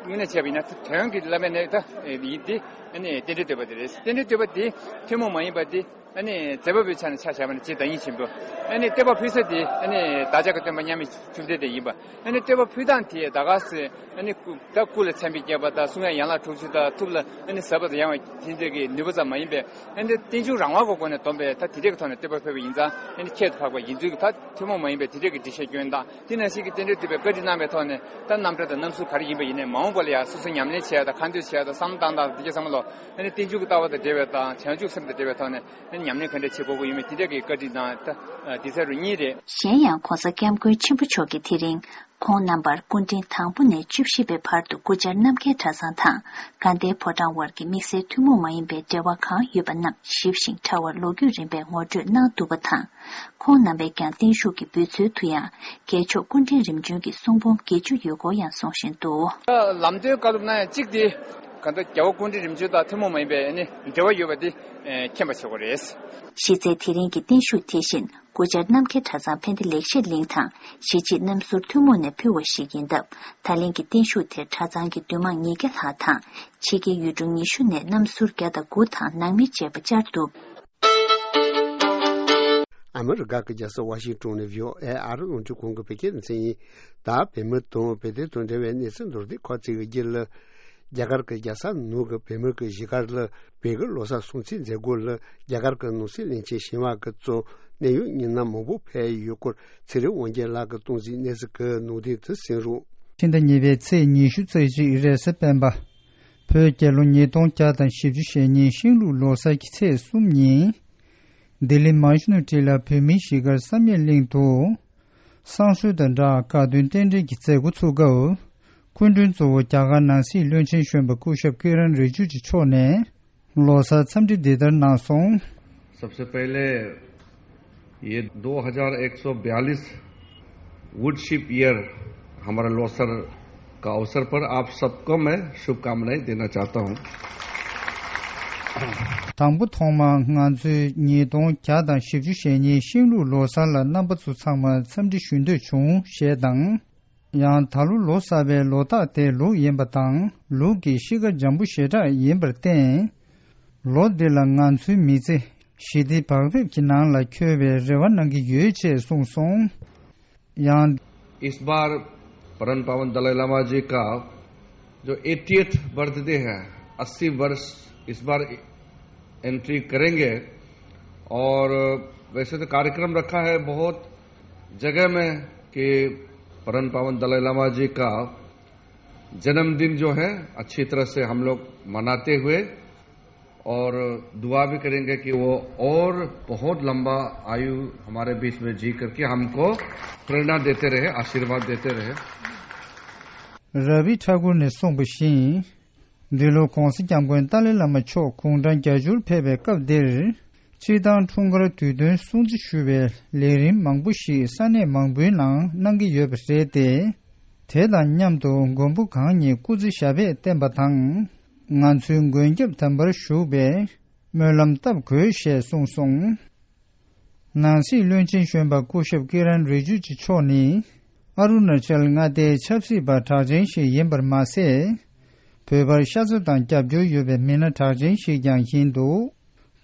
དངོས་གནས་བྱས་པ་ཡིན་ན་དོན་གྱི་བླ་མའི་རྣལ་འབྱོར་ད་ཡིན་ཏེ་ཨ་ནི་རྟེན་འབྲེལ་བསྟོད་པ་དེ་རེད། རྟེན་འབྲེལ་བསྟོད་པ་དེ་ཐུན་མོང་མ་ཡིན་པ་དེ། ཨ་ནི་མཛད་པ་པོའི་ཆ་ནས་ཆ་བཞག་པ་ན་རྗེ་བདག་ཉིད་ཆེན་པོ། ཨ་ནི་བསྟོད་པ་ཕུལ་ས་དེ་ཨ་ནི་བདག་ཅག་གི་སྟོན་པ་མཉམ་མེད་བཅོམ་ལྡན་འདས་ཡིན་པ། ཨ་ནི་བསྟོད་པ་ཕུལ་སྟངས་དེ་ད་ག་སེ་ཨ་ནི་སྐུ་ད་སྐུ་ལ་མཚན་དཔེ་བརྒྱབ་པ་དང་གསུང་ཡང་ཡན་ལག་དྲུག་ཅུ་དང་ཐུབ་ལ་ཨ་ནི་ཟབ་པ་དང་ཡངས་པ་དེ་འདྲ་གི་ནུས་པ་ཙམ་མ་ཡིན་པའི་ཨ་ནི་རྟེན་འབྱུང་རང་དབང་གི་སྒོ་ནས་བསྡོམས་པའི་ད་དེ་འདྲ་གི་ཐོག་ནས་བསྟོད་པ་ཕུལ་བ་ཡིན་ཙང་ཨ་ནི་ཁྱད་དུ་འཕགས་པ་ཡིན་ཚུལ་གྱི་ད་ཐུན་མོང་མ་ཡིན་པའི་དེ་འདྲ་གི་འགྲེལ་བཤད་སྐྱོན་དང་དེ་ནང་བཞིན་གྱི་རྟེན་འབྲེལ་བསྟོད་པའི་བཀའ་འདྲི་གནང་བའི་ཐོག་ནས་ད་རྣམ་གྲངས་དང་རྣམ་ཟུར་ག་རེ་ཡིན་པ་ཡིན་ནའི་མ་འོངས་པ་ལ་ཡང་སོ་སོ་ཉམས་ལེན་བྱེད་ཡ་དང་ཁ་འདོན་བྱེད་ཡ་དང་བསམ་བློ་བཏང་སྟངས་དང་དེ་གའི་བསམ་བློ། ཨ་ནི་རྟེན་འབྱུང་གི་ལྟ་བ་དང་འབྲེལ་བའི་དང་བྱང་ཆུབ་སེམས་དང་འབྲེལ་བའི་ཐོག་ནས་ཨ་ནི་ཉམས་ལེན་ག་འདྲ་བྱེད་དགོས་ཀྱི་ཡོད་མེད་དེ་འདྲ་གི་བཀའ་འདྲི་དང་ད་དེ་ཚོ་རུ་གཉིས་རེད། གཞན་ཡང་༸གོང་ས་༸སྐྱབས་མགོན་ཆེན་པོ་མཆོག་གིས་དེ་རིང་ཁོང་རྣམ་པར་སྐུ་ཕྲེང་དང་པོ་ནས་བཅུ་བཞི་པའི་བར་དུ་སྐུ་བཅར་རྣམ་རྒྱལ་གྲྭ་ཚང་དང་དགའ་ལྡན་ཕོ་བྲང་དབར་གྱི་དམིགས་བསལ་ཐུན་མོང་མ་ཡིན་པའི་འབྲེལ་བ་གང་ཡོད་པ་རྣམས་ཞིབ་ཞིང་ཕྲ་བར་ལོ་རྒྱུས་རིམ་པས་ངོ་སྤྲོད་གནང་འདུག་པ་དང་། ཁོང་རྣམ་པས་ཀྱང་བརྟན་བཞུགས་ཀྱི་འབུལ་ཚུལ་དུ་ཡང་རྒྱལ་མཆོག་སྐུ་ཕྲེང་རིམ་བྱོན་གྱི་གསུང་འབུམ་བརྒྱད་ཅུ་ཡོད་སྐོར་ཡང་གསུང་བཞིན་འདུག་ལམ་སྟོན་བཀའ་སློབ་གནང་ཡ་གཅིག་དེ། གང་ལྟར་རྒྱལ་བ་སྐུ་ཕྲེང་རིམ་བྱོན་དང་ཐུན་མོང་མ་ཡིན་པའི་ཨ་ནི་འབྲེལ་བ་ཡོད་པ་འདི་མཁྱེན་པ་བྱེད་དགོས་རེད། གཞི་རྩའི་དེ་རིང་གི་བརྟན་བཞུགས་དེ་བཞིན་སྐུ་བཅར་རྣམ་རྒྱལ་གྲྭ་ཚང་ཕན་བདེ་ལེགས་བཤད་གླིང་དང་གཞིས་བྱེས་རྣམ་ཟུར་ཐུན་མོང་ནས་ཕུལ་བ་ཞིག་ཡིན་སྟབས། ད་ལན་གྱི་བརྟན་བཞུགས་དེར་གྲྭ་ཚང་གི་འདུས་མང་ཉིས་བརྒྱ་ལྷག་དང་ཕྱི་རྒྱལ་ཡུལ་གྲུ་ཉི་ཤུ་ནས་རྣམ་ཟུར་བརྒྱ་དང་དགུ་དང་ནང་མི་བཅས་པ་བཅར་འདུག་ཨ་མི་རི་ཀ་གི་རྒྱལ་ས་ཝ་ཤིང་ཏོན་ནས་བྷི་ཨོ་ཨེ་ཨ་རི་རླུང་འཕྲིན་ཁང་གི་བོད་སྐད་སྡེ་ཚན་ཡིན། ད་བོད་མི་དང་བོད་དོན་དང་འབྲེལ་བའི་གནས་ཚུལ་མདོར་བསྡུས་ཁག་ཅིག་གི་རྒྱུད་ལ། རྒྱ་གར་གྱི་རྒྱལ་ས་ནང་གི་བོད་མི་གི་གཞིས་སྒར་ལ་བོད་ཀྱི་ལོ་གསར་སྲུང་བརྩི་མཛད་སྒོ་ལ་རྒྱ་གར་གྱི་ནང་སྲིད་བློན་ཆེན་ཞི་བ་ཀྱིས་གཙོས་གནད་ཡོད་མི་སྣ་མང་པོ་ཕེབས་ཡོད་སྐོར་ཚེ་རིང་དབང་རྒྱལ་ལགས་ཀྱིས་གཏོང་གཟིགས་གནས་ཚུལ་གྱི་ནང་དོན་དུ་གསན་རོགས། ཕྱི་ཟླ་གཉིས་པའི་ཚེས་ཉི་ཤུ་རྩ་གཅིག་རེས་གཟའ་སྤེན་པ། བོད་རྒྱལ་ལོ་ཉིས་སྟོང་བརྒྱ་དང་བཞི་བཅུ་ཞེ་གཉིས་ཤིང་ལུག་ལོ་གསར་གྱི་ཚེས་གསུམ་ཉིན། ལྡི་ལི་མ་ཤུ་ནུ་ཊི་ལ་བོད་མིའི་གཞིས་སྒར་བསམ་ཡས་གླིང་དུ། བསང་གསོལ་དང་སྦྲགས་དགའ་སྟོན་རྟེན་འབྲེལ་གྱི་མཛད་སྒོ་ཚུགས་སྐབས། སྐུ་མགྲོན་གཙོ་བོ་རྒྱ་གར་ནང་སྲིད་བློན་ཆེན་གཞོན་པ་སྐུ་ཞབས་ཀི་རན་རི་ཇུ་ཇུ་མཆོག་ནས་ལོ་གསར་འཚམས་འདྲི་འདི་ལྟར་གནང་སོང་། सबसे पहले ये दो हज़ार एक सौ बयालीस वुडशिप ईयर हमारा लोसर का अवसर पर आप सबको मैं शुभकामनाएं देना चाहता हूं। དང་པོ་ཐོག་མར་ང་ཚོའི་ཉིས་སྟོང་བརྒྱ་དང་བཞི་བཅུ་ཞེ་གཉིས་ཤིང་ལུག་ལོ་གསར་ལ་རྣམ་པ་ཚོ་ཚང་མ་འཚམས་འདྲི་ཞུ་འདོད་བྱུང་ཞེས་དང་། ཡང་ད་ལོ་ལོ་གསར་པའི་ལོ་རྟགས་དེ་ལུག་ཡིན་པ་དང་ལུག་གི་གཤིས་ཀ་འཇམ་པོ་ཞེ་དྲག་ཡིན་པར་བརྟེན། ལོ་འདི་ལ་ང་ཚོའི་མི་ཚེ་ཞི་བདེ་བག་ཕེབས་ཀྱི་ནང་ལ་འཁྱོལ་བའི་རེ་བ་གནང་གི་ཡོད་ཅེས་གསུངས་སོང་། ཡང་། इस बार परम पावन दलाई लामा जी का जो एटीएथ बर्थडे है, अस्सी वर्ष इस बार एंट्री करेंगे। और वैसे तो कार्यक्रम रखा है बहुत जगह में कि परम पावन दलाई लामा जी का जन्मदिन जो है अच्छी तरह से हम लोग मनाते हुए और दुआ भी करेंगे कि वो और बहुत लंबा आयु हमारे बीच में जी करके हमको प्रेरणा देते रहे, आशीर्वाद देते रहे। ར་བི་ཁྲ་ཀུར་ནས་གསུངས་པ་བཞིན། འདི་ལོ་༧གོང་ས་༧སྐྱབས་མགོན་ཏཱ་ལའི་བླ་མ་མཆོག་དགུང་གྲངས་བརྒྱད་ཅུར་ཕེབས་པའི་སྐབས་འདིར། སྤྱིར་བཏང་འཁྲུངས་སྐར་དུས་སྟོན་སྲུང་བརྩི་ཞུ་བའི་ལས་རིམ་མང་པོ་ཞིག་ས་གནས་མང་པོའི་ནང་གནང་གི་ཡོད་པ་རེད་དེ། དེ་དང་མཉམ་དུ་མགོན་པོ་གང་ཉིད་སྐུ་ཚེ་ཞབས་པད་བརྟན་པ་དང་། ང་ཚོའི་མགོན་སྐྱབས་དམ་པར་བཞུགས་པའི་སྨོན་ལམ་བཏབ་དགོས་ཞེས་གསུངས་སོང་། ནང་སྲིད་བློན་ཆེན་གཞོན་པ་སྐུ་ཞབས་ཀི་རན་རི་ཇུ་ཇི་མཆོག་ནི། ཨ་རུ་ན་ཅལ་མངའ་སྡེའི་ཆབ་སྲིད་པ་གྲགས་ཅན་ཞིག་ཡིན་པར་མ་ཟད། བོད་པར་ཤ་ཚ་དང་རྒྱབ་སྐྱོར་ཡོད་པའི་མི་སྣ་གྲགས་ཅན་ཞིག་ཀྱང་ཡིན་འདུག་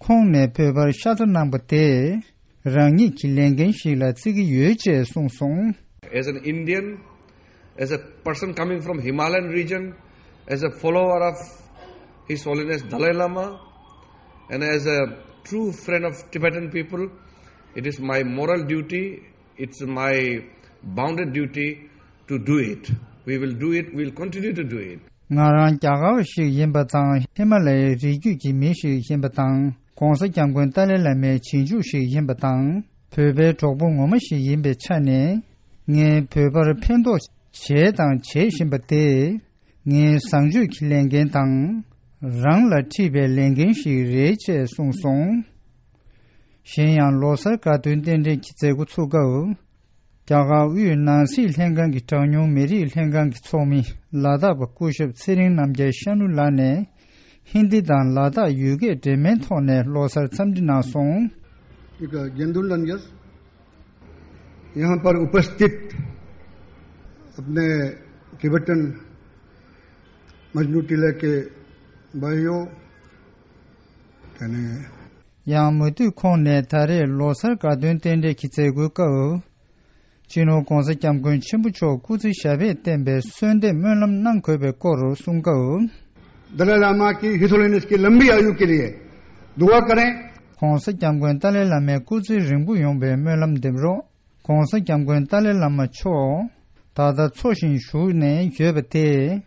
ཁོང་ནས་བོད་པར་ཤ་ཚ་གནང་པ་དེ། རང་ཉིད་ཀྱི་ལས་འགན་ཞིག་ལ་བརྩི་གི་ཡོད་ཅེས་གསུངས་སོང་། As an Indian, as a person coming from Himalayan region, as a follower of His Holiness Dalai Lama, and as a true friend of Tibetan people, it is my moral duty, it's my bounden duty to do it. We will do it, we'll continue to do it. ང་རང་རྒྱ་གར་བ་ཞིག་ཡིན་པ་དང་ཧི་མ་ལ་ཡའི་རི་རྒྱུད་ཀྱི་མི་ཞིག་ཡིན་པ་དང་༧གོང་ས་༧སྐྱབས་མགོན་ཏཱ་ལའི་བླ་མའི་རྗེས་འཇུག་ཞིག་ཡིན་པ་དང་བོད་པའི་གྲོགས་པོ་ངོ་མ་ཞིག་ཡིན་པའི་ཆ་ནས། ངས་བོད་པར་ཕན་ཐོགས་བྱས་དང་བྱེད་བཞིན་པ་དེ། ངའི་བཟང་སྤྱོད་ཀྱི་ལས་འགན་དང་། རང་ལ་འཁྲི་བའི་ལས་འགན་ཞིག་རེད་ཅེས་གསུངས་སོང་། གཞན་ཡང་ལོ་གསར་དགའ་སྟོན་རྟེན་འབྲེལ་གྱི་མཛད་སྒོ་ཚུགས་སྐབས། རྒྱ་གར་དབུས་ནང་སྲིད་ལྷན་ཁང་གི་གྲངས་ཉུང་མི་རིགས་ལྷན་ཁང་གི་ཚོགས་མི་ལ་དྭགས་པ་སྐུ་ཞབས་ཚེ་རིང་རྣམ་རྒྱལ་ཤ་ནུ་ལགས་ནས་ཧིན་དི་དང་ལ་དྭགས་ཡུལ་སྐད་འདྲེས་མའི་ཐོག་ནས་ལོ་གསར་འཚམས་འདྲི་གནང་སོང་། एक गेंदुल रंजस, यहाँ पर उपस्थित अपने टिबेटन मजनू टीला के भाइयों, यानी ཡང་མུ་མཐུད་ཁོང་ནས་ད་རེས་ལོ་གསར་དགའ་སྟོན་རྟེན་འབྲེལ་གྱི་མཛད་སྒོའི་སྐབས། སྤྱི་ནོར་༧གོང་ས་༧སྐྱབས་མགོན་ཆེན་པོ་མཆོག་སྐུ་ཚེ་ཞབས་པད་བརྟན་པའི་གསོལ་འདེབས་སྨོན་ལམ་གནང་དགོས་པའི་སྐོར་གསུངས་སྐབས། दलाई लामा की हिज होलिनेस की लंबी आयु के लिए दुआ करें। ༧གོང་ས་༧སྐྱབས་མགོན་ཏཱ་ལའི་བླ་མའི་སྐུ་ཚེ་རིང་པོ་ཡོང་བའི་སྨོན་ལམ་འདེབས་རོགས། ༧གོང་ས་༧སྐྱབས་མགོན་ཏཱ་ལའི་བླ་མ་མཆོག་ད་ལྟ་འཚོ་ཞིང་བཞུགས་ནས་ཡོད་པ་དེས་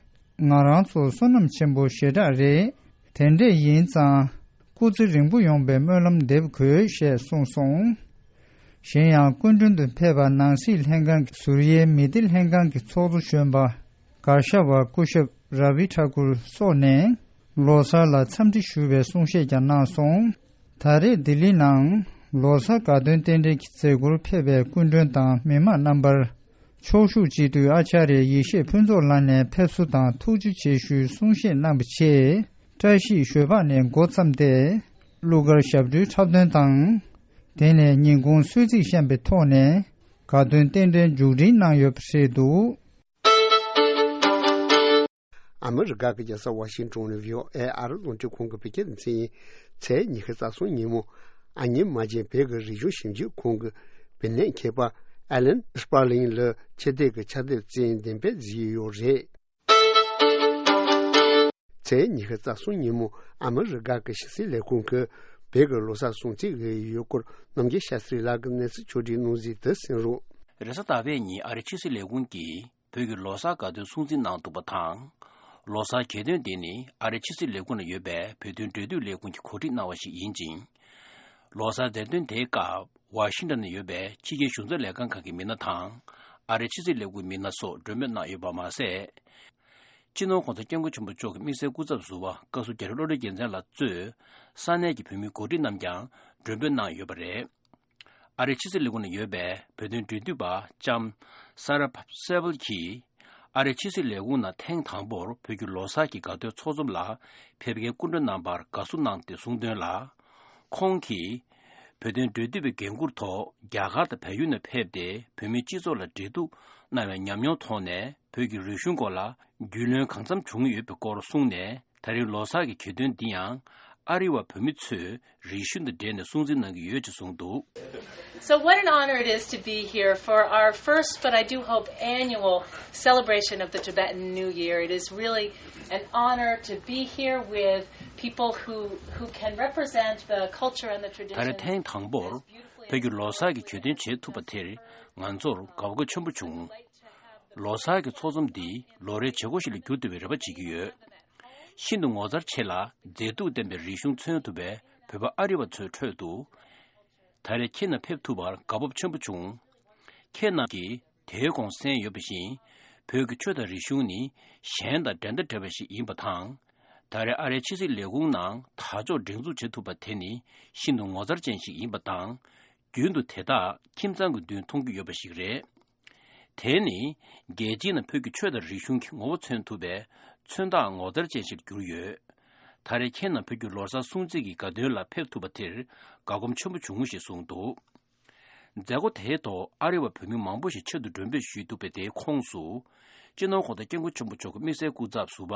ང་རང་ཚོར་བསོད་ནམས་ཆེན་པོ་ཞེ་དྲག་རེད། དེ་འདྲས་ཡིན་ཙང་སྐུ་ཚེ་རིང་པོ་ཡོང་བའི་སྨོན་ལམ་འདེབས་དགོས་ཞེས་གསུངས་སོང་། གཞན་ཡང་སྐུ་མགྲོན་དུ་ཕེབས་པ་ནང་སྲིད་ལྷན་ཁང་གི་ཟུར་དབྱེའི་མི་སྡེ་ལྷན་ཁང་གི་ཚོགས་གཙོ་གཞོན་པ་གར་ཞ་བ་སྐུ་ཞབས་ར་བི་ཐ་ཀུར་སོགས་ནས་ལོ་གསར་ལ་འཚམས་འདྲི་ཞུ་བའི་གསུང་བཤད་ཀྱང་གནང་སོང་། ད་རེས་ལྡི་ལི་ནང་ལོ་གསར་དགའ་སྟོན་རྟེན་འབྲེལ་གྱི་མཛད་སྒོར་ཕེབས་པའི་སྐུ་མགྲོན་དང་མི་མང་རྣམ་པར། ཕྱོགས་བཞུགས་སྤྱི་འཐུས་ཨ་ཅཱརྱ་ཡེ་ཤེས་ཕུན་ཚོགས་ལགས་ནས་ཕེབས་བསུ་དང་ཐུགས་རྗེ་ཆེ་ཞུའི་གསུང་བཤད་གནང་བའི་ཆེད། བཀྲ་ཤིས་ཞོལ་འབག་ནས་འགོ་བརྩམས་ཏེ། གླུ་གར་ཞབས་བྲོའི་འཁྲབ་སྟོན་དང་། དེ་ནས་ཉིན་གུང་གསོལ་ཚིགས་བཤམས་པའི་ཐོག་ནས་དགའ་སྟོན་རྟེན་འབྲེལ་མཇུག་སྒྲིལ་གནང་ཡོད་པ་རེད་འདུག། ཨ་མི་རི་ཀ་གི་རྒྱལ་ས་ཝ་ཤིང་ཏོན་ནས་ཝི་ཨོ་ཨེ་ཨ་རི་རླུང་འཕྲིན་ཁང་གི་བོད་སྐད་སྡེ་ཚན་ཡིན། ཚེས་ཉི་ཤུ་རྩ་གསུམ་ཉིན་མོ། ཨ་མྱེས་རྨ་ཆེན་བོད་ཀྱི་རིག་གཞུང་ཞིབ་འཇུག་ཁང་གི་བོད་གནས་མཁས་པ་ཨེ་ལན་སྤར་ལིང་ལ་ཆེད་བསྡད་ཀྱི་ཕྱག་དེབ་རྩེད་འགྲན་སྤེལ་གཟིགས་ཡོད་རེད། ཚེས་ཉི་ཤུ་རྩ་གསུམ་ཉིན་མོ་ཨ་མི་རི་ཀ་གི་ཕྱི་སྲིད་ལས་ཁུངས་ཀྱིས་བོད་ཀྱི་ལོ་གསར་སྲུང་བརྩི་གི་ཡོད་སྐོར་རྣམ་རྒྱལ་ཤཱ་སྟྲི་ལགས་ཀྱིས་གནས་ཚུལ་ཕྱོགས་སྒྲིག་གནང་གཟིགས་དེ་གསན་རོགས། རེས་གཟའ་ཟླ་བའི་ཉིན་ཨ་རིའི་ཕྱི་སྲིད་ལས་ཁུངས་ཀྱིས་བོད་ཀྱི་ལོ་གསར་དགའ་སྟོན་སྲུང་བརྩི་གནང་འདུག་པ་དང་། ལོ་གསར་གྱེར་འདོན་འདི་ནི་ཨ་རིའི་ཕྱི་སྲིད་ལས་ཁུངས་ནང་ཡོད་པའི་བོད་དོན་འབྲེལ་མཐུད་ལས་ཁུངས་ཀྱིས་གོ་སྒྲིག་གནང་བ་ཞིག་ཡིན་ཅིང་། ལོ་གསར་མཛད་སྒོ་དེའི་སྐབས་ཝ་ཤིང་ཏོན་ནང་ཡོད་པའི་ཕྱི་རྒྱལ་གཞུང་ཚབ་ལས་ཁང་ཁག་གི་མི་སྣ་དང་། ཨ་རིའི་ཕྱི་སྲིད་ལས་ཁུངས་མི་སྣ་སོགས་མགྲོན་འབོད་གནང་ཡོད་པ་མ་ཟད། སྤྱི་ནོར་༸གོང་ས་༸སྐྱབས་མགོན་ཆེན་པོ་མཆོག་གི་དམིགས་བསལ་སྐུ་ཚབ་ཟུར་པ་བཀའ་ཟུར་རྒྱ་རི་བློ་གྲོས་རྒྱལ་མཚན་ལགས་གཙོས་ས་གནས་ཀྱི་བོད་མི་གོ་སྒྲིག་རྣམས་ཀྱང་མགྲོན་འབོད་གནང་ཡོད་པ་རེད། ཨ་རིའི་ཕྱི་སྲིད་ལས་ཁུངས་ནང་ཡོད་པའི་བོད་དོན་འབྲེལ་མཐུད་པ་ལྕམ་སཱ་ར་སེ་ཝལ་གྱིས། ཨ་རིའི་ཕྱི་སྲིད་ལས་ཁུངས་ནང་ཐེངས་དང་པོར་བོད་ཀྱི་ལོ་གསར་གྱི་དགའ་སྟོན་ཚོགས་འཛོམས་ལ་ཕེབས་མཁན་སྐུ་མགྲོན་རྣམ་པར་དགའ་བསུ་གནང་སྟེ་གསུངས་དོན་ལ། ཁོང་གིས། བོད་དོན་འབྲེལ་མཐུད་པའི་འགན་འཁུར་ཐོག་རྒྱ་གར་དང་བལ་ཡུལ་ནང་ཕེབས་ཏེ་བོད་མིའི་སྤྱི་ཚོགས་ལ་འབྲེལ་གཏུག་གནང་བའི་ཉམས་མྱོང་ཐོག་ནས་བོད་ཀྱི་རིག་གཞུང་སྐོར་ལ་རྒྱུས་ལོན་གང་འཚམ་བྱུང་ཡོད་པའི་སྐོར་གསུངས་ནས། ད་རེས་ལོ་གསར་གྱི་གྱེར་འདོན་འདི་ཡང་ཨ་རི་བ་བོད་མི་ཚོས་རིག་གཞུང་དང་འབྲེལ་ནས་སྲུང་བརྩི་གནང་གི་ཡོད་ཅེས་གསུངས་འདུག། So, what an honor it is to be here for our first, but I do hope annual, celebration of the Tibetan New Year. It is really an honor to be here with people who, who can represent the culture and the ད་རེས་ཐེངས་དང་པོར་བོད་ཀྱི་ལོ་གསར་གྱི་གྱེར་འདོན་བྱེད་ཐུབ་པ་དེར་ང་ཚོར་དགའ་པོ་ཆེན་པོ་བྱུང་། ལོ་གསར་གྱི་ཚོགས་འཛོམས་འདི་ལོ་རེའི་བྱེད་སྒོ་ཞིག་ལ་འགྱུར་ཐུབ་པའི་རེ་བ་བྱེད་ཀྱི་ཡོད། ཤིན་ཏུ་ངོ་མཚར་ཆེ་ལ་མཛེས་སྡུག་ལྡན་པའི་རིག་གཞུང་མཚོན་ཐུབ་པའི་བོད་པ་ཨ་རི་བ་ཚོའི་ཁྲོད་དུ། ད་རེས་ཁྱེད་རྣམས་ཕེབས་ཐུབ་པར་དགའ་སྤོབས་ཆེན་པོ་བྱུང་། ཁྱེད་རྣམས་ཀྱིས་དེའི་གོང་གསན་ཡོད་པ་བཞིན། བོད་ཀྱི་ཆོས་དང་རིག་གཞུང་ནི་གཞན་དང་འགྲན་ཟླ་བྲལ་བ་ཞིག་ཡིན་པ་དང་། ད་རེས་ཨ་རིའི་ཕྱི་སྲིད་ལས་ཁུངས་ནང་དར་ལྕོག་སྒྲེང་འཛུགས་བྱེད་ཐུབ་པ་དེ་ནི་ཤིན་ཏུ་ངོ་མཚར་ཅན་ཞིག་ཡིན་པ་དང་། རྒྱུན་དུ་དེ་དག་ཁྱིམ་ཚང་གི་མདུན་མཐོང་རྒྱུ་ཡོད་པ་ཞིག་རེད། དེ་ནི་རྒྱལ་སྤྱིའི་ནང་བོད་ཀྱི་ཆོས་དང་རིག་གཞུང་གི་ངོ་བོ་མཚོན་ཐུབ་པའི་མཚོན་རྟགས་ངོ་མཚར་ཅན་ཞིག་གྱུར་ཡོད། ད་རེས་ཁྱེད་རྣམས་བོད་ཀྱི་ལོ་གསར་སྲུང་བརྩི་གི་དགའ་སྟོན་ལ་ཕེབས་ཐུབ་པ་དེར་དགའ་སྐོམ་ཆེན་པོ་བྱུང་ཞེས་གསུངས་འདུག། མཛད་སྒོ་དེའི་ཐོག་ཨ་རི་བ་བོད་མི་མང་པོ་ཞིག་ཆེད་དུ་མགྲོན་འབོད་ཞུས་འདུག་པས། དེའི་ཁོངས་སུ། སྤྱི་ནོར་༸གོང་ས་༸སྐྱབས་མགོན་ཆེན་པོ་མཆོག་གི་དམིགས་བསལ་སྐུ་ཚབ་ཟུར་པ་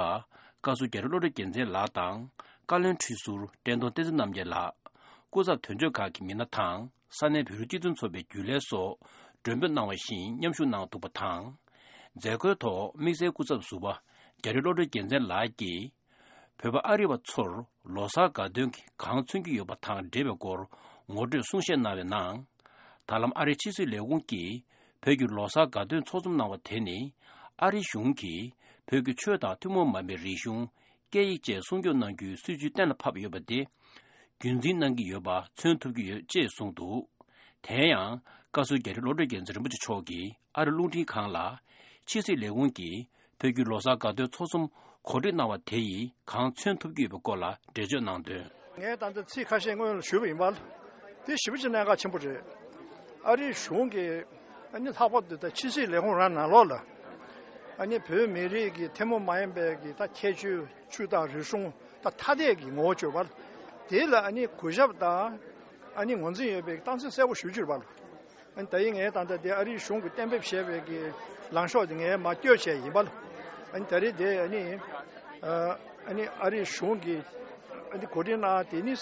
བཀའ་ཟུར་རྒྱ་རི་བློ་གྲོས་རྒྱལ་མཚན་ལགས་དང་། བཀའ་བློན་ཁྲི་ཟུར་བཀྲས་མཐོང་བསྟན་འཛིན་རྣམ་རྒྱལ་ལགས། སྐུ་ཚབ་དོན་གཅོད་ཁག་གི་མི་སྣ་དང་། ས་གནས་བོད་རིགས་སྤྱི་མཐུན་ཚོགས་པའི་རྒྱུན་ལས་སོགས་མགྲོན་འབོད་གནང་བ་བཞིན་མཉམ་ཞུགས་གནང་འདུག་པ་དང་། མཛད་སྒོའི་ཐོག་དམིགས་བསལ་སྐུ་ཚབ་ཟུར་པ་རྒྱ་རི་བློ་གྲོས་རྒྱལ་མཚན་ལགས་ཀྱིས། བོད་པ་ཨ་རི་བ་ཚོར་ལོ་གསར་དགའ་སྟོན་གྱིས་གང་མཚོན་གྱི་ཡོད་པ་དང་འབྲེལ་བའི་སྐོར་ངོ་སྤྲོད་གསུང་བཤད་གནང་བའི་ནང་། ད་ལམ་ཨ་རིའི་ཕྱི་སྲིད་ལས་ཁུངས་ཀྱིས་བོད་ཀྱི་ལོ་གསར་དགའ་སྟོན་ཚོགས་འཛོམས་གནང་བ་དེ་ནི། ཨ་རི་གཞུང་གིས་བོད་ཀྱི་ཆོས་དང་ཐུན་མོང་མ་ཡིན་པའི་རིག་གཞུང་སྐད་ཡིག་བཅས་སྲུང་སྐྱོབ་གནང་རྒྱུའི་སྲིད་ཇུས་གཏན་ལ་ཕབ་ཡོད་པ་དེ། རྒྱུན་འཛིན་གནང་གི་ཡོད་པ་མཚོན་ཐུབ་ཀྱི་ཡོད་ཅེས་གསུངས་འདུག། དེ་ཡང་བཀའ་ཟུར་རྒྱ་རི་བློ་གྲོས་རྒྱལ་མཚན་རིན་པོ་ཆེ་མཆོག་གིས་ཨ་རི་རླུང་འཕྲིན་ཁང་ལ། ཕྱི་སྲིད་ལས་ཁུངས་ཀྱིས་བོད་ཀྱི་ལོ་གསར་དགའ་སྟོན་ཚོགས་འཛོམས་གོ་སྒྲིག་གནང་བ་དེ་ཡིས་གང་མཚོན་ཐུབ་ཀྱི་ཡོད་པའི་སྐོར་ལ་འགྲེལ་བརྗོད་གནང་དོན། ངས་ད་ལྟ་ཚིག་ཁ་ཤས་སྔོན་ལ་ཞུས་པ་ཡིན་པ། དེ་ཞེ་པོ་ཅིག་གནད་འགག་ཆེན་པོ་རེད། ཨ་རིའི་གཞུང་གིས་ཨ་ནི་ལྷག་པར་དུ་ད་ཕྱི་སྲིད་ལས་ཁུངས་རང་ནང་ལོགས་ལ། ཨ་ནི་བོད་མི་རིགས་ཀྱི་ཐུན་མོང་མ་ཡིན་པའི་གི་ད་ཁྱད་ཆོས་ཆོས་དང་རིག་གཞུང་ད་ཐ་དད་ཀྱི་ངོ་བོ་བརྗོད་པ། དེ་ལ་ཨ་ནི་གུས་ཞབས་དང་ཨ་ནི་ངོས་འཛིན་ཡོད་པའི་རྟགས་མཚན་གསལ་པོ་ཞུ་རྒྱུ་རེད་པ། ཨ་ནི་ད་ཡིན་ངས་ད་ལྟ་དེ་ཨ་རིའི་གཞུང་གིས་གཏན་འབེབས་བྱས་པའི་གི་ལངས་ཕྱོགས་དེ་ངས་མར་བསྐྱོད་བྱས་ཡིན་པ། ཨ་ནི་ད་རེས་དེ་ཨ་ནི་ཨ་ནི་ཨ་རིའི་གཞུང་གིས་ཨ་ནི་གོ་སྒྲིག་གནང་དེ་ནི་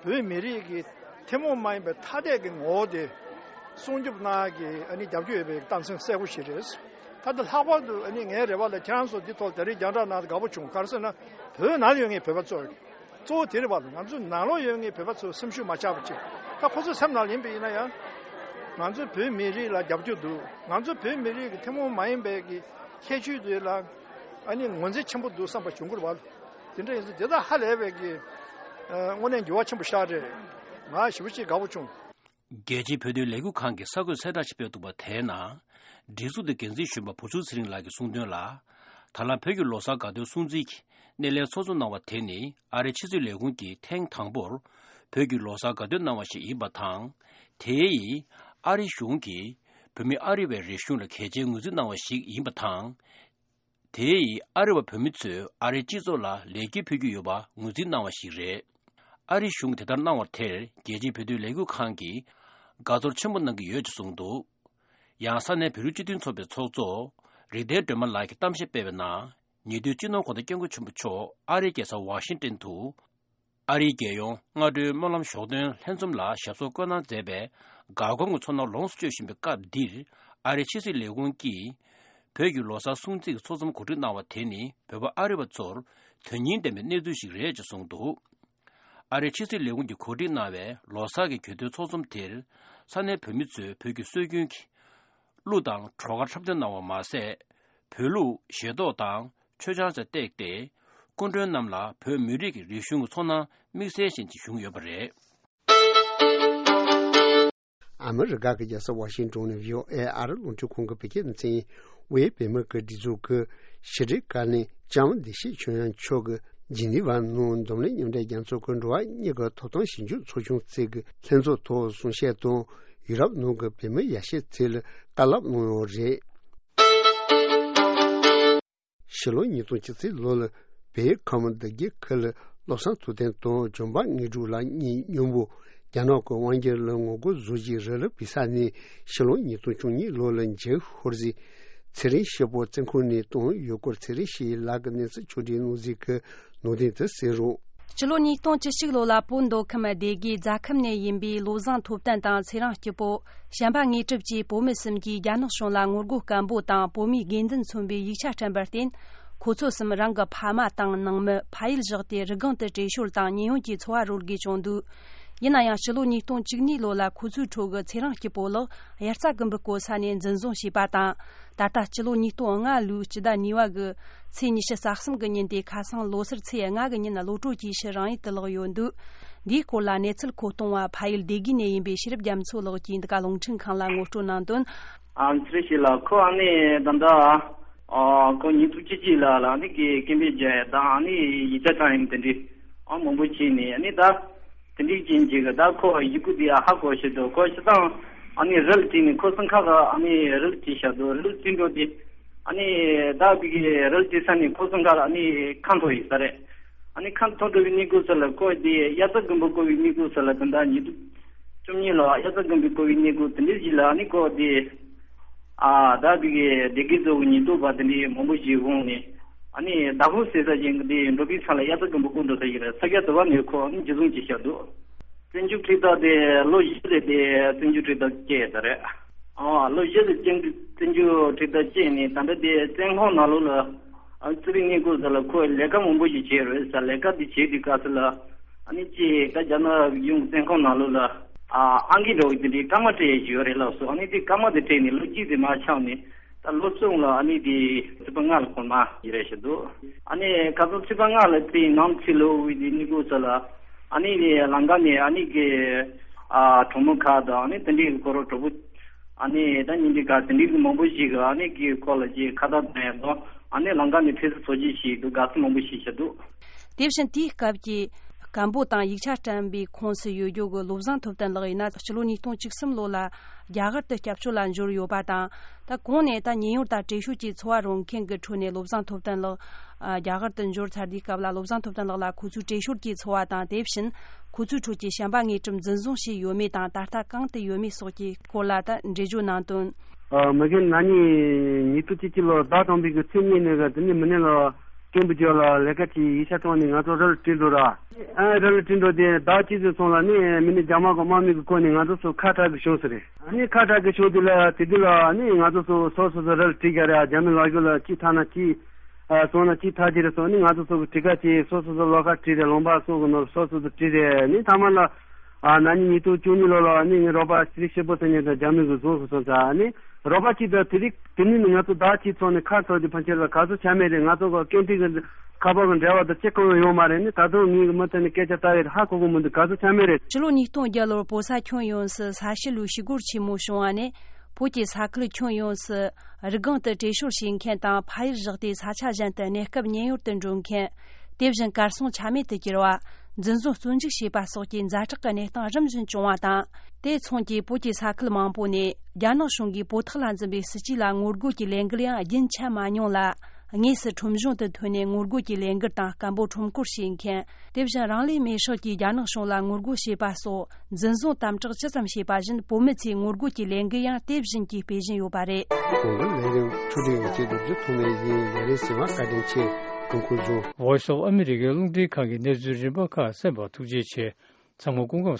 བོད་མི་རིགས་ཀྱི་ཐུན་མོང་མ་ཡིན་པའི་ཐ་དད་ཀྱི་ངོ་བོ་དེ་སྲུང་སྐྱོབ་གནང་གི་ཨ་ནི་རྒྱབ་སྐྱོར་ཡོད་པའི་རྟགས་མཚན་གསལ་པོ་ཞིག་རེད། ད་ལྟ་ལྷག་པར་དུ་ཨ་ནི་ངའི་རེ་བ་ལ་ཁྱེད་རང་ཚོ་འདི་ཐོག་ད་རེས་རྒྱང་བསྒྲགས་གནང་དེ་དགའ་པོ་བྱུང་། ག་རེ་ཟེར་ན་བོད་ནང་ཡོད་ངེས་བོད་པ་ཚོ། གཙོ་བོ་དེ་རེད་པ། ང་ཚོ་ནང་ལོགས་ཡོད་ངེས་བོད་པ་ཚོ་སེམས་ཤུགས་མ་ཆག་པ་བྱེད། ད་ཁོ་ཚོ་སེམས་ནང་ཡིན་པ་ཡིན་ན་ཡང་། ང་ཚོ་བོད་མི་རིགས་ལ་རྒྱབ་སྐྱོར་འདུག། ང་ཚོ་བོད་མི་རིགས་ཀྱི་ཐུན་མོང་མ་ཡིན་པའི་གི་ཁྱད་ཆོས་དེ་ལ་ཨ་ནི་ངོས་འཛིན་ཆེན་པོ་འདུག་བསམ་པ་བྱུང་གི་རེད་པ། དེ་འདྲ་ཡིན་ཙང་དེ་དག་ཧ་ལས་པའི་གི་ཨ་དངོས་གནས་འགྱུར་བ་ཆེན་པོ་ཤར་རེད། ང་ཞེ་པོ་ཅིག་དགའ་པོ་བྱུང་། རྒྱལ་སྤྱིའི་བོད་དོན་ལས་འགུལ་ཁང་གིས་གསར་འགོད་གསལ་བསྒྲགས་ཤིག་སྤེལ་འདུག་པ་དེའི་ནང་། སྒྲིག་འཛུགས་དེའི་འགན་འཛིན་གཞོན་པ་བུ་ཆུང་ཚེ་རིང་ལགས་ཀྱིས་གསུངས་དོན་ལ། ད་ལམ་བོད་ཀྱི་ལོ་གསར་དགའ་སྟོན་སྲུང་བརྩི་གི་སྣེ་ལེན་ཚོགས་འཛོམས་གནང་བ་དེ་ནི་ཨ་རིའི་ཕྱི་སྲིད་ལས་ཁུངས་ཀྱིས་ཐེངས་དང་པོར་བོད་ཀྱི་ལོ་གསར་དགའ་སྟོན་གནང་བ་ཞིག་ཡིན་པ་དང་། དེ་ཡིས་ཨ་རིའི་གཞུང་གིས་ བོད་མི་ཨ་རི་བའི་རིག་གཞུང་ལ་གལ་ཆེའི་ངོས་འཛིན་གནང་བ་ཞིག་ཡིན་པ་དང་། དེས་ཨ་རི་བ་བོད་མི་ཚོས་ཨ་རིའི་སྤྱི་ཚོགས་ལ་ལེགས་སྐྱེས་ཕུལ་རྒྱུ་ཡོད་པ་ངོས་འཛིན་གནང་བ་ཞིག་རེད། ཨ་རིའི་གཞུང་གིས་དེ་ལྟར་གནང་བར་ཐལ། རྒྱལ་སྤྱིའི་བོད་དོན་ལས་འགུལ་ཁང་གིས་དགའ་ཚོར་ཆེན་པོ་གནང་གི་ཡོད་ཅེས་གསུངས་འདུག། ཡང་ས་གནས་བོད་རིགས་སྤྱི་མཐུན་ཚོགས་པའི་ཚོགས་གཙོ་རིག་ལྡན་སྒྲོལ་མ་ལགས་ཀྱིས་གཏམ་བཤད་སྤེལ་བའི་ནང་། ཉེ་དུས་སྤྱི་ནོར་གོང་ས་སྐྱབས་མགོན་ཆེན་པོ་མཆོག་ཨ་རིའི་རྒྱལ་ས་ཝ་ཤིང་ཏན་དུ། ཨ་རིའི་རྒྱལ་ཡོངས་སྔ་དྲོའི་སྨོན་ལམ་ཞོགས་ཐོན་ལྷན་འཛོམས་ལ་ཞབས་སོར་བཀོད་གནང་མཛད་པའི་དགའ་སྐོར་གྱི་ཚོར་སྣང་ལོངས་སུ་སྤྱོད་བཞིན་པའི་སྐབས་འདིར། ཨ་རིའི་ཕྱི་སྲིད་ལས་ཁུངས་ཀྱིས་བོད་ཀྱི་ལོ་གསར་སྲུང་བརྩི་གི་ཚོགས་འཛོམས་གོ་སྒྲིག་གནང་བ་དེ་ནི་བོད་པ་ཨ་རི་བ་ཚོར་དོན་སྙིང་ལྡན་པའི་གནས་ཚུལ་ཞིག་རེད་ཅེས་གསུངས་འདུག། ཨ་རིའི་ཕྱི་སྲིད་ལས་ཁུངས་ཀྱིས་གོ་སྒྲིག་གནང་བའི་ལོ་གསར་གྱི་གྱེར་འདོན་ཚོགས་འཛོམས་དེར་ས་གནས་བོད་མི་ཚོས་བོད་ཀྱི་སྲོལ་རྒྱུན་གྱི་གླུ་དང་བྲོ་གར་འཁྲབ་སྟོན་གནང་བ་མ་ཟད། བོད་ལུགས་བཞེས་ཏོག་དང་མཆོད་ཆང་སོགས་བཏེགས་ཏེ། སྐུ་མགྲོན་རྣམས་ལ་བོད་མི་རིགས་ཀྱི་རིག་གཞུང་གི་ཚོར་སྣང་དམིགས་བསལ་ཅན་ཞིག་བྱུང་ཡོད་པ་རེད། ཨ་མི་རི་ཀ་གི་རྒྱལ་ས་ཝ་ཤིང་ཊོན་ནས་བྷི་ཨོ་ཨེ་ཨ་རི་རླུང་འཕྲིན་ཁང་གི་བོད་སྐད་སྡེ་ཚན་དབུས་བོད་མི་གི་སྒྲིག་འཛུགས་ཀྱི་ཕྱི་དྲིལ་བཀའ་བློན་ལྕམ་བདེ་གཤེགས་ཆོས་དབྱངས་མཆོག་གིས་ཇི་ནི་ཝ་ནང་འཛམ་གླིང་མཉམ་འབྲེལ་རྒྱལ་ཚོགས་ཀྱི་འགྲོ་བ་མིའི་གི་ཐོབ་ཐང་ཞིབ་འཇུག་ཚོགས་ཆུང་རྩིས་ཀྱི་ལྷན་ཚོགས་ཐོག་གསུང་བཤད་དང་། ཡུ་རོབ་ནང་གི་བོད་མི་ཡར་ཞུའི་རྩིས་ལ་བཀའ་སློབ་གནང་ཡོད་རེད། ཕྱི་ལོ་ཉིས་སྟོང་བཅུ་གཅིག་ལོ་ལ་བོད་ཁམས་བདེ་སྐྱིད་ཁུལ་ལ་བློ་བཟང་ཐུབ་བསྟན་དང་ལྗོན་པ་དངོས་གྲུབ་ལགས་གཉིས་མཉམ་པོ་རྒྱ་ནག་གི་དབང་སྒྱུར་ལ་ངོ་རྒོལ་བཟོ་རྒྱུའི་ར་ལུག་བུད་ས་ནས་ཕྱི་ལོ་ཉིས་སྟོང་བཅུ་གཉིས་ལོ་ལ་འཇིགས་ཤོར་རྗེས་ཚེ་རིང་སྐྱིད་པོ་བཙོན་ཁང་ནས་བཏང་ཡོད་སྐོར་ཚེ་རིང་སྐྱིད་ལགས་ཀྱི་གནས་ཚུལ་ཕྱོགས་སྒྲིག་གནང་རྩིས་ཀྱི་ནང་དོན་དེ་གསན་རོགས། སྤྱི་ལོ་ཉིས་སྟོང་བཅུ་གཅིག་ལོ་ལ་བོད་མདོ་ཁམས་སྡེ་དགེ་རྫ་ཁམས་ནས་ཡིན་པའི་བློ་བཟང་ཐུབ་བསྟན་དང་ཚེ་རིང་སྐྱིད་པོ། བྱམས་པ་དངོས་གྲུབ་བཅས་བོད་མི་གསུམ་གྱིས་རྒྱ་ནག་གཞུང་ལ་ངོ་རྒོལ་སྐད་འབོད་དང་བོད་མིའི་དགོས་འདུན་མཚོན་པའི་ཡིག་ཆ་བཀྲམ་པར་བརྟེན། ཁོ་ཚོ་གསུམ་རང་གི་ཕ་མ་དང་ནང་མི་ཕ་ཡུལ་བཞག་སྟེ་རི་སྒང་དུ་བྲོས་བྱོལ་དང་ཉེན་གཡོལ་གྱི་འཚོ་བ་རོལ་དགོས་བྱུང་འདུག། ཡིན་ན་ཡང་ཕྱི་ལོ་ཉིས་སྟོང་བཅུ་གཉིས་ལོ་ལ་ཁོ་ཚོའི་ཁྲོད་ཀྱི་ཚེ་རིང་སྐྱིད་པོ་ལགས་དབྱར་རྩྭ་དགུན་འབུ་བརྐོ་ས་ནས་འཛིན་བཟུང་བྱས་པ་དང་། ད་ལྟ་སྤྱི་ལོ་ཉིས་སྟོང་ལྔ་ལོའི་སྤྱི་ཟླ་གཉིས་པ་གི་ཚེས་ཉི་ཤུ་རྩ་གསུམ་གྱི་ཉིན་ཏེ་ཁ་སང་ལོ་སར་ཚེས་ལྔ་གི་ཉིན་གློད་གྲོལ་གྱི་ཕྱིར་རང་ཡུལ་དུ་ལོག་ཡོད་འདུག། འདིའི་སྐོར་ལ་གནས་ཚུལ་མཁོ་གཏོང་བ་ཕ་ཡུལ་སྡེ་དགེ་ནས་ཡིན་པའི་ཤེས་རབ་རྒྱ་མཚོ་ལགས་ཀྱིས་འདི་ག་རླུང་འཕྲིན་ཁང་ལ་ངོ་སྤྲོད་གནང་དོན། ཨ་ཚེ་རིང་སྐྱིད་ལགས་ཁོ་ཨ་ནི་ད་ལྟ་ཨ་ཁོ་ཉིས་སྟོང་བཅུ་གཅིག་ལ་ལ་ཨ་ནི་གི་སྐད་འབོད་རྒྱག་ཡ་དང་ཨ་ནི་ཡིག་ཆ་ཚང་ཡིན་དེ་འདྲའི་ཨ་མང་པོ་བྱས་ནས་ཨ་ནི་ད། དེ་འདྲའི་རྐྱེན་གྱིས་ད་ཁོ་ཡི་གུ་དེ་ཧ་གོ་ཤེས་འདུག། ཁོ་སྤྱིར་བཏང་ཨ་ནི་རལ་གྲི་ནི་ཁོ་སང་ཁ་ག་ཨ་ནི་རལ་གྲི་བཞག་འདུག། རལ་གྲི་འགྲོ་དེ་ཨ་ནི་ད་བི་གི་རལ་གྲི་ས་ནི་ཁོ་སང་ཁ་ཨ་ནི་ཁ་འཐོར་ཡིན་ས་རེད། ཨ་ནི་ཁ་འཐོར་འགྲོ་བའི་གནས་སྐབས་སུ་ལ་ཁོ་དེ་དབྱར་རྩྭ་དགུན་འབུ་བརྐོ་བའི་གནས་སྐབས་སུ་ལ་ད་ལྟ་ཉིས་སྟོང་བཅུ་གཉིས་ལོ་དབྱར་རྩྭ་དགུན་འབུ་བརྐོ་བའི་གནས་སྐབས་དེ་འདྲའི་ཞིག་ལ་ཨ་ནི་ཁོ་དེ། ཨ་ད་བི་གི་སྡེ་དགེ་ཚོ་གི་ཉེན་རྟོག་པ་དེ་འདྲའི་མང་པོ་ཞིག་འོང་ནས་ཨ་ནི་ཟླ་ཕོགས་ཟེར་ས་ཅན་གི་དེ་འགྲོ་པའི་ས་ལ་དབྱར་རྩྭ་དགུན་འབུ་བརྐོ་འགྲོ་ས་ཡིན་རེད། ས་སྐྱ་དུ་བ་ནས་ཁོ་ཨ་ནི་འཇུ་བཟུང་བྱས་བཞག་འདུག། བཙོན་འཇུག་ཁྲིམས་ཐག་དེ་ལོ་བཞི་རེད་དེ་བཙོན་འཇུག་ཁྲིམས་ཐག་བཅད་ཡོད་ས་རེད། ཨ་ལོ་བཞི་རེད་བཙོན་འཇུག་བཙོན་འཇུག་ཁྲིམས་ཐག་བཅད་ནས་ད་ལྟ་དེ་བཙོན་ཁང་ནང་ལོགས་ལ་ཨ་བཙུད་པའི་གནས་སྐབས་སུ་ལ་ཁོས་ལས་ཀ་མང་པོ་ཞིག་བྱས་རེད་ས། ལས་ཀ་དེ་བྱས་དུས་སྐབས་སུ་ལ། ཨ་ནི་ཅིག་ད་རྒྱ་ནག་གཞུང་བཙོན་ཁང་ནང་ལོགས་ལ་ཨ་ཨང་ཀི་འདྲ་བོ་དེ་འདྲའི་སྐར་མ་སྤྲད་ཡས་ཡོད་རེད་ལགས་སོ། ཨ་ནི་དེ་སྐར་མ་དེ་སྤྲད་ནས་ལོ་གཅིག་དེ་མར་ཆག་ནས་ད་ལོ་གསུམ་ལ་ཨ་ནི་དེ་ཚེས་པ་ལྔ་ལ་ཁོ་མར་ཡིན་རེད་ཞུ་འདུག། ཨ་ནི་ཁ་སང་ཚེས་པ་ལྔ་ལ་དེ་ནང་ཚེས་ལོ་དབུས་དེ་གནས་སྐབས་སུ་ལ་ཨ་ནི་དེ་ལམ་ཁ་ནས་ཨ་ནི་གི་ཨ་གྲོགས་མོ་ཁག་དང་ཨ་ནི་དེ་འདྲའི་གི་ཁོ་རང་གྲོགས་པོ། ཨ་ནི་ད་ཉིན་འདི་ག་དེ་འདྲའི་གི་མང་པོ་ཞིག་གི་ཨ་ནི་གི་ཁོ་ལ་ཅིག་ཁ་བརྡ་གཏོང་ཡ་དང་ཨ་ནི་ལམ་ཁ་ནས་ཕེབས་བསུ་ཚོགས་ཆེན་ཞིག་འདུག། དགའ་བསུ་མང་པོ་ཞིག་བྱས་འདུག། དེ་བཞིན་དེའི་སྐབས་ཀྱི་སྐད་འབོད་དང་ཡིག་ཆ་བཀྲམ་པའི་ཁོངས་སུ་ཡོད་རྒྱུ་གི་བློ་བཟང་ཐུབ་བསྟན་ལགས་ཡིན་ན་སྤྱི་ལོ་ཉིས་སྟོང་བཅུ་གསུམ་ལོ་ལ་རྒྱ་གར་དུ་སྐྱབས་བཅོལ་ལ་འབྱོར་ཡོད་པ་དང་། ད་གོང་ནས་ད་ཉེན་གཡོལ་དང་བྲོས་བྱོལ་གྱི་འཚོ་བ་རོལ་མཁན་གྱི་ཁྲོད་ནས་བློ་བཟང་ཐུབ་བསྟན་ལགས་རྒྱ་གར་དུ་འབྱོར་ཚར་དུས་སྐབས་ལ་བློ་བཟང་ཐུབ་བསྟན་ལགས་ལ་ཁོ་ཚོའི་བྲོས་བྱོལ་གྱི་འཚོ་བ་དང་། དེ་བཞིན་ཁོ་ཚོའི་ཁྲོད་ཀྱི་བྱམས་པ་དངོས་གྲུབ་འཛིན་བཟུང་བྱས་ཡོད་མེད་དང་ད་ལྟ་གང་དུ་ཡོད་མེད་སོགས་ཀྱི་སྐོར་ལ་ད་འགྲེལ་བརྗོད་གནང་དོན། ཨ་མ་གི་ན་ནིང་ཉིས་སྟོང་བཅུ་གཅིག་ལོ་ཟླ་དང་པོའི་གི་ཚེས་གཉིས་ནས་གི་དེ་ནས་མི་ནས་ལ་སྐད་འབོད་རྒྱག་ལ་ལས་ཀ་གྱི་ཡིག་ཆ་བཏང་ནས་ང་ཚོ་རལ་བྲིས་འགྲོ་ར། ཨ་རལ་བྲིས་འགྲོ་དེ་ཟླ་གཅིག་ཙམ་སོང་ལ་ནི་མི་ནས་རྒྱ་དམག་གི་དམག་མི་གི་བསྐོ་ནས་ང་ཚོ་ཚོ་ཁ་བྲལ་གི་བྱུང་ཟེར་རེད། ཨ་ནི་ཁ་བྲལ་གི་བྱུང་དེ་ལ་དེ་དུས་ལ་ནི་ང་ཚོ་ཚོ་སོ་སོ་ཚོ་རལ་བྲིས་རྒྱག་རེད། རྒྱ་མི་ལ་རྒྱུ་ལ་གཅིག་ཐ་ན་གཅིག་ཨ་སོང་ན་གཅིག་ཐ་ཅི་རེད་སོང་ནི་ང་ཚོ་ཚོ་གི་བྲིས་ཀ་གཅིག་སོ་སོ་ཚོ་ལོ་ཁ་བྲིས་རེད། ལུང་པ་སོགས་གི་ནོར་སོ་སོ་ཚོ་བྲིས་རེད། ནི་ཐ་མ་ལ། ཨ་ན་ནིང་ཉིས་སྟོང་བཅུ་གཉིས་ལོ་ལ་ནི་ངའི་རོགས་པ་ཚེ་རིང་སྐྱིད་པོ་ཟེར་མཁན་དང་རྒྱ་མི་གི་བཟུང་སོང་ཙང་ནི་རོགས་པ་གཅིག་དང་དེ་རིང་དེ་ནི་ནི་ང་ཚོ་ཟླ་གཅིག་ཚོགས་ནས་ཁ་ཐོར་ཏེ་ཕན་ཆད་ལ་ག་ཚོད་ཆ་མེད་རེད། ང་ཚོ་གི་སྐད་འཕྲིན་གི་ཁ་པར་གི་འབྲེལ་བ་དང་ཅི་གང་ཡང་ཡོད་མ་རེད། ནི་ད་དུང་ངའི་གི་མུ་མཐུད་ནས་སྐད་ཆ་ལྟ་ཡི་རེད། ཧ་གོ་གི་མི་འདུག། ག་ཚོད་ཆ་མེད་རེད། ཕྱི་ལོ་ཉིས་སྟོང་བརྒྱད་ལོར་བོད་ས་ཁྱོན་ཡོངས་སུ་ས་ཞི་ལུའི་ཞི་རྒོལ་ཆེན་མོ་བྱུང་བ་ནས་བོད་ཀྱི་ས་ཁུལ་ཁྱོན་ཡོངས་སུ་རི་སྒང་དུ་བྲོས་བྱོལ་བྱེད་མཁན་དང་ཕ་ཡུལ་བཞག་སྟེ་ས་ཆ་གཞན་དུ་གནས་སྐབས་ཉེན་གཡོལ་དུ་འགྲོ་མཁན། དེ་བཞིན་གར་སོང་ཆ་མེད་དུ་གྱུར་བ། འཛིན་བཟུང་བཙོན་འཇུག་བྱས་པ་སོགས་ཀྱི་ཛ་དྲག་གི་གནས་སྟངས་རིམ་བཞིན་བྱུང་བ་དང་། དེ་མཚུངས་ཀྱིས་བོད་ཀྱི་ས་ཁུལ་མང་པོ་ནས་རྒྱ་ནག་གཞུང་གིས་བོད་ཐོག་ལ་འཛིན་པའི་སྲིད་ཇུས་ལ་ངོ་རྒོལ་གྱི་ལས་འགུལ་ཡང་རྒྱུན་ཆད་མ་མྱོང་ལ། དངོས་སུ་ཁྲོམ་གཞུང་དུ་ཐོན་ནས་ངོ་རྒོལ་གྱི་ལས་འགུལ་དང་སྐད་འབོད་ཁྲོམ་སྐོར་བྱེད་མཁན། དེ་བཞིན་རང་ལུས་མེར་སྲེག་གིས་རྒྱ་ནག་གཞུང་ལ་ངོ་རྒོལ་བྱས་པ་སོགས། འཛིན་བཟུང་དམ་དྲག་ཇི་ཙམ་བྱས་པ་བཞིན་བོད་མི་ཚོས་ངོ་རྒོལ་གྱི་ལས་འགུལ་ཡང་དེ་བཞིན་གྱིས་སྤེལ་བཞིན་ཡོད་པ་རེད། གོང་གི་ལས་རིམ་འཕྲོ་མཐུད་ཡོང་ཆེད་རྒྱབ་སྐྱོར་ཐོག་ནས་ཡིན། ལས་རིམ་གསན་པར་བཀའ་དྲིན་ཆེ། ཐུགས་ཁུར་བཟུང་། Voice of America ལུང་འདྲེན་ཁང་གི་གནས་ཚུལ་རིམ་པ་ཁག་གསན་པར་ཐུགས་རྗེ་ཆེ། ཚང་མ་སྐུ་ཁམས་